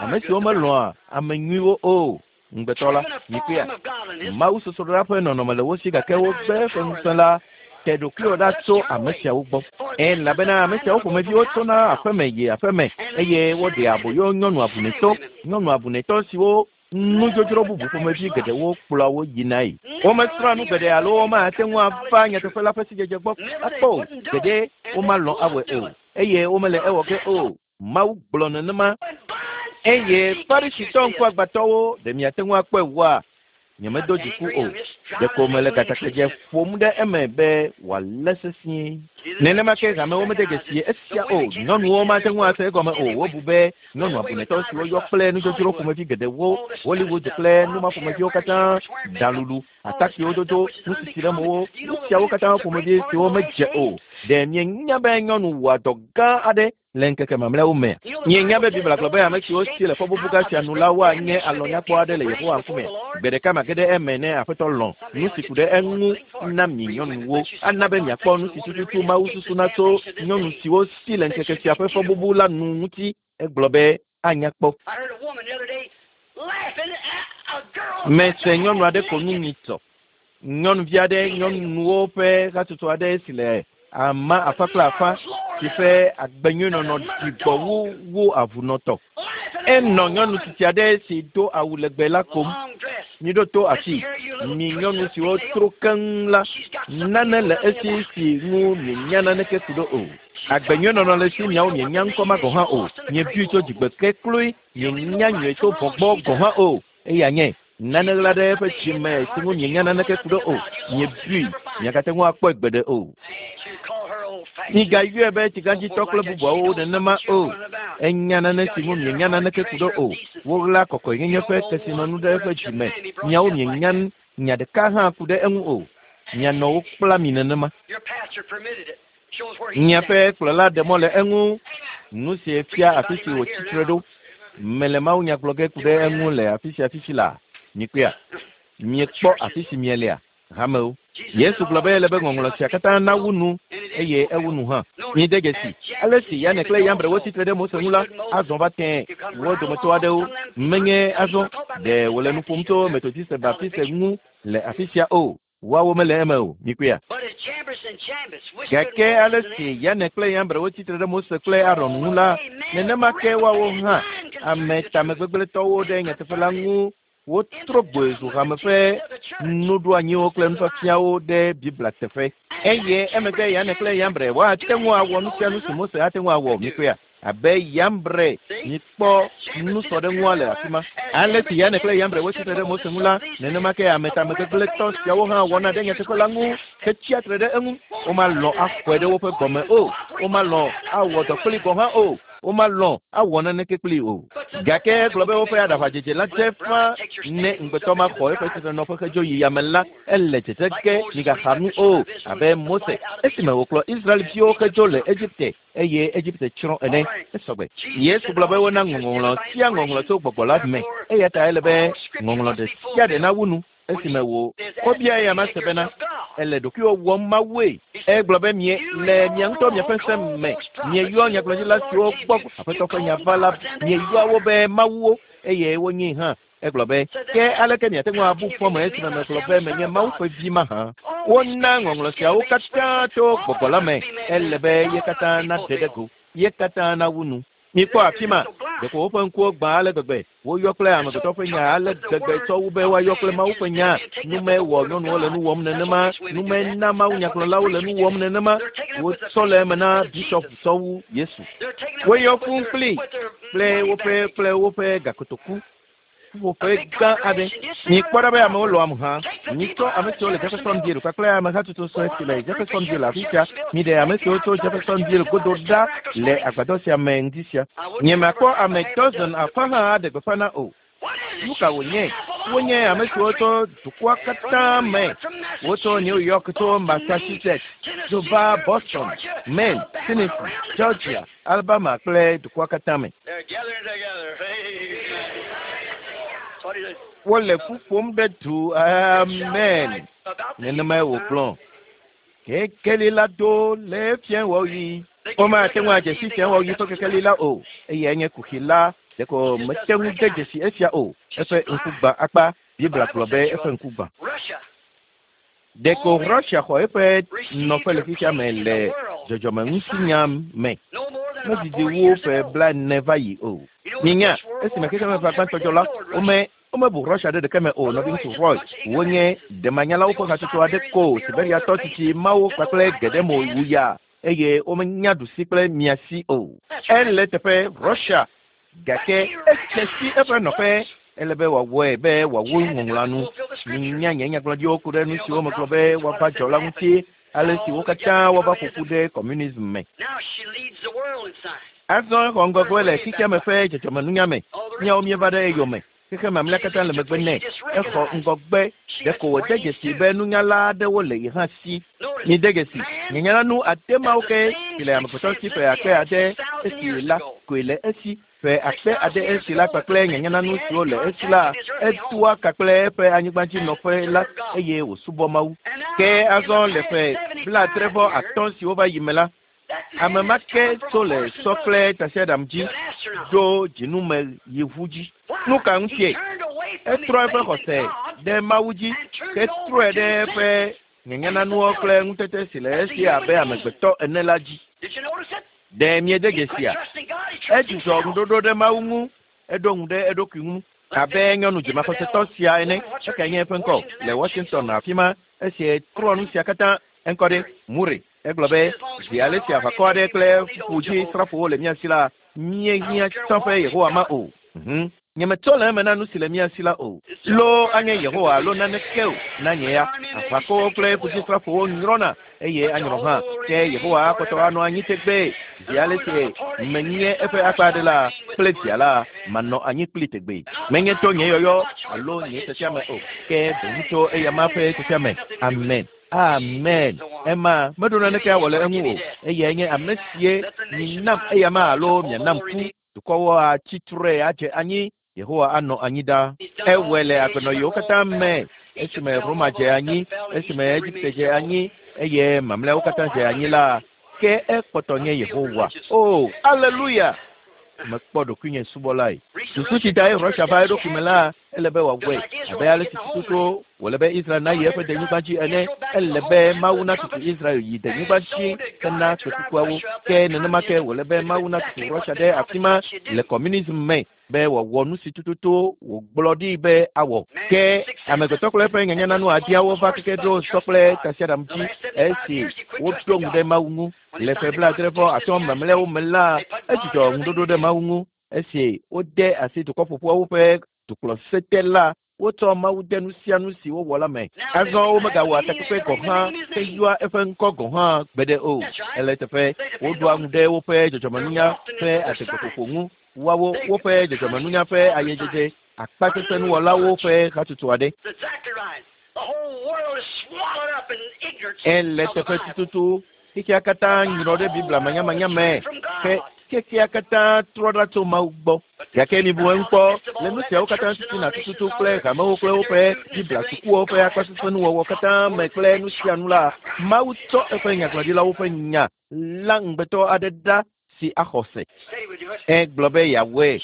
ame siwo melɔ̃a ame nyuiwo o. Ŋugbetɔ la, mikpɔea, Mawu sosroɖa ƒe nɔnɔme le wo si gake wogbe eƒe ŋusẽ la te ɖokuiwò ɖa tso ame siawo gbɔ. Elabena ame siawo ƒomeviwo tsona aƒeme yi aƒeme eye woɖea aboyo nyɔnu abunetɔ, nyɔnu abunetɔ siwo nudzodzro bubu ƒomevi geɖewo kplɔa wo yinae. Womesrɔ̃a nu geɖe alo womate ŋu ava nyateƒe la ƒe sidzedze gbɔ akpɔ o. Geɖe womalɔ̃ awɔe o eye womele ewɔ ge o. Mawu gblɔ nenema. Eye Farisitɔ ŋkuagbãtɔwo ɖe miate ŋu akpɔe wua? Nyemedo dziku o. Ɖeko mele gatakedze ƒom ɖe eme be wòalé sesĩe. Nenema ke hamewo mede dzesi esia o. Nyɔnuwo mate ŋu ase egɔme o. Wobu be nyɔnu abunetɔ siwo yɔ kple nudzodzro ƒomevi geɖewo, Hollywood kple nu ma ƒomeviwo katã, ɖalulu, atakpuiwo dodo, nusisi ɖe mowo, nu siawo katã ƒomevi siwo medze o. Ɖe mienya be nyɔnu wɔa dɔ gã aɖe le ŋkeke mamlɛawo me? Mienya be Biblia gblɔ be ame siwo si le fɔbubu gã sia nu la woanye alɔnyakpɔ aɖe le Yehowa ŋkume. Gbe ɖeka mage ɖe eme ne Aƒetɔ lɔ̃ nu si ku ɖe eŋu na mi nyɔnuwo. Ana be miakpɔ nu si tututu Mawu susuna tso nyɔnu siwo si le ŋkeke sia ƒe fɔbubu la nu ŋuti. Egblɔ be anya kpɔ. I heard a woman the other day laughing at a girl. Mese nyɔnu aɖe ko nu nyitsɔ. Nyɔnuvi aɖe, nyɔnuwo ƒe hatsotso aɖe si le Ama afã kple afã si ƒe agbenyuinɔnɔ ɖi gbɔ wu wu avunɔtɔ. Enɔ nyɔnu tsitsi aɖe si do awu legbe la kom. Miɖo to afii, mi nyɔnu siwo tro keŋ la, nane le esi si ŋu mienya naneke ku ɖo o. Agbenyuinɔnɔ le si miawo mienya ŋkɔ ma gɔ̃ hã o. Miebui tso dzigbe ke kloe, mienya nyuie tso vɔ̃ gbɔ gɔ̃ hã o. Eya nye nane ɣla ɖe eƒe dzime si ŋu mienya naneke ku ɖo o. Miebui, miagate ŋu akpɔe gbeɖe o. Migayɔe be tsigãdzitɔ kple bubuawo nenema o. Enya nane si ŋu mienya naneke ku ɖo o. Woɣla kɔkɔenyenye ƒe kesinɔnu ɖe eƒe dzime. Miawo mienya nya ɖeka hã ku ɖe eŋu o. Mianɔ wo kpla mi nenema. Miaƒe kplɔla ɖe mɔ le eŋu. Nu si fia afi si wòtsi tre ɖo. Mele mawunya gblɔ ge ku ɖe eŋu le afi sia fifi la. Mikpɔea? Miekpɔ afi si mielea? Hamewo. Yesu gblɔ be ele be ŋɔŋlɔ sia katã nawu nu eye ewu nu hã. Mide dzesi ale si Yane kple Yambre wotsi tre ɖe Mose ŋu la, azɔ va tẽe wo dometɔ aɖewo menye azɔ ɖe wòle nu ƒom tso Metodiste Baptiste ŋu le afi sia o. Woawo mele eme o. Mikpɔea? Gake ale si Yane kple Yambre wotsi tre ɖe Mose kple Aron ŋu la, nenema ke woawo hã ame tamegbegblẽtɔwo ɖe nyateƒe la ŋu wotrɔ gboe zu hame ƒe nuɖoanyiwo kple nufiafiawo ɖe Biblia teƒe. Eye emegbe Yane kple Yambre woate ŋu awɔ nu sia nu si Mose ate ŋu awɔ. Mikpɔea? Abe Yambre mikpɔ nusɔɖeŋua le afi ma. Ale si Yane kple Yambre wotsi tre ɖe Mose ŋu la, nenema ke ame tamegbegblẽtɔ siawo hã wɔna ɖe nyateƒe la ŋu hetsia tre ɖe eŋu. Womalɔ̃ axɔe ɖe woƒe gbɔme o. Womalɔ̃ awɔ dɔ kpli gɔ̃ hã o. Womalɔ̃ awɔ naneke kpli o. Gake egblɔ be woƒe aɖaʋadzedze la dze ƒã ne ŋugbetɔ ma xɔ eƒe tsitrenɔƒe hedzo yi yame la, ele dzedze ge migaxa nu o abe Mose esime wòkplɔ Israelviwo hedzo le Egipte eye Egipte tsrɔ̃ ene. Esɔgbe. Yesu gblɔ be wona ŋɔŋlɔ sia ŋɔŋlɔ tso gbɔgbɔ la me eya ta ele be ŋɔŋlɔ ɖe sia ɖe nawu nu esime wò wobia eya ma se bena ele ɖokuiwò wɔm mawue. Egblɔ be mie le mia ŋutɔ miaƒe ŋusẽ me mieyɔ nyagblɔɖila siwo gbɔ Aƒetɔ ƒe nya va la mieyɔa wo be mawuwo eye wonyee hã. Egblɔ be ke aleke miate ŋu abu fɔme esime megblɔ be menye Mawu ƒe vi mahã? Wona ŋɔŋlɔ siawo katã tso gbɔgbɔ la me. Ele be ye katã naɖe ɖe go, ye katã nawu nu. Mikpɔ afi ma, ɖeko woƒe ŋkuwo gbã ale gbegbe. Woyɔ kple amegbetɔ ƒe nya ale gbegbe tsɔ wu be woayɔ kple Mawu ƒe nya. Nume wɔ nyɔnuwo le nu wɔm nenema. Nume na mawunyagblɔlawo le nu wɔm nenema. Wotsɔ le eme na bishɔp tsɔ wu Yesu. Woyɔ fũu kpli kple woƒe kple woƒe gakotoku. Ƒuƒoƒe gã aɖe. Mikpɔ ɖa be amewo lɔ̃am hã. Mitsɔ ame siwo le Jeffersonville kpakple amehatsotso sue si le Jeffersonville afi sia. Miɖe ame siwo tso Jeffersonville godo ɖa le agbadɔ sia me ŋdi sia. Nyemakpɔ ame dɔzɔn afã hã aɖe gbeƒã na o. Nu ka wònye? Wonye ame siwo tso dukɔa katã me. Wotso New York tso Massachusetts, tso va Boston, Maine, Tennessee, Georgia, Alabama kple dukɔa katã me. Wole ƒu ƒom ɖe du. Amen. Nenemae wògblɔ. Kekeli la do le fiẽwɔɣi. Womate ŋu adze si fiẽwɔɣi ƒe kekeli la o. Eyae nye kuxi la. Ɖeko mete ŋu de dzesi esia o. Eƒe ŋku gbã akpa. Biblia gblɔ be eƒe ŋku gbã. Ɖeko Russia xɔ eƒe nɔƒe le xexea me le dzɔdzɔmeŋutinya me. Medidi wu ƒe 40 va yi o. Mienya, esime xexemeʋa gbãtɔ dzɔ la, wome womebu Russia ɖe ɖeke me o. Nɔviŋutsu Roy, wonye ɖemanyalawo ƒe hatsotso aɖe ko Siberiatɔ tsitsi mawo kpakple geɖe mo wu ya eye womenya ɖusi kple miasi o. Ele teƒe Russia gake edze si eƒe nɔƒe. Ele be wòawɔe be wòawu ŋɔŋlɔa nu. Minya nye nyagblɔɖiwo ku ɖe nu siwo megblɔ be woava dzɔ la ŋuti, ale si wo katã woava ƒo ƒu ɖe communism me. Azɔ exɔ ŋgɔgbe le xexea me ƒe dzɔdzɔmenunya me. Míawo míeva ɖe eyome. Xexe mamlɛa katã le megbe nɛ. Exɔ ŋgɔgbe. Ɖeko wòde dzesi be nunyala aɖewo le ye hã si. Mide dzesi, nyanya nu ade mawo ke si le amegbetɔ si ƒe akpe ade esi la koe le esi. Ƒe akpe ade esi la kpakple nyanyananu siwo le esi la, etoa ka kple eƒe anyigbadzinɔƒe la eye wòsubɔ Mawu. Ke azɔ le ƒe 75 siwo va yi me la, ame ma ke tso le sɔ kple tasiaɖam dzi ɖo dzinume yi ʋu dzi. Nu ka ŋutie? Etrɔ eƒe xɔse ɖe Mawu dzi hetrɔe ɖe eƒe nyanyanuwo kple ŋutete si le esi abe amegbetɔ ene la dzi. Ɖe miede dzesia? Edzudzɔ ŋuɖoɖo ɖe Mawu ŋu, eɖo ŋu ɖe eɖokui ŋu abe nyɔnu dzimaxɔsetɔ sia ene. Ekae nye eƒe ŋkɔ le Washington afi ma esi trɔ nu sia katã eŋkɔ ɖe Murray. Egblɔ be zi ale si aʋakɔ aɖe kple ƒudzisrafowo le mía si la, míehiã tsã ƒe Yehowa ma o. Nyemetsɔ le eme na nu si le mía si la o. Loo anye Yehowa alo naneke o na nye ya. Aʋakɔwo kple ƒudzisrafowo nyrɔna eye anyrɔ hã. Ke Yehowa akpɔtɔ anɔ anyi tegbee. Zi ale si menye eƒe akpa aɖe la kple via la, manɔ anyi kpli tegbee. Menye to nye yɔyɔ alo nye tiatiame o, ke boŋ tso eyama ƒe tiatiame. Amen. Amen. Ema meɖo naneke awɔ le eŋu o. Eyae nye ame sie minam eyama alo mianam ku. Dukɔwo atsi tre adze anyi. Yehowa anɔ anyi ɖa. Ewɔe le agbenɔyiwo katã me. Esime Roma dze anyi, esime Egipte dze anyi, eye mamlɛawo katã dze anyi la, ke ekpɔtɔ nye Yehowa. O, aleluya! Mekpɔ ɖokuinye subɔlae. Susu si tae Russia va eɖokui me la, ele be wòawɔe abe ale si tututu wòle be Israel nayi eƒe denyigba dzi ene. Ele be Mawu natutu Israel yi denyigba dzi hena kpekukuawo. Ke nenema ke wòle be Mawu natutu Russia ɖe afi ma le communism me be wòawɔ nu si tututu wògblɔ ɖi be awɔ. Ke amegbetɔ kple eƒe nyanyananu adiawo va keke ɖo sɔ kple tasiaɖam dzi esi woɖo ŋu ɖe Mawu ŋu. Le ƒe 75 mamlɛawo me la, edzudzɔ ŋuɖoɖo ɖe Mawu ŋu. Esi wode asi dukɔ ƒoƒuawo ƒe dukplɔsete la, wotsɔ Mawu de nu sia nu si wowɔ la me. Azɔ womegawɔa takpekpe gɔ̃ hã heyɔa eƒe ŋkɔ gɔ̃ hã gbeɖe o. Ele eteƒe, woɖoa ŋu ɖe woƒe dzɔdzɔmenunya ƒe adegbeƒoƒo ŋu. Woawo woƒe dzɔdzɔmenunya ƒe ayedzedze akpasesẽnuwɔlawo ƒe hatsotso aɖe. Ele teƒe tututu xexea katã nyrɔ ɖe Biblia manyamanya me ke xexea katã trɔ ɖa tso Mawu gbɔ. Gake mibu eŋu kpɔ le nu siawo katã titina tututu kple hamewo kple woƒe Biblia sukuwo ƒe akpasesẽnuwɔwɔ katã me kple nu sia nu la, Mawu tsɔ eƒe nyagblɔɖilawo ƒe nya la ŋugbetɔ aɖe ɖa si axɔ se. Egblɔ be yeawɔe.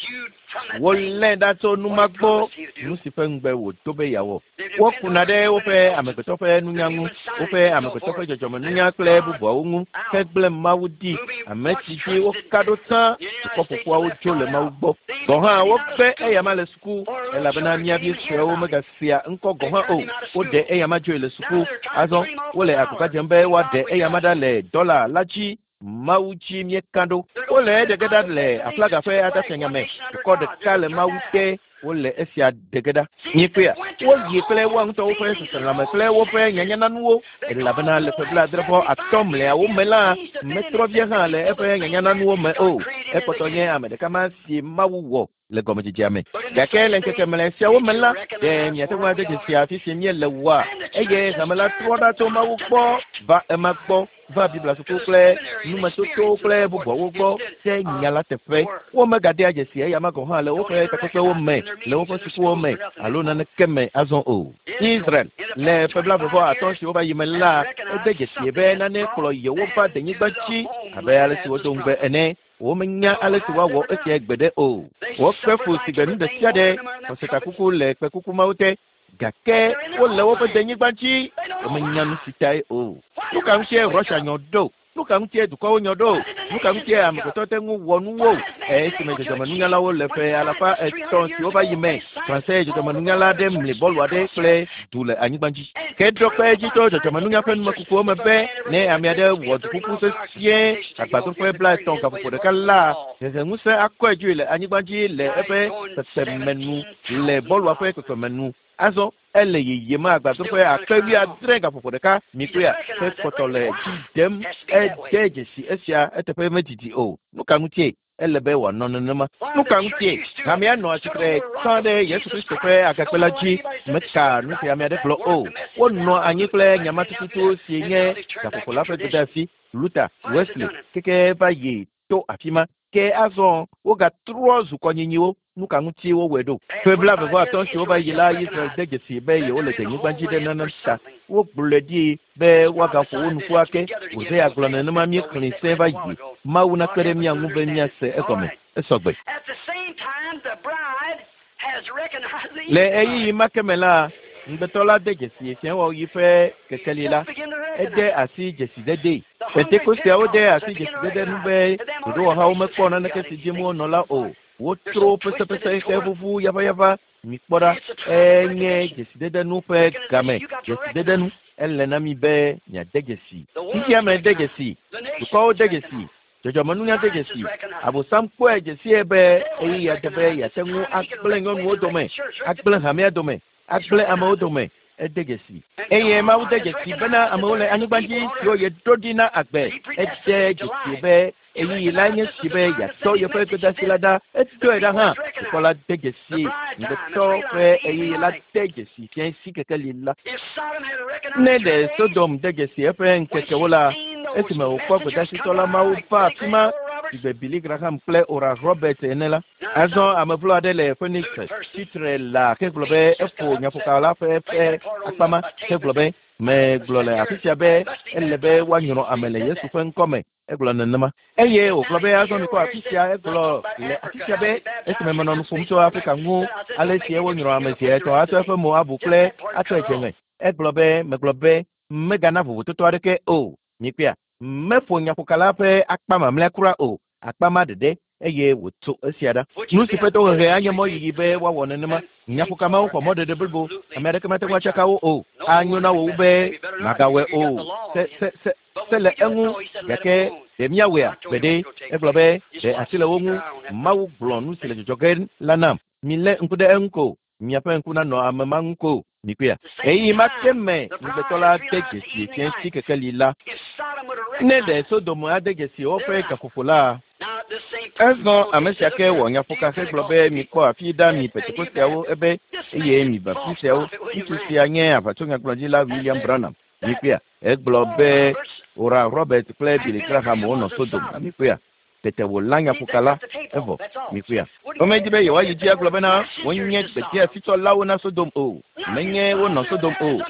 Wolé ɖa tso nu ma gbɔ, nu si ƒe ŋugbe wòdo be yeawɔ. Wokuna ɖe woƒe amegbetɔ ƒe nunya ŋu, woƒe amegbetɔ ƒe dzɔdzɔmenunya kple bubuawo ŋu hegblẽ Mawu ɖi, ame si dzi woka ɖo tsã. Dukɔ ƒoƒuawo dzo le Mawu gbɔ. Gɔ̃ hã wogbe eyama le suku elabena mía vi suewo megasea ŋkɔ gɔ̃ hã o. Woɖe eyama dzoe le suku. Azɔ wole agbagba dzem be woaɖe eyama ɖa le dɔla la dzi. Mawu dzi míeka ɖo. Wole eɖe ge ɖa le aflaga ƒe adafianya me. Dukɔ ɖeka le Mawu te. Wole esia ɖe ge ɖa. Miekpɔea? Woyi kple woa ŋutɔwo ƒe seselãme kple woƒe nyanyananuwo. Elabena le ƒe 75 mlɔeawo me la, metrɔ vie hã le eƒe nyanyananuwo me o. Ekpɔtɔ nye ame ɖeka ma si Mawu wɔ le gɔmedzedzea me. Gake le ŋkeke mlɔe siawo me la, ɖe miate ŋu ade dzesi afi si míele oa? Eye hame la trɔ ɖa tso Mawu gbɔ va ema gbɔ, va Biblia suku kple numetotowo kple bubuawo gbɔ ɖe nya la teƒe. Womegadea dzesi eyama gɔ̃ hã le woƒe takpekpewo me, le woƒe sukuwo me alo naneke me azɔ o. Israel, le ƒe 75 siwo va yi me la, ede dzesi be nane kplɔ yewo va denyigba dzi abe ale si wodo ŋugbe ene. Womenya ale si woawɔ esia gbeɖe o. Wokpe fu si gbe nu ɖe sia ɖe, xɔsetakuku le kpekuku mawo te, gake wole woƒe denyigba dzi. Womenya nu si tae o. Nu ka ŋutie Russia nyɔ ɖo? Nu ka ŋutie dukɔwo nyɔ ɖo? Nu ka ŋutie amegbetɔ te ŋu wɔ nuwo? Esime dzɔdzɔmenunyalawo le ƒe 300 siwo va yi me, Franse dzɔdzɔmenunyala aɖe mli bɔlu aɖe kple du le anyigba dzi. Ke ɖo kpe edzi tso dzɔdzɔmenunya ƒe numekukuwo me be ne ame aɖe wɔ duƒuƒu sesĩe agbadroƒe 30 gaƒoƒo ɖeka la, heheŋusẽ akɔe dzoe le anyigba dzi le eƒe kpekpeme nu, le bɔlua ƒe kpekpeme nu. Azɔ ele yiyim agbadroƒe 70,000 gaƒoƒo ɖeka. Mikpɔea, ke kpɔtɔ le dzi dem. Ede dzesi esia eteƒe medidi o. Nu ka ŋutie ele be wòanɔ nenema? Nu ka ŋutie hamea nɔ atsitre tsã ɖe Yesu Kristo ƒe agakpe la dzi? Meka nu si ame aɖe gblɔ o. Wonɔ anyi kple nya ma tututu si nye gaƒoƒo la ƒe gbedeasi, Luther, Wesley, keke va yi to afi ma. Ke azɔ wogatrɔ zu kɔnyinyiwo. Nu ka ŋutie wowɔe ɖo? Ƒe 75 siwo va yi la, Israel de dzesi be yewole denyigba dzi ɖe nane ta. Wogblɔe ɖi be woagaƒo wo nu ƒu ake. Hosea gblɔ nenema míexlẽe sẽ va yi. Mawu nakpe ɖe mía ŋu be míase egɔme. Esɔgbe. Le ɣeyiɣi ma ke me la, Ŋugbetɔ la de dzesi fiawɔɣi ƒe kekeli la. Ede asi dzesidede. Pentekosteawo de asi dzesidede nu be ɖoɖowɔhawo mekpɔ naneke si dim wonɔ la o. Wotro pesepese xe ʋuʋu yaʋayaʋa. Mikpɔ ɖa, enye dzesidede nu ƒe game. Dzesidede nu. Ele na mi be miade dzesi. Xexea me de dzesi. Dukɔwo de dzesi. Dzɔdzɔmenunya de dzesi. Abosam kpɔe dzesie be ɣeyiɣia de be yeate ŋu agblẽ nyɔnuwo dome, agblẽ hamea dome, agblẽ amewo dome. Ede dzesi. Eye Mawu de dzesi bena amewo le anyigba dzi siwo yeɖo ɖi na agbe. Ede dzesi be ɣeyiɣi la nye si be yeatɔ yeƒe gbedeasi la ɖa. Etɔe ɖa hã. Dukɔ la de dzesi. Ŋugbetɔ ƒe ɣeyiɣi la de dzesi fiasi kekeli la. Ne ɖe Sodom de dzesi eƒe ŋkekewo la, esime wòkpɔ gbedasitɔ la Mawu va afi ma sigbe Billy Graham kple Oral Roberts ene la. Azɔ ame vlo aɖe le Phoenix tsitre la hegblɔ be eƒo nyaƒoka la ƒe ƒe akpa ma hegblɔ be megblɔ le afi sia be ele be woanyrɔ ame le Yesu ƒe ŋkɔ me. Egblɔ nenema. Eye wògblɔ be azɔ mikpɔ afi sia egblɔ le afi sia be esime menɔ nu ƒom tso Afrika ŋu ale si wonyrɔ ame zi etɔ̃ atsɔ eƒe mo abu kple atsɔe dze ŋe. Egblɔ be megblɔ be megana vovototo aɖeke o. Mikpɔea, meƒo nyaƒoka la ƒe akpa mamlɛa kura o, akpa ma ɖeɖe eye wòtso esia ɖa. Nu si ƒe tohehe anye mɔ yiyi be woawɔ nenema. Nyaƒoka mawo xɔ mɔɖeɖe blibo. Ame aɖeke mate ŋu atsaka wo o. Anyo na wò wu be màgawɔe o. Se se se se le eŋu gake ɖe míawɔea? Gbeɖe. Egblɔ be ɖe asi le wo ŋu. Mawu gblɔ nu si le dzɔdzɔ ge la nam. Milé ŋku ɖe eŋu ko. Miaƒe ŋku nanɔ ame ma ŋu ko. Mikpɔea? Ɣeyiɣi ma ke me ŋugbetɔ la de dzesi fiasi kekeli la. Ne ɖe Sodom ade dzesi woƒe gaƒoƒo la, azɔ ame sia ke wɔ nyaƒoka hegblɔ be mikpɔ afi ɖa mi Pentekosteawo ebe eye mi Baptisteawo. Ŋutsu sia nye aʋatsonyagblɔɖila William Branham. Mikpɔea? Egblɔ be Oral Roberts kple Billy Graham wonɔ Sodom. Mikpɔea? Tete wòlã nyaƒoka la, evɔ. Mikpɔea? Womedi be yewoayi dzi agblɔ bena wonye gbedeasitsɔlawo na Sodom o. Menye wonɔ Sodom o.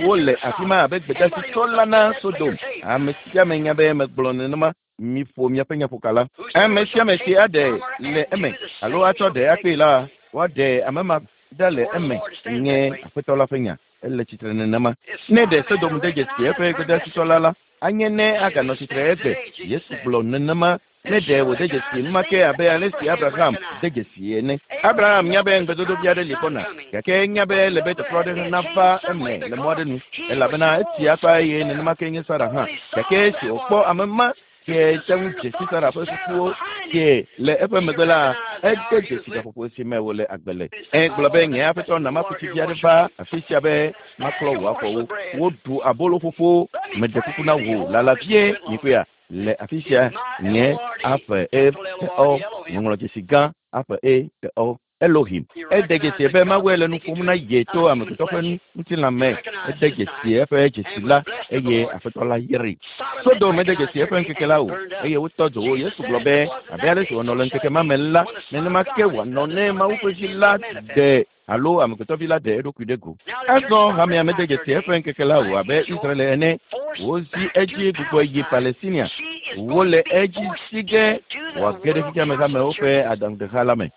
Wole afi ma abe gbedasitsɔla na Sodom. Ame sia ame nya be megblɔ nenema. Miƒo miaƒe nyaƒoka la. Ame sia ame si aɖe le eme alo atsɔ ɖe akpee la, woaɖe ame ma ɖa le eme nye Aƒetɔ la ƒe nya. Ele tsitre nenema. Ne ɖe Sodom de dzesi eƒe gbedasitsɔla la, anye ne aganɔ tsitre egbe. Yesu gblɔ nenema. Ne ɖe wòde dzesi enumake abe ale si Abraham de dzesi ene. Abraham nya be ŋugbedodovi aɖe li gbɔna, gake enya be ele be tɔtrɔ aɖe nava eme le mɔ aɖe nu, elabena etsi akpa eye nenema ke nye Sara hã. Gake esi wòkpɔ ame ma si te ŋu dze si Sara ƒe susuwo sie le eƒe megbe la, ede dzesi gaƒoƒo si me wòle agbe le. Egblɔ be nye aƒetɔ na maku tsi vi aɖe va afi sia be maklɔ wò afɔwo. Woɖu abolo ƒoƒo, meɖe kuku na wò lala vie, mikpɔea? Le afi sia nye aƒe e te o ŋɔŋlɔdzesi gã aƒe e te o Elohim. Ede dzesi be Mawue le nu ƒom na ye to amegbetɔ ƒe ŋutilã me. Ede dzesi eƒe dzesi la eye Aƒetɔ la yrae. Sodom mede dzesi eƒe ŋkeke la o eye wotɔ dzo wo. Yesu gblɔ be abe ale si wònɔ le ŋkeke ma me la, nenema ke wòanɔ ne Mawu ƒe Vi la ɖe alo amegbetɔvi la ɖe eɖokui ɖe go. Azɔ hamea mede dzesi eƒe ŋkeke la o abe Israel ene. Wozi edzi gbugbɔ yi Palestinia. Wole edzi si ge wòage ɖe xexeame hamewo ƒe aɖaŋudeha la me.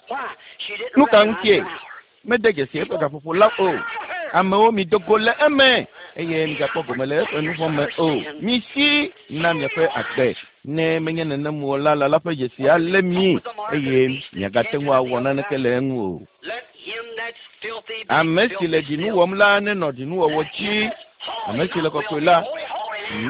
Nu ka ŋutie? Mede dzesi eƒe gaƒoƒo la o. Amewo mido go le eme eye migakpɔ gome le eƒe nu vɔ̃ me o. Misi na miaƒe agbe. Ne menye nenem o la, lala ƒe dzesi alé mi eye miagate ŋu awɔ naneke le eŋu o. Ame si le ɖinu wɔm la nenɔ ɖinuwɔwɔ dzi. Ame si le kɔkɔe la,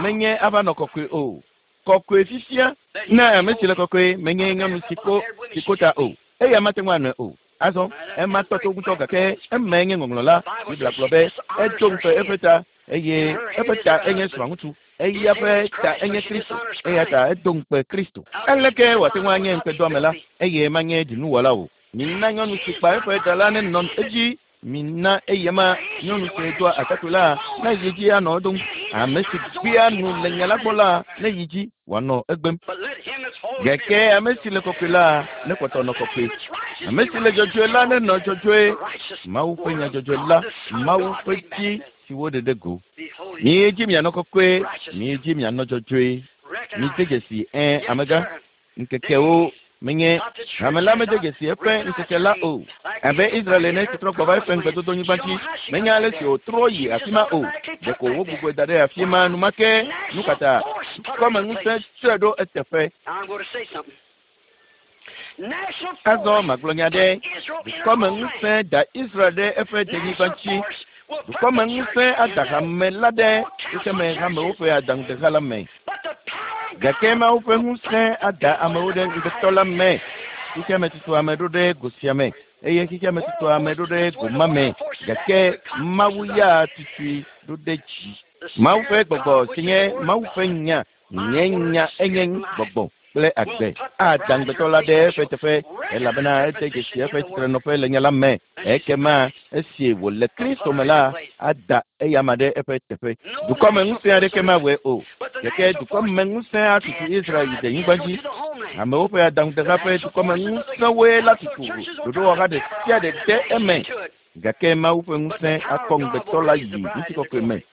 menye ava nɔ kɔkɔe o. Kɔkɔe fifia ne ame si le kɔkɔe menye nyɔnu si ko si ko ta o. Eya mate ŋu anɔe o. Azɔ ema tɔ to ŋutɔ gake emae nye ŋɔŋlɔ la. Biblia gblɔ be etso ŋukpe eƒe ta eye eƒe ta enye srɔ̃ŋutsu. Eya ƒe ta enye Kristo. Eya ta edo ŋukpe Kristo. Aleke wòate ŋu anye ŋukpedoame la eye manye ɖinuwɔla o? Mina nyɔnu si kpa eƒe ɖa la nenɔ edzi. Mina eyama nyɔnu si doa atakpui la neyi dzi anɔ edom. Ame si gbea nu le nya la gbɔ la neyi dzi wòanɔ egbem. Gake ame si le kɔkɔe la nekpɔtɔ nɔ kɔkɔe. Ame si le dzɔdzɔe la nenɔ dzɔdzɔe. Mawu ƒe nya dzɔdzɔe la, Mawu ƒe dzi si woɖe ɖe go. Miyi dzi mianɔ kɔkɔe, miyi dzi mianɔ dzɔdzɔe. Mide dzesi ẽ amegã. Ŋkekewo Menye hame la mede dzesi eƒe ŋkeke la o. Abe Israel ene si trɔ gbɔ va eƒe ŋugbedodonyigba dzi, menye ale si wòtrɔ yi afi ma o. Ɖeko wogbugbɔe da ɖe afi ma enumake. Nu ka ta? Dukɔmeŋusẽ tsɔe ɖo eteƒe. Azɔ magblɔ nya ɖe. Dukɔmeŋusẽ da Israel ɖe eƒe denyigba dzi. Dukɔmeŋusẽ ada hame la ɖe xexeme hamewo ƒe adaŋudeha la me. Gake Mawu ƒe ŋusẽ ada amewo ɖe ŋugbetɔ la me. Xexeme tutu ame ɖo ɖe go sia me eye xexeme tutu ame ɖo ɖe go ma me. Gake Mawu ya tutui ɖo ɖe dzi. Mawu ƒe gbɔgbɔ si nye Mawu ƒe nya, nye nya enye gbɔgbɔ kple agbe. Ada ŋugbetɔ la ɖe eƒe teƒe elabena ede dzesi eƒe tsitrenɔƒe le nya la me. Ekema esi wòle Kristo me la, ada eyama ɖe eƒe teƒe. Dukɔmeŋusẽ aɖeke mawɔe o. Gake dukɔmeŋusẽ atutu Israel yi denyigba dzi. Amewo ƒe adaŋudeha ƒe dukɔmeŋusẽwoe la tutu ɖoɖowɔha ɖe sia ɖe de eme. Gake Mawu ƒe ŋusẽ akɔ ŋugbetɔ la yi ŋutikɔkɔe me.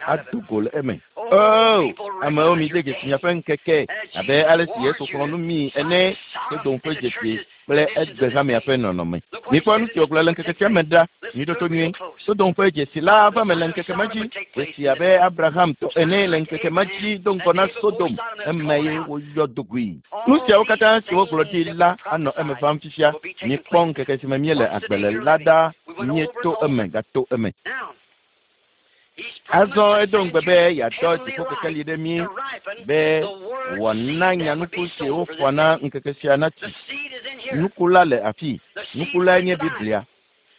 Ado go le eme. Oh, amewo mi de dzesi miaƒe ŋkeke abe ale si Yesu xlɔ̃ nu mi ene Sodom ƒe dzesi kple egbe hamea ƒe nɔnɔme. Mikpɔ nu si wògblɔ le ŋkeke sia me ɖa. Miɖo to nyuie. Sodom ƒe dzesi la va me le ŋkeke ma dzi. Dzesi abe Abraham tɔ ene le ŋkeke ma dzi do ŋgɔ na Sodom. Eme ye woyɔ dogoe. Nu siawo katã si wogblɔ ɖi la anɔ eme vam fifia. Mikpɔ ŋkeke si me míele agbe le la ɖa. Míeto eme gato eme. Azɔ edo ŋugbe be yeadɔ dziƒo kekeli ɖe mí be wòana nyanuku si woƒã na ŋkeke sia natsi. Nuku la le afi. Nuku lae nye Biblia.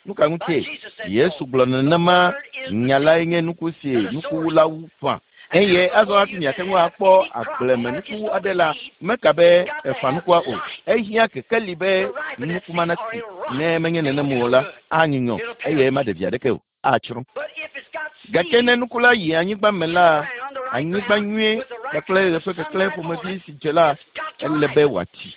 Nu ka ŋutie? Yesu gblɔ nenema nya lae nye nuku si nukuwulawo ƒã. Eye azɔ hafi miate ŋu akpɔ agblemenuku aɖe la, meka be eƒã nukua o. Ehiã kekeli be nuku ma natsi. Ne menye nenem o la, anyunyɔ eye maɖe vi aɖeke o. Atsrɔ̃. Gake ne nuku la yi anyigba me la, anyigba nyuie kpakple ɣe ƒe keklẽ ƒomevi si dze la, ele be wòatsi.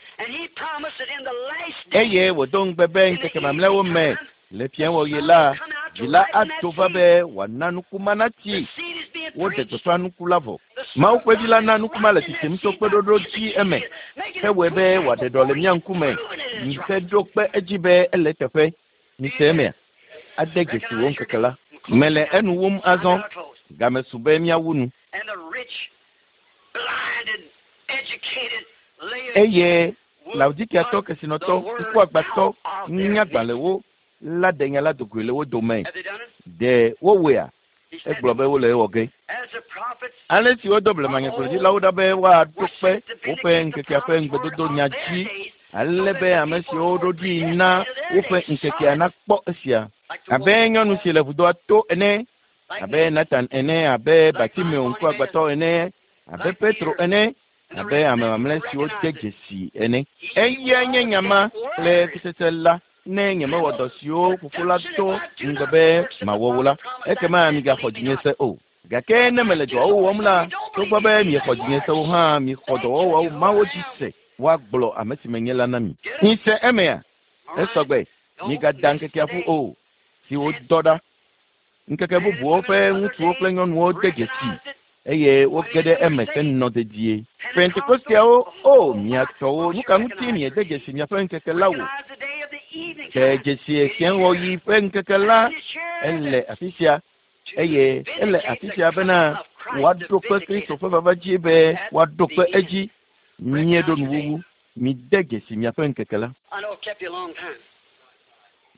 Eye wòdo ŋugbe be ŋkeke mamlɛawo me le fiẽwɔɣi la, vi la ato va be wòana nuku ma natsi. Woɖe gbeƒã nuku la vɔ. Mawu ƒe vi la na nuku ma le tsitsim tso kpeɖoɖo dzi eme. Hewɔe be wòaɖe ɖɔ le mía ŋkume. Heɖo kpe edzi be ele teƒe. Mise emea? Ade dzesi wò ŋkeke la. Mele enu wum azɔ. Game su be míawu nu. Eye Laodikiatɔ kesinɔtɔ, ŋkuagbãtɔ, nunyagbalẽwo la ɖe nya la dogoe le wo dome. Ɖe wowɔea? Egblɔ be wole ewɔ ge. Ale si wodo blemanyagblɔɖilawo ɖa be woaɖo kpe woƒe ŋkekea ƒe ŋugbedodo nya dzi ale be ame siwo woɖo ɖi na woƒe ŋkekea nakpɔ esia. Abe nyɔnu si le vudoa to ene, abe Nathan ene, abe Bartimeo ŋkuagbãtɔ ene, abe Petro ene, abe ame mamlɛ siwo de dzesi ene. Eya nye nya ma kple kutsetse la. Ne nyemewɔ dɔ siwo fofo la do ŋugbe be mawɔ wo la, ekema migaxɔ dzinye se o. Gake ne mele dɔawo wɔm la, togbɔ be miexɔ dzinye se o hã, mixɔ dɔwɔwɔwo mawo dzi se. Woagblɔ ame si menye la na mi. Mise emea? Esɔgbe, migada ŋkekea ƒu o, si wodɔ ɖa. Ŋkeke bubuwo ƒe ŋutsuwo kple nyɔnuwo de dzesi eye woge ɖe eme henɔ dedie. Pentekosteawo, o mia tɔwo, nu ka ŋuti miede dzesi miaƒe ŋkeke la o? De dzesi fiẽwɔɣi ƒe ŋkeke la, ele afi sia eye ele afi sia bena woaɖo kpe Kristo ƒe vava dzi be woaɖo kpe edzi. Míeɖo nuwuwu. Mide dzesi miaƒe ŋkeke la.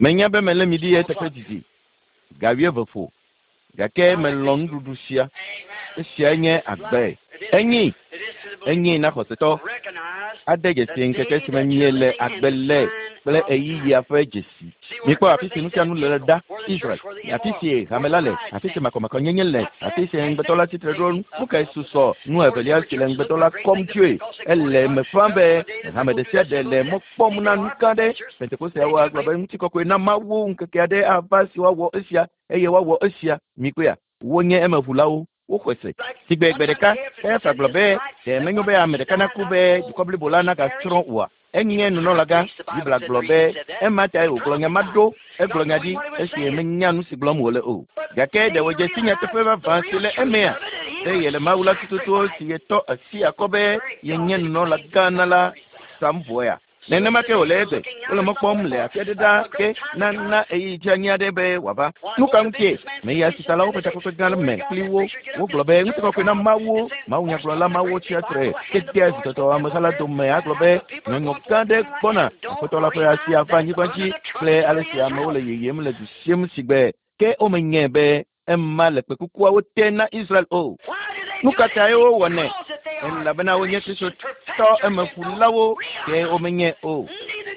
Menya be melé mi ɖi eteƒe didi. Ga wuieve ƒo. Gake melɔ̃ nuɖuɖu sia. Esiae nye agbe. Enyi. Enyi na xɔsetɔ. Ade dzesi ŋkeke si me miele agbe le kple ɣeyiɣia ƒe dzesi. Mikpɔ afi si nu sia nu le ɖa. Israel. Afi si hame la le. Afi si makɔmakɔnyenye le. Afi si ŋugbetɔ la tsitre ɖo. Nu kae susɔ? Nu evelia si le ŋugbetɔ la kɔm tsoe. Ele eme ƒã be hame ɖe sia ɖe le mɔ kpɔm na nu gã ɖe. Pentekosteawo agblɔ be ŋutikɔkɔe na Mawu ŋkeke aɖe ava si woawɔ esia eye woawɔ esia. Mikpɔea? Wonye emeʋulawo. Woxɔe se. Sigbe gbe ɖeka, Kayafa gblɔ be, ɖe menyo be ame ɖeka naku be dukɔ blibo la nagatsrɔ̃ oa? Enye nunɔlagã. Biblia gblɔ be ema tae wògblɔ nya ma ɖo. Egblɔ nya ɖi esi menya nu si gblɔm wòle o. Gake ɖe wòdze si nyateƒe vavã si le emea? Be yele Mawu la tututu si yetɔ asi akɔ be yenye nunɔlagã na la sam vɔea? Nenema ke wòle egbe. Wole mɔ kpɔm le afi aɖe ɖaa ke nana ɣeyiɣi dzeanyi aɖe be wòava. Nu ka ŋutie? Meyi asitalawo ƒe takpekpe gã me kpli wo. Wogblɔ be ŋutikɔkɔe na Mawu, mawunyagblɔla mawo tsia tre ke dea zitɔtɔ ameha la dome agblɔ be nyɔnyɔ gã aɖe gbɔna. Aƒetɔ la ƒe asi ava anyigba dzi kple ale si amewo le yeyem le du sim sigbe ke womenyae be ema le kpekukuawo te na Israel o. Nu ka tae wowɔnɛ? Elabena wonye Kristotɔ emeƒulawo ke womenyae o.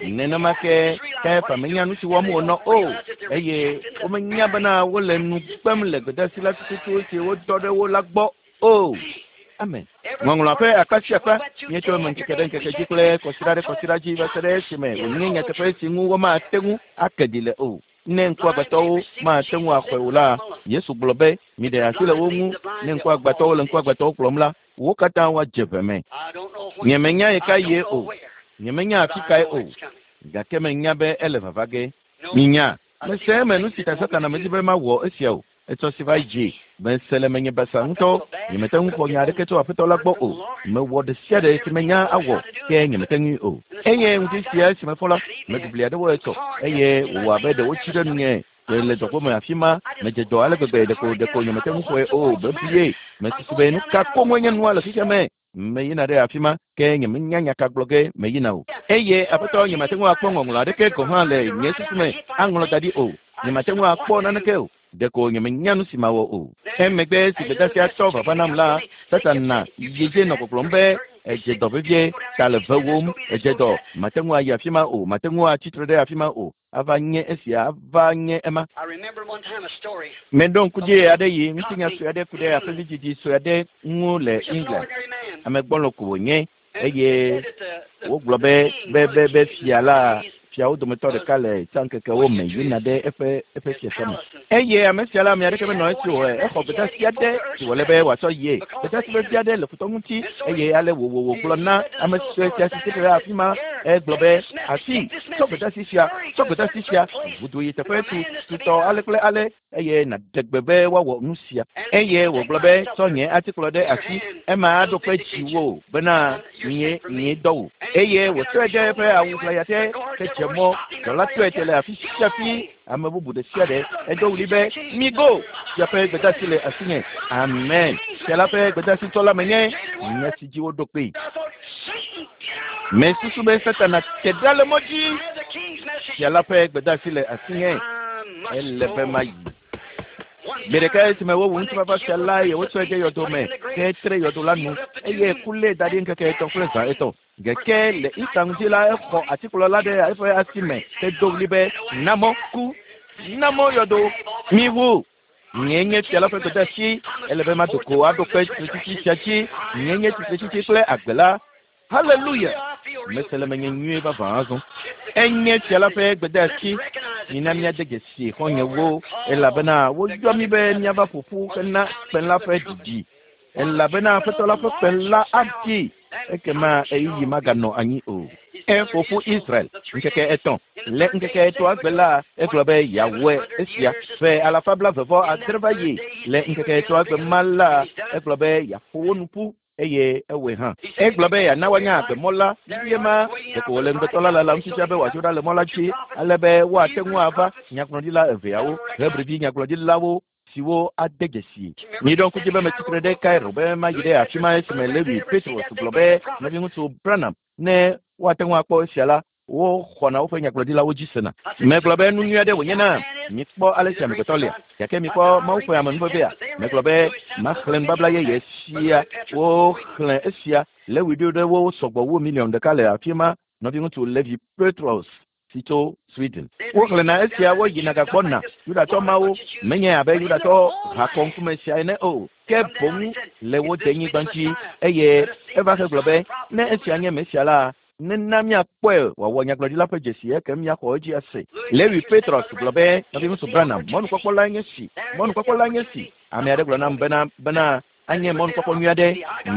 Nenema ke Kayafa menya nu si wɔm wònɔ o, eye womenya bena wole nu kpem le gbedeasi la tututu si wodɔ ɖe wo la gbɔ o. Amen. Ŋɔŋlɔa ƒe akpa sia akpa míetsɔ eme ŋkeke ɖe ŋkeke dzi kple kɔsiɖa ɖe kɔsiɖa dzi va se ɖe esime wònye nyateƒe si ŋu womate ŋu ake ɖi le o. Ne ŋkuagbãtɔwo mate ŋu axɔe o la, Yesu gblɔ be, Miɖe asi le wo ŋu. Ne ŋkuagbãtɔwo le ŋkuagbãtɔwo kplɔm la, wo katã woadze ʋe me. Nyemenya ɣekaɣie o, nyemenya afi kae o, gake menya be ele vava ge. Minya, mese eme nu si ta Satana medi be mawɔ esia o. Etsɔ si va yi dzi. Mese le menye basa ŋutɔ. Nyemete ŋu xɔ nya aɖeke tso Aƒetɔ la gbɔ o. Mewɔ ɖe sia ɖe si menya awɔ, ke nyemete ŋui o. Eye ŋdi sia esi mefɔ la, meɖu bli aɖewo etsɔ, eye wòwɔ abe ɖe wotsi ɖe nunye le dɔgbo me afi ma. Medze dɔ ale gbegbe ɖeko ɖeko nyemete ŋu xɔe o. Bebie. Mesusu be nu ka koŋue nye nua le xexea me? Meyina ɖe afi ma, ke nyemenya nya ka gblɔ ge meyina o. Eye Aƒetɔ, nyemate ŋu akpɔ ŋɔŋlɔ aɖeke gɔ̃ hã le nye susu me aŋlɔ da ɖi o. Nyemate ŋu akpɔ naneke o. Ɖeko nyemenya nu si mawɔ o. Emegbe si gbedeasia tɔ vava nam la, Satana yedze nɔ gbɔgblɔm be, Edze dɔ vevie, ta le vewòm, edze dɔ, màte ŋu ayi afi ma o, màte ŋu atsi tre ɖe afi ma o, ava nye esia, ava nye ema. Meɖo ŋku dzi ɣeaɖeɣi ŋutinya sue aɖe ku ɖe aƒevidzidzi sue aɖe ŋu le England. Ame gbɔlo ko wònye eye wogblɔ be be be be fia la fiawo dometɔ ɖeka le tsãŋkekewo me yina ɖe eƒe eƒe fiasã me. Eye ame sia la ame aɖeke menɔ esi o. Exɔ gbedeasi aɖe si wòle be wòatsɔ yie. Gbedeasi vevi aɖe le futɔ ŋuti eye ale wòwɔ wògblɔ na ame sue sia si tsitre ɖe afi ma. Egblɔ be, Asi, tsɔ gbedeasi sia, tsɔ gbedeasi sia, ʋu yi teƒe tu tutɔ ale kple ale eye nàɖe gbe be woawɔ nu sia. Eye wògblɔ be, Tsɔ nye atikplɔ ɖe asi, ema aɖo kpe dziwò bena nyee nyee dɔ wò. Eye wòtsɔe ɖe eƒe awu ʋlaya te hedze mɔ. Dɔla tɔe te le afi sia afi, ame bubu ɖe sia ɖe. Edo ɣli be, Migo! Fia ƒe gbedeasi le asinye. Amen. Fia la ƒe gbedeasi tsɔla menye, nya si dzi woɖo kpee. Mesusu be Satana te ɖa le mɔ dzi. Fia la ƒe gbedeasi le asinye. Ele be mayi. Gbe ɖeka esime wowu ŋutifafa fia la eye wotsɔe de yɔdo me ke tre yɔdo la nu eye ku lée da ɖi ŋkeke etɔ̃ kple zã etɔ̃. Gake le Easter ŋdi la exɔ atikplɔ la ɖe eƒe asi me hedo ɣli be, Na mɔ ku! Na mɔ yɔdo! Miʋu! Nyee nye fia la ƒe gbedeasi. Ele be mado go aɖo kpe tsitretsitsi sia dzi. Nyee nye tsitretsitsi kple agbe la. Haleluya! Mese le menye nyuie vavã azɔ. Enye fia la ƒe gbedeasi. Mina míade dzesi xɔ̃nyewo, elabena woyɔ mí be míava ƒo ƒu hena kpẽ la ƒe ɖiɖi. Elabena Aƒetɔ la ƒe kpẽ la aɖi, ekema ɣeyiɣi maganɔ anyi o. Eƒo ƒu Israel ŋkeke etɔ̃. Le ŋkeke etɔ̃a gbe la, egblɔ be yeawɔe esia. Ƒe alafa blaeve-vɔ-adre va yi. Le ŋkeke etɔ̃a gbe ma la, egblɔ be yeaƒo wo nu ƒu eye ewɔe hã. Egblɔ be yeana woanya agbemɔ la vie ma. Ɖeko wòle ŋugbetɔ la lalam fifia be wòadzo ɖa le mɔ la dzi ale be woate ŋu ava nyagblɔɖila eveawo, Hebrivi nyagblɔɖilawo siwo ade dzesi. Miɖo ŋku dzi be metsi tre ɖe Cairo be mayi ɖe afi ma esime Lewi Pethrus gblɔ be, Nɔviŋutsu Branham, ne woate ŋu akpɔ esia la, woxɔna woƒe nyagblɔɖilawo dzi sena. Megblɔ be nu nyui aɖe wònye na mikpɔ ale si amegbetɔ lia, gake mikpɔ Mawu ƒe amenuvevea. Megblɔ be maxlẽ nubabla yeye sia. Woxlẽ esia. Lewi ɖo ɖe wo sɔgbɔ wu miliɔn ɖeka le afi ma. Nɔviŋutsu Levi Pethrus si tso Sweden. Woxlẽna esia woyina gagbɔna. Yudatɔ mawo menye abe Yudatɔ hakɔŋkume sia ene o, ke boŋ le wo denyigba dzi. Eye eva hegblɔ be, ne esia nye Mesia la, nena míakpɔe wòawɔ nyagblɔɖila ƒe dzesi ekem míaxɔ edzi ase. Lewi Pethrus gblɔ be, Nɔviŋutsu Branham, mɔnukpɔkpɔ lae nye si. Mɔnukpɔkpɔ lae nye si. Ame aɖe gblɔ nam bena, bena, Anye mɔnukpɔkpɔ nyui aɖe.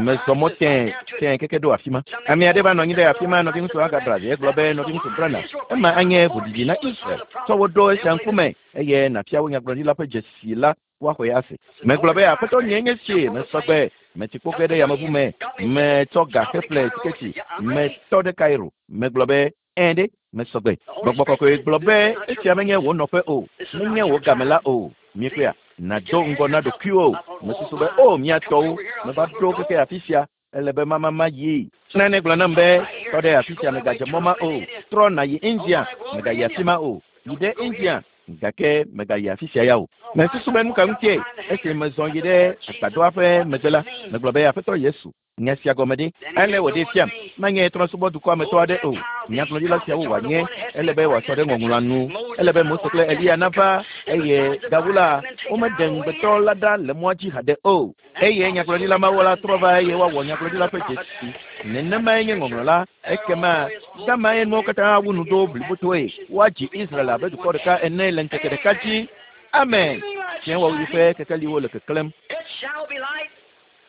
Mezɔ mɔ tẽ tẽ keke ɖo afi ma. Ame aɖe va nɔ anyi ɖe afi ma, nɔviŋutsu Agabra, egblɔ be, Nɔviŋutsu Branham, ema anye ʋuɖiɖi na Israel. Tsɔ wo ɖo esia ŋkume eye nàfia wo nyagblɔɖila ƒe dzesi la woaxɔe ase. Megblɔ be, Aƒetɔ nye nye sie, mesɔ gbe, metsi kpo ge ɖe yameʋu me, metsɔ ga heƒle tiketi, metɔ ɖe Cairo. Megblɔ be, Ẽ ɖe, mesɔ gbe. Gbɔgbɔ kɔkɔe gblɔ be, Esia menye wò nɔƒe o, menye wò game la o. Miekpɔea? Nàdo ŋgɔ na ɖokuiwò. Mesusu be, O, mía tɔwo, meva ɖo keke afi sia, ele be mamama yi. Nane gblɔ nam be, Tɔ ɖe afi sia, mègadze mɔ ma o. Trɔ nàyi India, mègayi afi ma o. Yi ɖe India, gake mègayi afi sia ya o. Mesusu be nu ka ŋutie? Esi mezɔ yi ɖe agbadɔa ƒe megbe la, megblɔ be, Aƒetɔ Yesu, nya sia gɔme ɖe? Ale wòɖee fiam, menye trɔ̃subɔdukɔa me tɔ aɖe o. Nyagblɔɖila siawo wòanye, ele be wòasɔ ɖe ŋɔŋlɔa nu. Ele be Mose kple Eliya nava, eye gawu la, womeɖe ŋugbetɔ la ɖa le mɔa dzi haɖe o. Eye nyagblɔɖila mawo la trɔ va eye woawɔ nyagblɔɖila ƒe dzesi. Nenemae nye ŋɔŋlɔ la. Ekema gamae nuawo katã awu nu ɖo blibotoe. Woadzi Israel abe dukɔ ɖeka ene le ŋkeke ɖeka dzi. Amen. Fiẽwɔɣi ƒe kekeliwo le keklẽm. It shall be light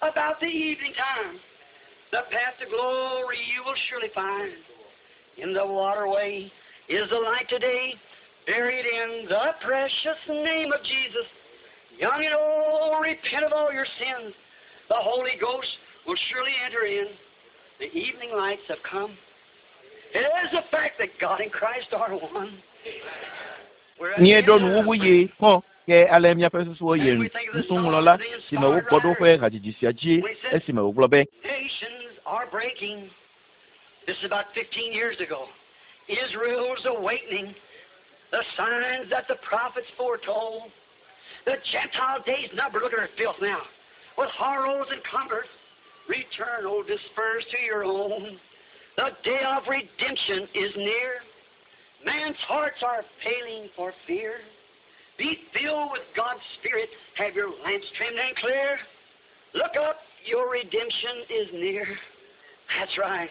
about the evening time. The path to glory you will surely find. In the waterway is the light today, buried in the precious name of Jesus. Young and old, repent of all your sins. The Holy Ghost will surely enter in. The evening lights have come. It is the fact that God and Christ are one. We're at the end Míeɖo of nuwuwu yi kpɔ ke ale míaƒe susuwo yi nuŋlɔla si me wogbɔ ɖo ƒe hadzidzi sia dzi esime wògblɔ be, Nations are breaking. This is about 15 years ago. Israel's awakening. The signs that the prophets foretold. The Gentile days numbered. Look at her filth now. With horrors and cumbrous. Return, O dispersed to your own. The day of redemption is near. Man's hearts are failing for fear. Be filled with God's Spirit. Have your lamps trimmed and clear. Look up, your redemption is near. That's right.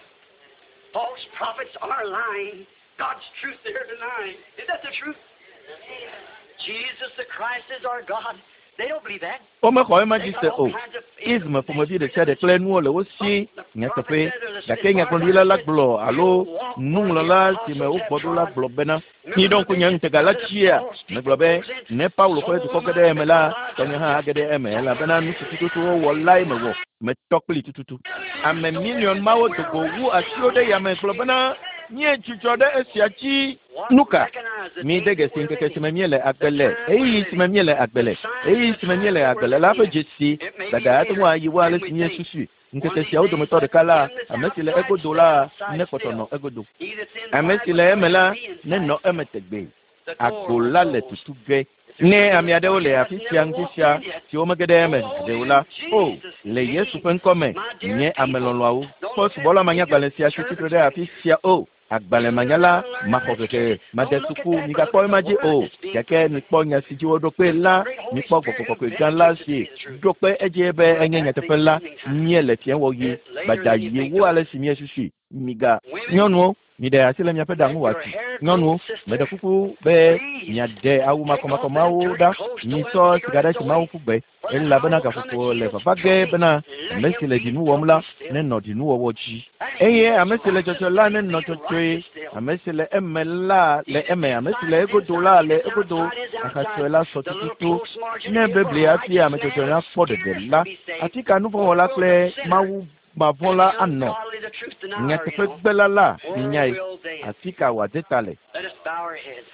False prophets are lying. God's truth they're denying. Is that the truth? Jesus the Christ is our God. They don't believe that. Womexɔ ema They dzi got se all o. kinds of Ism ƒomevi ɖe sia ɖe isms. kple nuwo le wo si But the prophet nyateƒe. said, as Gake far as I nyagblɔɖila la said, gblɔ alo you'll walk where the nuŋlɔla si me apostles have wogbɔ ɖo la trod. gblɔ bena, Remember miɖo the ŋku nye vision ŋutega la that the dzia? false Megblɔ people be, goes in. ne Paulo So ƒe dukɔ will ge my ɖe eme la, because tɔnye hã age ɖe eme elabena nu si tututu wowɔ lae mewɔ. Metɔ kpli tututu. Ame miliɔn mawo do go wu asiwo ɖe yame gblɔ bena, míedzudzɔ ɖe esia dzi. What Nu ka? recognize the Mi day de that dzesi we're ŋkeke si living, me míele agbe the le, time we're ɣeyiɣi si me living, míele agbe the le, signs ɣeyiɣi the si me time míele that agbe we're le la ƒe living in. dzesi. It may be Dada ate ŋu later ayi wo ale than si we think. míesusui. One Ŋkeke of these siawo days, dometɔ let ɖeka la, him that's ame si le outside egodo stay la outside nekpɔtɔ nɔ still. egodo. He that's Ame inside si must le eme let la him be nenɔ inside. eme tegbee. The door Agbo will la le close. tutu ge. If there's Ne something ame that's aɖewo le that afi hasn't sia never ŋuti walked sia in yet, siwo mege ɖe eme oh, haɖe o in la, o, Jesus' le Yesu name, ƒe ŋkɔme, my dear nye ame people, lɔlɔ̃awo, don't kpɔ look at subɔla if manyagbalẽ you're sia si tsitre servant ɖe afi sia o. Agbalẽ you manyala, haven't learned maxɔ or hehe, educated, made don't look at suku, that, but look migakpɔ at ema the dzi word o. that's being Gake proven. mikpɔ nya si dzi woɖo kpe The la, great Holy mikpɔ Spirit gbɔgbɔ who kɔkɔe gã la vindicates it to si be the truth. ɖo kpe edzie be We're enye at the nyateƒe la, evening time. míele fiẽwɔɣi. It's later Gbadza than you yi think, wu though. ale si míesusui. Miga Women, nyɔnuwo, miɖe asi le miaƒe ɖa let ŋu your wòatu. hair grow, Nyɔnuwo, meɖe sister. kuku be Please miaɖe awu take off that makɔmakɔmawo dirty ɖa. clothes, throw them Misɔ cigarettes sigarɛti mawo away. ƒu gbe For the elabena hour will come that gaƒoƒo le Jesus vava ge truly bena let ame him si le be ɖinu wɔm la filthy still. nenɔ ɖinuwɔwɔ dzi. And he Eye that's ame si le righteous, dzɔdzɔ la let him nenɔ be dzɔdzɔe. righteous still. Ame si le eme la He le that's eme. Ame si le inside is egodo inside. la He le that's egodo. outside is outside. Ahatsɔe la sɔ The little tututu. close margin Ne if a bebli hafi righteous ame dzɔdzɔe man would nakpɔ ɖeɖe scarcely la, be saved, afi ka what nuvɔ̃wɔla will the kple sinner Mawu mavɔ̃ and la the anɔ? ungodly, the truth denier, you know, Nyateƒegbela la where minyae. will they? Afi ka wòade ta le? Let us bow our heads.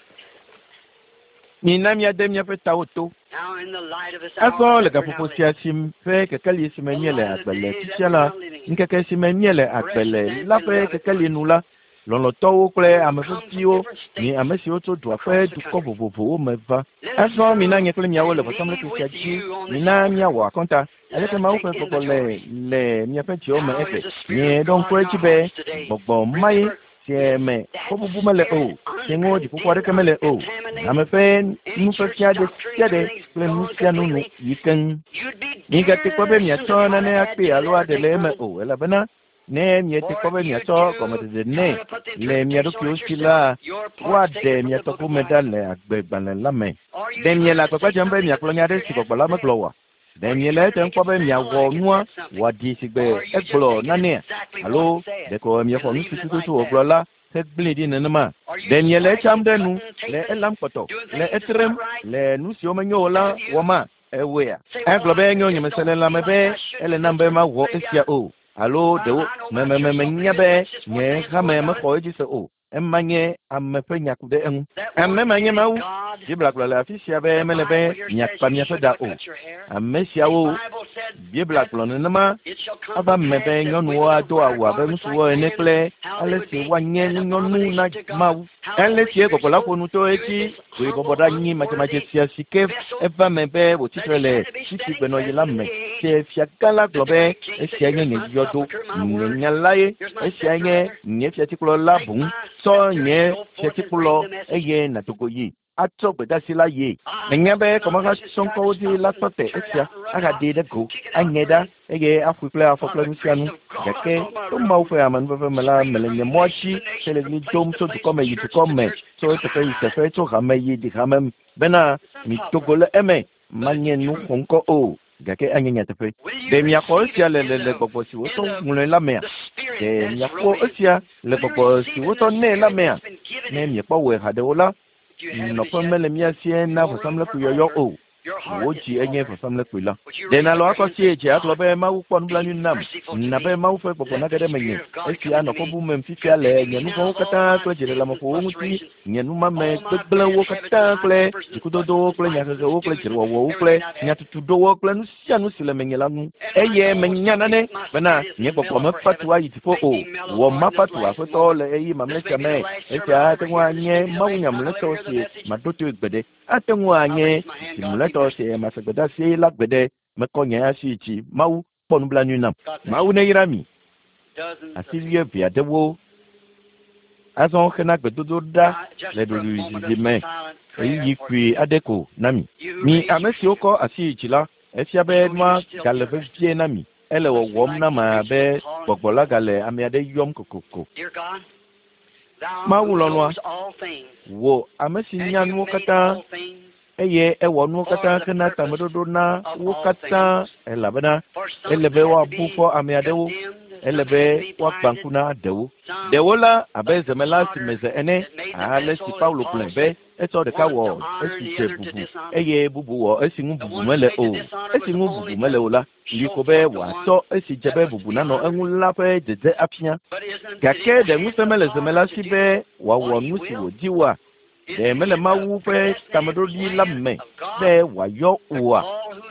Mina míade míaƒe tawo to. Now in the light of this hour Azɔ le that we're now gaƒoƒo living, sia si ƒe kekeli si me the míele light of agbe the le day that fifia we're la, now living in, ŋkeke si me míele agbe precious le and la ƒe beloved kekeli ones nu la, lɔlɔ̃tɔwo kple who ame come from veviwo, different mi states ame siwo tso dua ƒe across the dukɔ country. vovovowo me va. Let us Azɔ mina come nye kple miawo le and vɔsamlekpui meet sia with dzi, you on this mina altar. míawɔ akɔnta. Let Aleke us Mawu take ƒe gbɔgbɔ le inventory. le miaƒe dziwo me How egbe? is the Spirit of Mieɖo ŋku God in edzi our be hearts today? gbɔgbɔ mae Remember, si it's me that fɔbubu mele o, spirit si ŋu dziƒoƒo uncondemned, aɖeke mele o. Ame uncontaminated. ƒe Any church nufiafia ɖe doctrine, sia ɖe everything's kple nu gone sia nu nu completely. yi keŋ. You'd be Migate kpɔ be daresome to miatsɔ try nane to add akpee to alo that or aɖe take le from eme it. o, elabena ne miete For kpɔ be if you miatsɔ do gɔmeɖeɖe try nɛ to put the le mia interpretation on ɖokuiwo it si yourself, la, your part's woaɖe taken from mia the tɔ book of gome life. ɖa le agbegbalẽ la me. Are you Ɖe miele trying to agbagba say dzem be something that miagblɔ the nya aɖe Spirit si gbɔgbɔ hasn't la said? megblɔ oa? Ɖe miele etem kpɔ be miawɔ nua wòaɖi si gbe egblɔ nanea alo ɖeko miexɔ nu si tututu wògblɔ la hegblẽe ɖi nenema? Ɖe miele etsam ɖe nu le elam kpɔtɔ le etrem le nu siwo menyo o la wɔma? Ewɔea? Egblɔ be nyo nyemese le lãme be ele nam be mawɔ esia o alo ɖewo menya be nye hame mexɔ edzi se o. Ema nye ame ƒe nya ku ɖe eŋu. Ame ma nye Mawu. Biblia gblɔ le afi sia be mele be miakpa miaƒe ɖa o. Ame siawo Biblia gblɔ nenema ava me be nyɔnuwo ado awu abe ŋutsuwo ene kple ale si woanye ŋunyɔnu na Mawu. Ale si gbɔgbɔ la ƒo nu to edzi wòyi bɔbɔ ɖe anyi madzemadze sia si ke eva me be wòtsitre le fifi gbenɔɣi la me. Ke fiagã la gblɔ be esia nye nye yɔdo, nye nya la ye, esia nye nye fiatikplɔ la boŋ. Tsɔ nye fiatikplɔ eye nàdo go yi atsɔ gbedeasi la ye. Menya be kɔmahatsɔŋkɔwo dzi la tɔ te esia ahaɖee ɖe go, aŋe ɖa eye aƒoe kple afɔ kple nu sia nu. Gake to Mawu ƒe amenuveve me la, mele nye mɔa dzi hele ɣli dom tso dukɔ me yi dukɔ me, tso teƒe yi teƒe, tso hame yi hame bena mido go le eme. Manye nu xɔŋkɔ o, gake anye nyateƒe. Ɖe miaxɔ esia le le le gbɔgbɔ si wotsɔ ŋlɔe la mea? Ɖe miaxɔ esia le gbɔgbɔ si wotsɔ nɛ la mea? Ne miekpɔ wɔe haɖe o la, nɔƒe mele mía sie na vɔsamlekpui yɔyɔ o. Wò dzi enye vɔsamlekpui la. Ɖe nàlɔ akɔ sie dze agblɔ be Mawu kpɔ nublanui nam, na be Mawu ƒe gbɔgbɔ nage ɖe menye. Esia anɔ kɔ bum fifia le nye nu vɔ̃wo katã kple dziɖeleameƒowo ŋuti, nye numame gbegblẽwo katã kple dzikudodowo kple nyahehewo kple dzrewɔwɔwo kple nyatutuɖowo kple nu sia nu si le menye la ŋu. Eye menya nane bena nye gbɔgbɔ mefa tu ayi dziƒo o. Wɔ mafa tu Aƒetɔ le ɣeyiɣi mamlɛ sia me. Esia ate ŋu anye mawunya mlɔetɔ si maɖo toe gbeɖe. Ate ŋu anye zi mlɔetɔ si mase gbedeasi la gbeɖe. Mekɔ nye asi dzi. Mawu kpɔ nublanui nam. Mawu neyra mi. Asi wuieve aɖewo azɔ hena gbedodo ɖa le ɖoɖoezizi me ɣeyiɣi kpui aɖe ko na mi. Mi ame siwo kɔ asi yi dzi la, efia be nua gale vevie na mi. Ele wɔwɔm na me abe gbɔgbɔ la gale ame aɖe yɔm kokoko. Mawu lɔlɔ̃a, wò ame si nya nuwo katã eye ewɔ nuwo katã hena tameɖoɖo na wo katã elabena ele be woabu fɔ ame aɖewo, ele be woagbã ŋku na ɖewo. Ɖewo la abe zemela si me ze ene, ale si Paulo gblɔe be etsɔ ɖeka wɔ esi dze bubu eye bubu wɔ esi ŋu bubu mele o. Esi ŋu bubu mele o la, li ko be wòatsɔ esi dze be bubu nanɔ eŋu la ƒe dzedze afia. Gake ɖe ŋusẽ mele zemela si be wòawɔ nu si wòdi oa? Ɖe mele Mawu ƒe tameɖoɖi la me be wòayɔ oa?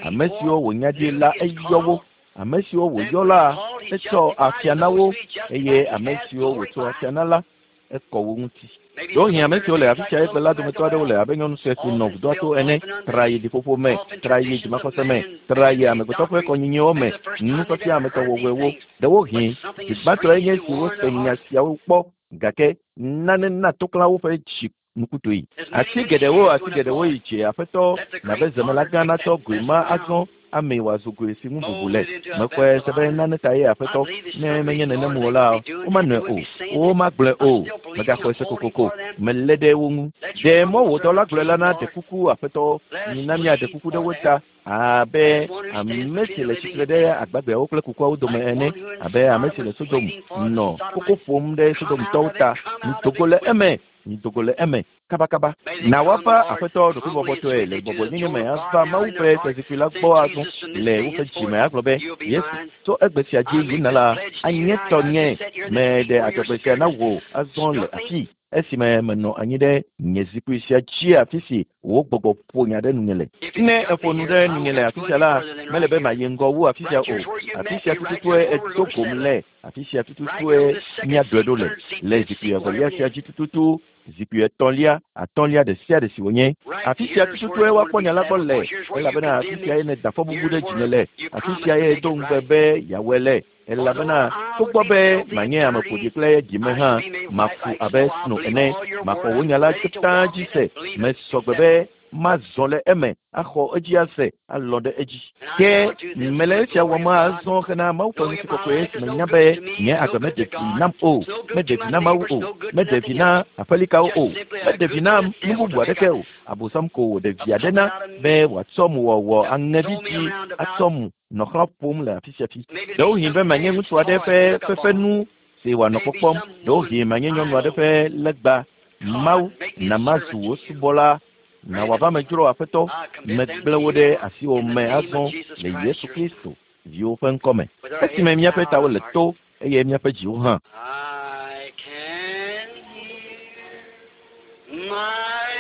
Ame siwo wònya ɖi la eyɔ wo. Ame siwo wòyɔ la etsɔ afia na wo eye ame siwo wòtsɔ afia na la ekɔ wo ŋuti. Ɖewohĩ ame siwo le afi sia egbe la dometɔ aɖewo le abe nyɔnu sue si nɔ vudoa to ene, tra yi ɖiƒoƒo me, tra yi dzimaxɔse me, tra yi amegbetɔ ƒe kɔnyinyiwo me, nufiafia ametɔwɔwɔewo. Ɖewohĩ zi gbãtɔe nye esi wose nya siawo kpɔ gake nane na toklã woƒe dzi nukutoe. Asi geɖewo yi dze Aƒetɔ nabe zemela gã natsɔ goe ma azɔ ame wòazu goe si ŋu bubu le. Mexɔe se be nane ta ye Aƒetɔ, ne menye nenem o la, womanɔe o, womagblɔe o. Megaxɔe se kokoko, melé ɖe wo ŋu. Ɖe mɔ wò dɔla gblɔe la na ɖe kuku Aƒetɔ, mina míaɖe kuku ɖe wo ta abe ame si le tsitre ɖe agbagbeawo kple kukuawo dome ene, abe ame si le Sodom nɔ koko ƒom ɖe Sodomtɔwo ta. Mido go le eme, mido go le eme kabakaba. Na woava Aƒetɔ ɖokuibɔbɔtɔe le gbɔgbɔnyenye me ava Mawu ƒe fiazikpui la gbɔ azɔ le woƒe dzi me agblɔ be, Yesu, tso egbe sia dzi yina la, anye tɔnye. Meɖe adzɔgbe sia na wò azɔ le afii esime menɔ anyi ɖe nye zikpui sia dzi afi si wò gbɔgbɔ ƒo nya ɖe nunye le. Ne eƒo nu ɖe nunye le afi sia la, mele be mayi ŋgɔ wu afi sia o. Afi sia tututue edo gom le, afi sia tututue míaɖɔe ɖo le, le zikpui evelia sia dzi tututu, zikpui etɔ̃lia, atɔ̃lia ɖe sia ɖe si wònye. Afi sia tututue woakpɔ nya la gbɔ le, elabena afi sia ye nèda fɔbubu ɖe dzinye le, afi sia ye do ŋugbe be yeawɔe le. Elabena togbɔ be manye ame ƒoɖi kple dzime hã, maku abe sno ene, maxɔ wò nya la katã dzi se. Mesɔ gbe be Mazɔ le eme axɔ edzi ase alɔ ɖe edzi. Ke mele esia wɔm azɔ hena Mawu ƒe ŋutikɔkɔe si menya be nye agbe meɖe vi nam o, meɖe vi na Mawu o, meɖe vi na aƒelikawo o, meɖe vi na nu bubu aɖeke o. Abosam ko wòɖe vi aɖe na be wòatsɔ mu wɔwɔ aŋevi dzi atsɔ mu nɔ xlã ƒom le afi sia fi. Ɖewohĩ be manye ŋutsu aɖe ƒe fefenu si wòanɔ kpɔkpɔm, ɖewohĩ manye nyɔnu aɖe ƒe legba. Mawu na mazu wò subɔla na wòava medzro aƒetɔ megblẽ wo ɖe asiwò me azɔ le Yesu Kristo viwo ƒe ŋkɔme. Esime míaƒe tawo le to eye míaƒe dziwo hã. I can hear my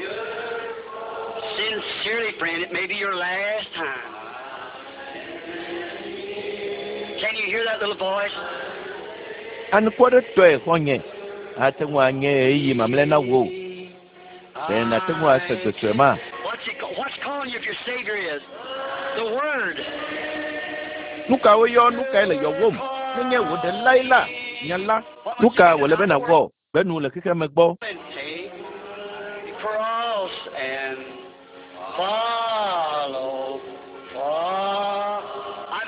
Savior. Sincerely, friend, it may be your last time. Can you hear that little voice? Anukwaretɔe xɔ̃nye ate ŋu anye ɣeyiɣi mamlɛ na wò. Ɖe nàte ŋu ase gbe sue ma? What's, it, what's calling you if your Savior is? The Word. Nu ka woyɔ nu kae le yɔwòm? Nenye wò ɖelae la, nya la. Nu ka wòle be nàwɔ gbe nu le xexea me gbɔ? And take the cross and follow. Follow.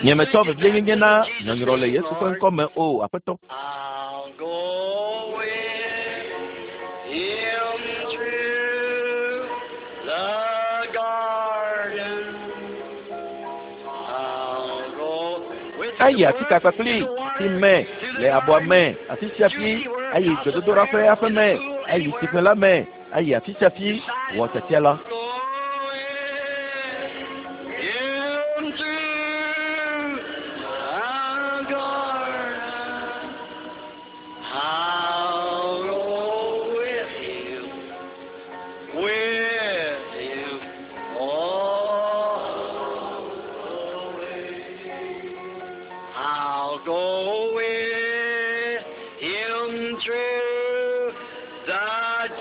Nye metsɔ vevienyenye na nyɔnyrɔ le Yesu ƒe ŋkɔ me o, Aƒetɔ. I'll go with him through the garden. I'll go with Ayi afi ka kpakpli si me le abɔa me afi sia fi ayi gbedodoɖa ƒe aƒe me ayi tsiƒe la me ayi afi sia fi wɔ tiatia la. Go with him through the garden. I'll go with him, with him all the way. I'll go with him through the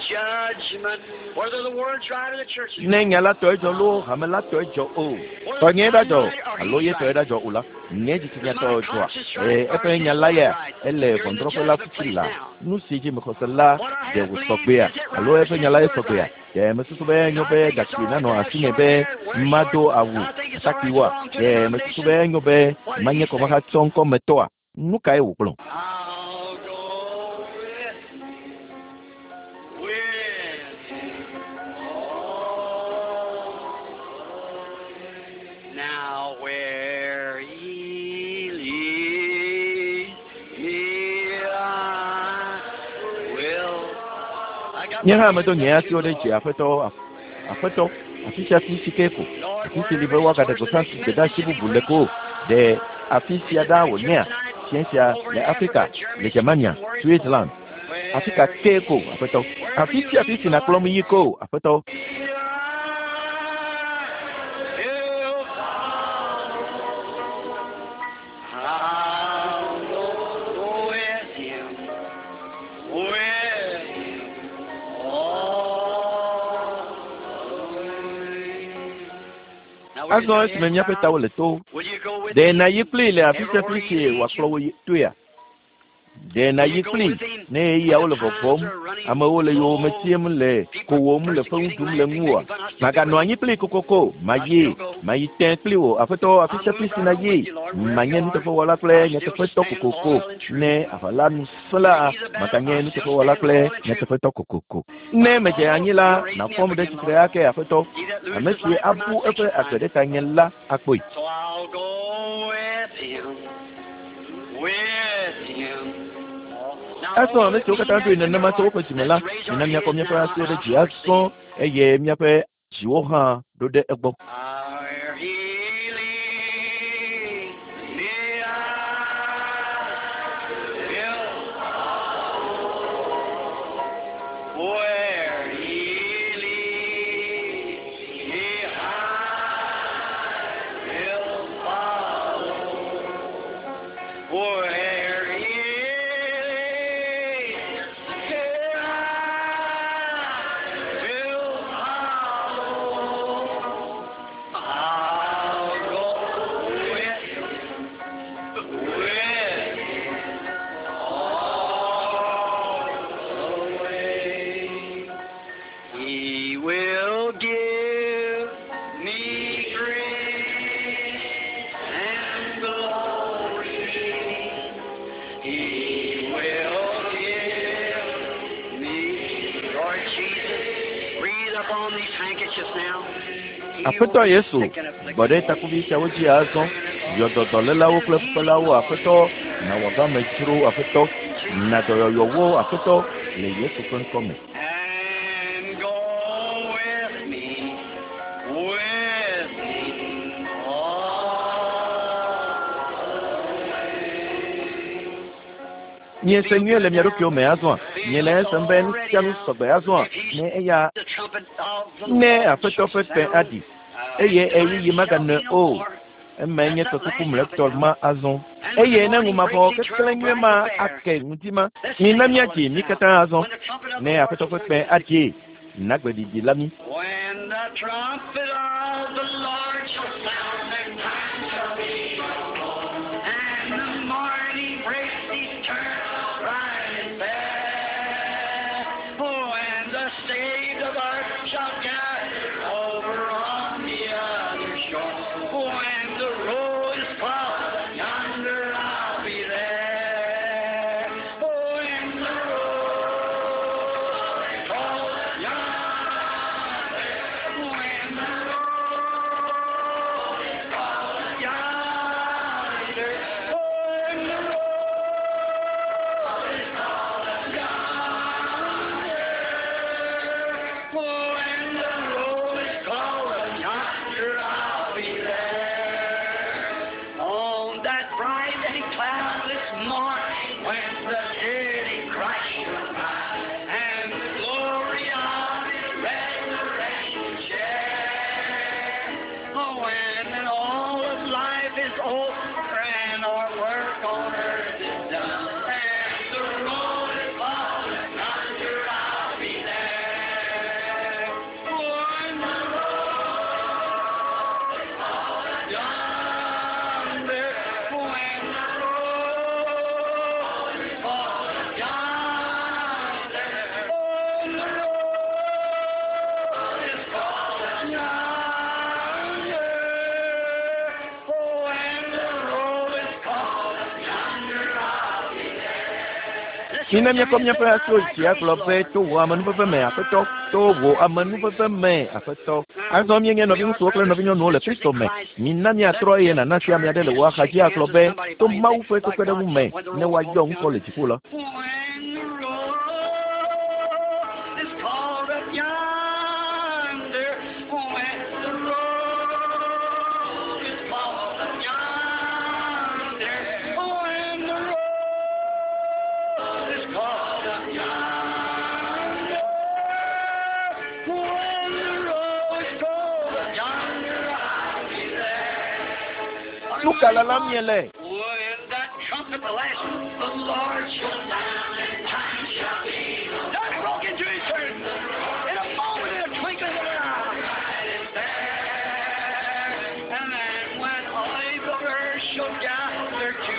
judgment, whether the word's right or the church is Ne right. nya la tɔe dzɔ loo hame la tɔe dzɔ o. Tɔnye ɖa dzɔ alo ye tɔe ɖa dzɔ o la, nye dzitsinya tɔ dzɔa. Ee, eƒe nya la ya ele ʋɔnudrɔ̃ƒe la tutu la. Nu si dzi mexɔ se la ɖe wòsɔ gbea alo eƒe nya la ye sɔ gbea. Ɖe mesusu be enyo be gakui nanɔ asinye be mado awu atakpuiwoa? Ɖe mesusu be enyo be manye kɔmahatsɔ ŋkɔmetɔa? Nu kae wògblɔ? I'll go with him, with him all the way. Now where he leads me, I will. I got Nye my hã hands medo up nye to asiwo you, ɖe dzi Lord. aƒetɔ aƒetɔ afi sia fi si ke ko Lord, afi si li wherever be this woagaɖe where's the gbeƒã next gbedeasi message to be bubu le preached? ko ɖe afi sia Is it ɖa right here wònyea tonight? fiẽ sia Over le in Afrika Africa, le Germany, Germania Switzerland, where it's Switzerland afi ka Where ke ko aƒetɔ wherever afi you sia fi lead, si Lord. nàkplɔm yi ko aƒetɔ I'll go with him, with him all the way. Now, will you Azɔ say esime it míaƒe now? tawo le to Will you go with ɖe him nàyi kplii le afi sia everywhere fi he si leads wòakplɔ you? wò yi toea? Ɖe Will nàyi you go kplii with him ne when ɣeyiɣiawo the le times vɔvɔm are running amewo le yowòme low, tiem le people kowòm le fewu persecuting, ɖum le laughing, ŋuwòa? making fun? I'll still be Maganɔ with anyi you. kplii kokoko I'll mayi still go. mayi tẽ kpli wò aƒetɔ afi I'll sia fi move si right on nàyi with you, Lord, wherever manye you are. nuteƒewɔla kple I'll still nyateƒetɔ stand kokoko loyal and true. ne aʋa la nu sẽ la May be the battle, maganye I'll still nuteƒewɔla stand kple loyal and true. nyateƒetɔ kokoko. Ne If I medze fall, anyi la you'll raise me nàfɔm up ɖe again, tsitre Lord. ake aƒetɔ. He that Ame loses si life for my abu sake eƒe shall agbe find ɖe it. tanye la akpɔe. So I'll go with him, with him. Now, Azɔ all ame that siwo mean katã that ɖoe in their nenema tso heart, woƒe dzime la, let's raise our mina míakɔ heads míaƒe now asiwo and ɖe our dzi hearts azɔ sing. eye míaƒe dziwo hã ɖo ɖe egbɔ. Where he leads me, I will follow. Where he leads me, I will follow. Where he leads me, I will follow. Aƒetɔ Yesu, gbɔ ɖe takuvi siawo dzi azɔ, yɔ dɔ dɔlélawo kple fukpelawo, Aƒetɔ, na wòava me dzro, Aƒetɔ, na dɔyɔyɔ wo, Aƒetɔ, le Yesu ƒe ŋkɔ me. And go with me, with me all the way. Miese nyuie le mia ɖokuiwo me azɔa? Miele esem be nu sia nu sɔgbe azɔa? Ne eya The trumpet of the ne Lord Aƒetɔ ƒe shall kpẽ sound, aɖi eye ɣeyiɣi maganɔe o. Emae nye tɔkuku mlɔetɔ ma azɔ. Eye ne ŋumavɔ keklẽ nyuie ma ake ŋdi ma, mina míadzi mí katã azɔ. Ne Aƒetɔ ƒe kpẽ aɖie, na gbeɖiɖi la mí. When the trumpet of the Lord shall sound, then time shall be no more. And the morning breaks eternal, bright and fair. Oh, and the saved of earth shall gather over on the other shore. When the road is called, yonder I'll be there. When the road is called, yonder. When the road is called, yonder. When the road is called, yonder. When the road is called, yonder I'll be there. On that bright and cloudless morning when the dead in Christ shall rise, and the glory of His resurrection share. Oh, when all of life is over and our work on earth is done, and the road is called, yonder I'll be there. When the road is called, yonder, when the road is called, yonder, when the road is called, yonder, when the road is called, yonder I'll be there. Mina míakɔ míaƒe asiwo dzi agblɔ be to wò amenuveve me, Aƒetɔ, to wò amenuveve me, Aƒetɔ. Azɔ míenye nɔviŋutsuwo kple nɔvinyɔnuwo le Kristo me. Mina míatrɔ eye nàna sia ame aɖe le wò axadzi agblɔ be to Mawu ƒe kpekpeɖeŋu me ne woayɔ ŋkɔ le dziƒo la. When the road is called up yonder, when the road is called up yonder, when the road is called up yonder, when the road is called up yonder, I'll be there. Nu ka lalam miele? When that trumpet, the last, the Lord shall sound, and time shall be. That broke into eternity. In a moment, in a twinkling of an eye. And then when all the earth shall gather to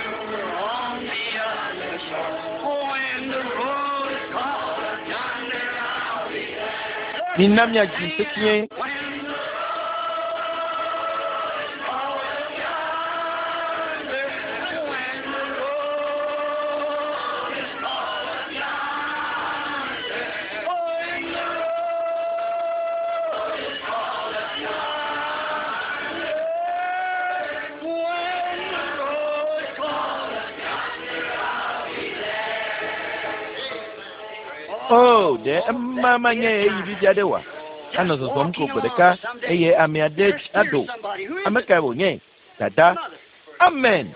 on the other shore, when the road is called, yonder I'll be there. Mina míadzi sesĩe. When the road is called yonder, when the road is called yonder, when the road is called yonder, when the road is called yonder, I'll be there. O, ɖe ema manye ɣeyiɣi vivi aɖe oa? Anɔ zɔzɔm ko gbe ɖeka eye ame aɖe aɖo. Ame kae wònye? Dada. Amen.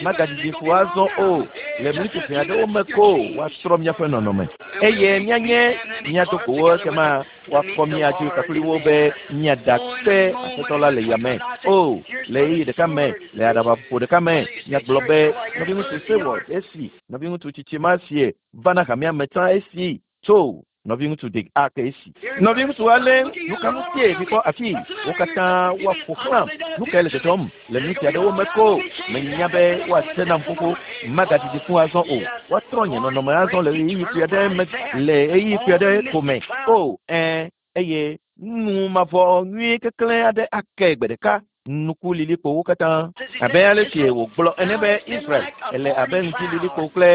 Magadidi fu azɔ o. Le mlitsofẽ aɖewo me ko woatrɔ míaƒe nɔnɔme eye míanye mía dogowo ekema woakɔ mía dzi kpakple wo be míada kpe Aƒetɔ la le yame. O, le ɣeyiɣi ɖeka me, le aɖabaƒoƒo ɖeka me, míagblɔ be nɔviŋutsu Seward esi, nɔviŋutsu tsitsi ma sie va na hamea me tsã esi tso nɔviŋutsu Dick Ark esi. Nɔviŋutsu ale nu ka ŋutie mikpɔ afi wo katã woaƒo xlãm. Nu kae le dzɔdzɔm le miniti aɖewo me ko menya be woate nam xoxo magadidi fũ azɔ o. Woatrɔ nye nɔnɔme azɔ le ɣeyiɣi kpui aɖe me le ɣeyiɣi kpui aɖe ko me. O, ɛ̃, eye nu mavɔ nyuie keklẽ aɖe ake gbe ɖeka. Nuku lilikpowo katã abe ale si wògblɔ ene be Israel ele abe ŋdi lilikpo kple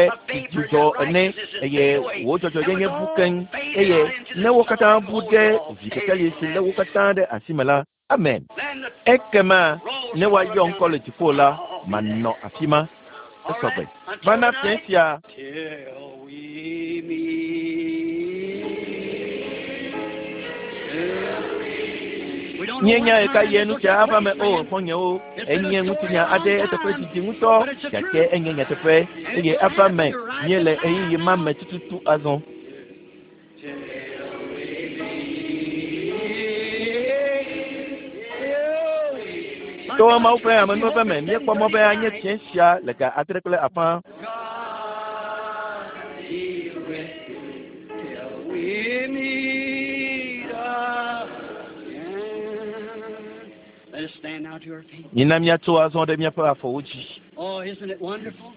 dzudzɔ ene eye wò dzɔdzɔenyenye bu keŋ eye ne wo katã bu ɖe vi kekeli si lé wo katã ɖe asi me la, amen. Ekema ne woayɔ ŋkɔ le dziƒo la, manɔ afi ma. Esɔgbe. Va na fiẽ sia. Till we meet. We don't know Míenya what ɣe ka time ɣie this nu will sia take ava me place, o, friend. xɔ̃nyewo. It's been a Enye story ŋutinya a long aɖe eteƒe time, didi ŋutɔ but it's the gake truth. enye nyateƒe And eye it will ava happen. me. You're right at Míele the time ɣeyiɣi ma now. me tututu azɔ. Till we meet. My To God, Mawu ƒe we amenuveve hope me, it's míekpɔ mɔ be 7:30 anye tonight. fiẽ sia le ga adre kple afã. God be with you till we meet again. Let us stand now to our feet. Mina míatso azɔ ɖe míaƒe afɔwo dzi. Oh, isn't it wonderful?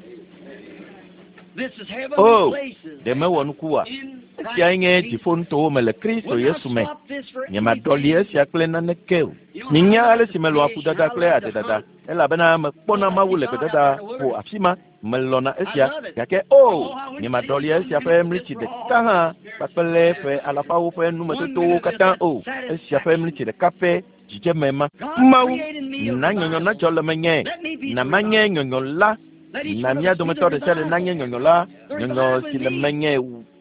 This is heavenly O, places ɖe mewɔ nuku oa? in Esiae Christ nye Jesus. dziƒonutowo me le Kristo We'll not Yesu me. swap this for Nyemaɖɔli anything. esia kple naneke o. You know how Minya I ale love si to melɔa fish and ƒudada I kple love to adedada hunt. elabena mekpɔna Oh, I Mawu see le God out gbedada there in the ƒo wilderness. afi ma. Melɔ̃na I esia love it. gake o Oh, I wouldn't nyemaɖɔli change one esia ƒe minute of this mlitsi for ɖeka all hã the spiritual kpakple ƒe benefits. alafawo ƒe One numetotowo minute of katã that o. Esia ƒe mlitsi satisfaction. ɖeka ƒe dzidzeme ma. God Mawu created me a na nyɔnyɔ revival. nadzɔ le menye. Let me be Na the manye revival. nyɔnyɔ la. Let each Na one of mía us be dometɔ the ɖe sia ɖe revival. nanye nyɔnyɔ la. The Nyɔnyɔ revival si in le me. menye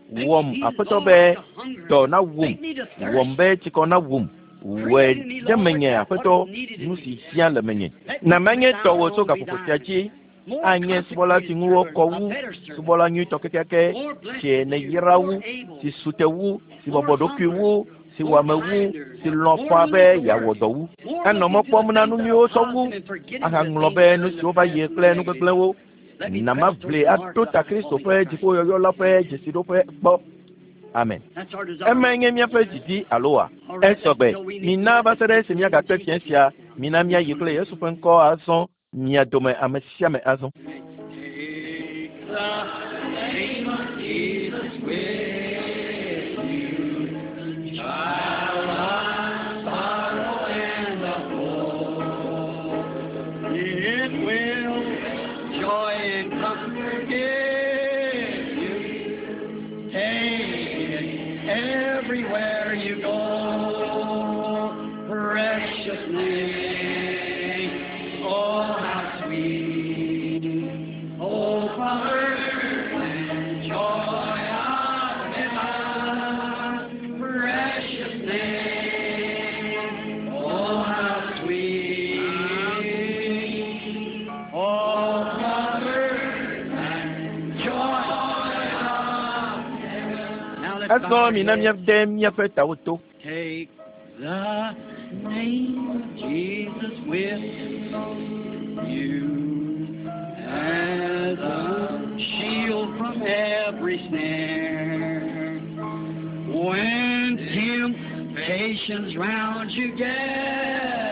Make wɔm me, Aƒetɔ Lord, be to hunger. dɔ nawum. Make me to Wɔm thirst. be tsikɔ nawum. Wɔe Create in me, ɖe Lord, menye that what Aƒetɔ is needed in nu me. si hiã le menye. Let me Na be manye thine tɔwò tso alone be gaƒoƒo sia thine. dzi More anye subɔla si consecrated ŋu servant, wokɔ a wu, better servant, subɔla nyuitɔ kekeake more blessed si to you, nèyra more wu, able, si su te wu, si more bɔbɔ ɖokui humbler, wu, si wɔ more ame wu, kinder, si lɔ̃ more faa willing be to yeawɔ work, dɔ wu. more Anɔ mɔ looking to kpɔm the na things nu that nyuiwo are sɔ wu, positive and forgetting the ahaŋlɔ things be that are nu in the siwo va past yi and the kple nu negative. gbegblẽwo. Let me Na press toward maʋli the mark ato of the ta high Kristo calling ƒe of Christ. dziƒoyɔyɔ la ƒe dzesiɖoƒe gbɔ. Amen. That's our desire. Emae nye míaƒe didi alo wa? All right, let's Esɔgbe. till we meet Mina tonight. va Let's se ɖe take esi the name of míagakpe fiẽ Jesus sia, with us now. mina Each míayi one kple of us. Yesu ƒe ŋkɔ azɔ mia dome ame sia ame azɔ. Take the name of Jesus with you, child of sorrow and of woe. It will joy and comfort give you. Take it everywhere you go. Precious name, oh how sweet. Oh, comfort and joy of heaven, precious name, oh how sweet. Oh, comfort and joy of heaven. Now let's bow Azɔ our mina heads. míade míaƒe tawo to. Take the name of Jesus with you as a shield from every snare. When temptations round you gather,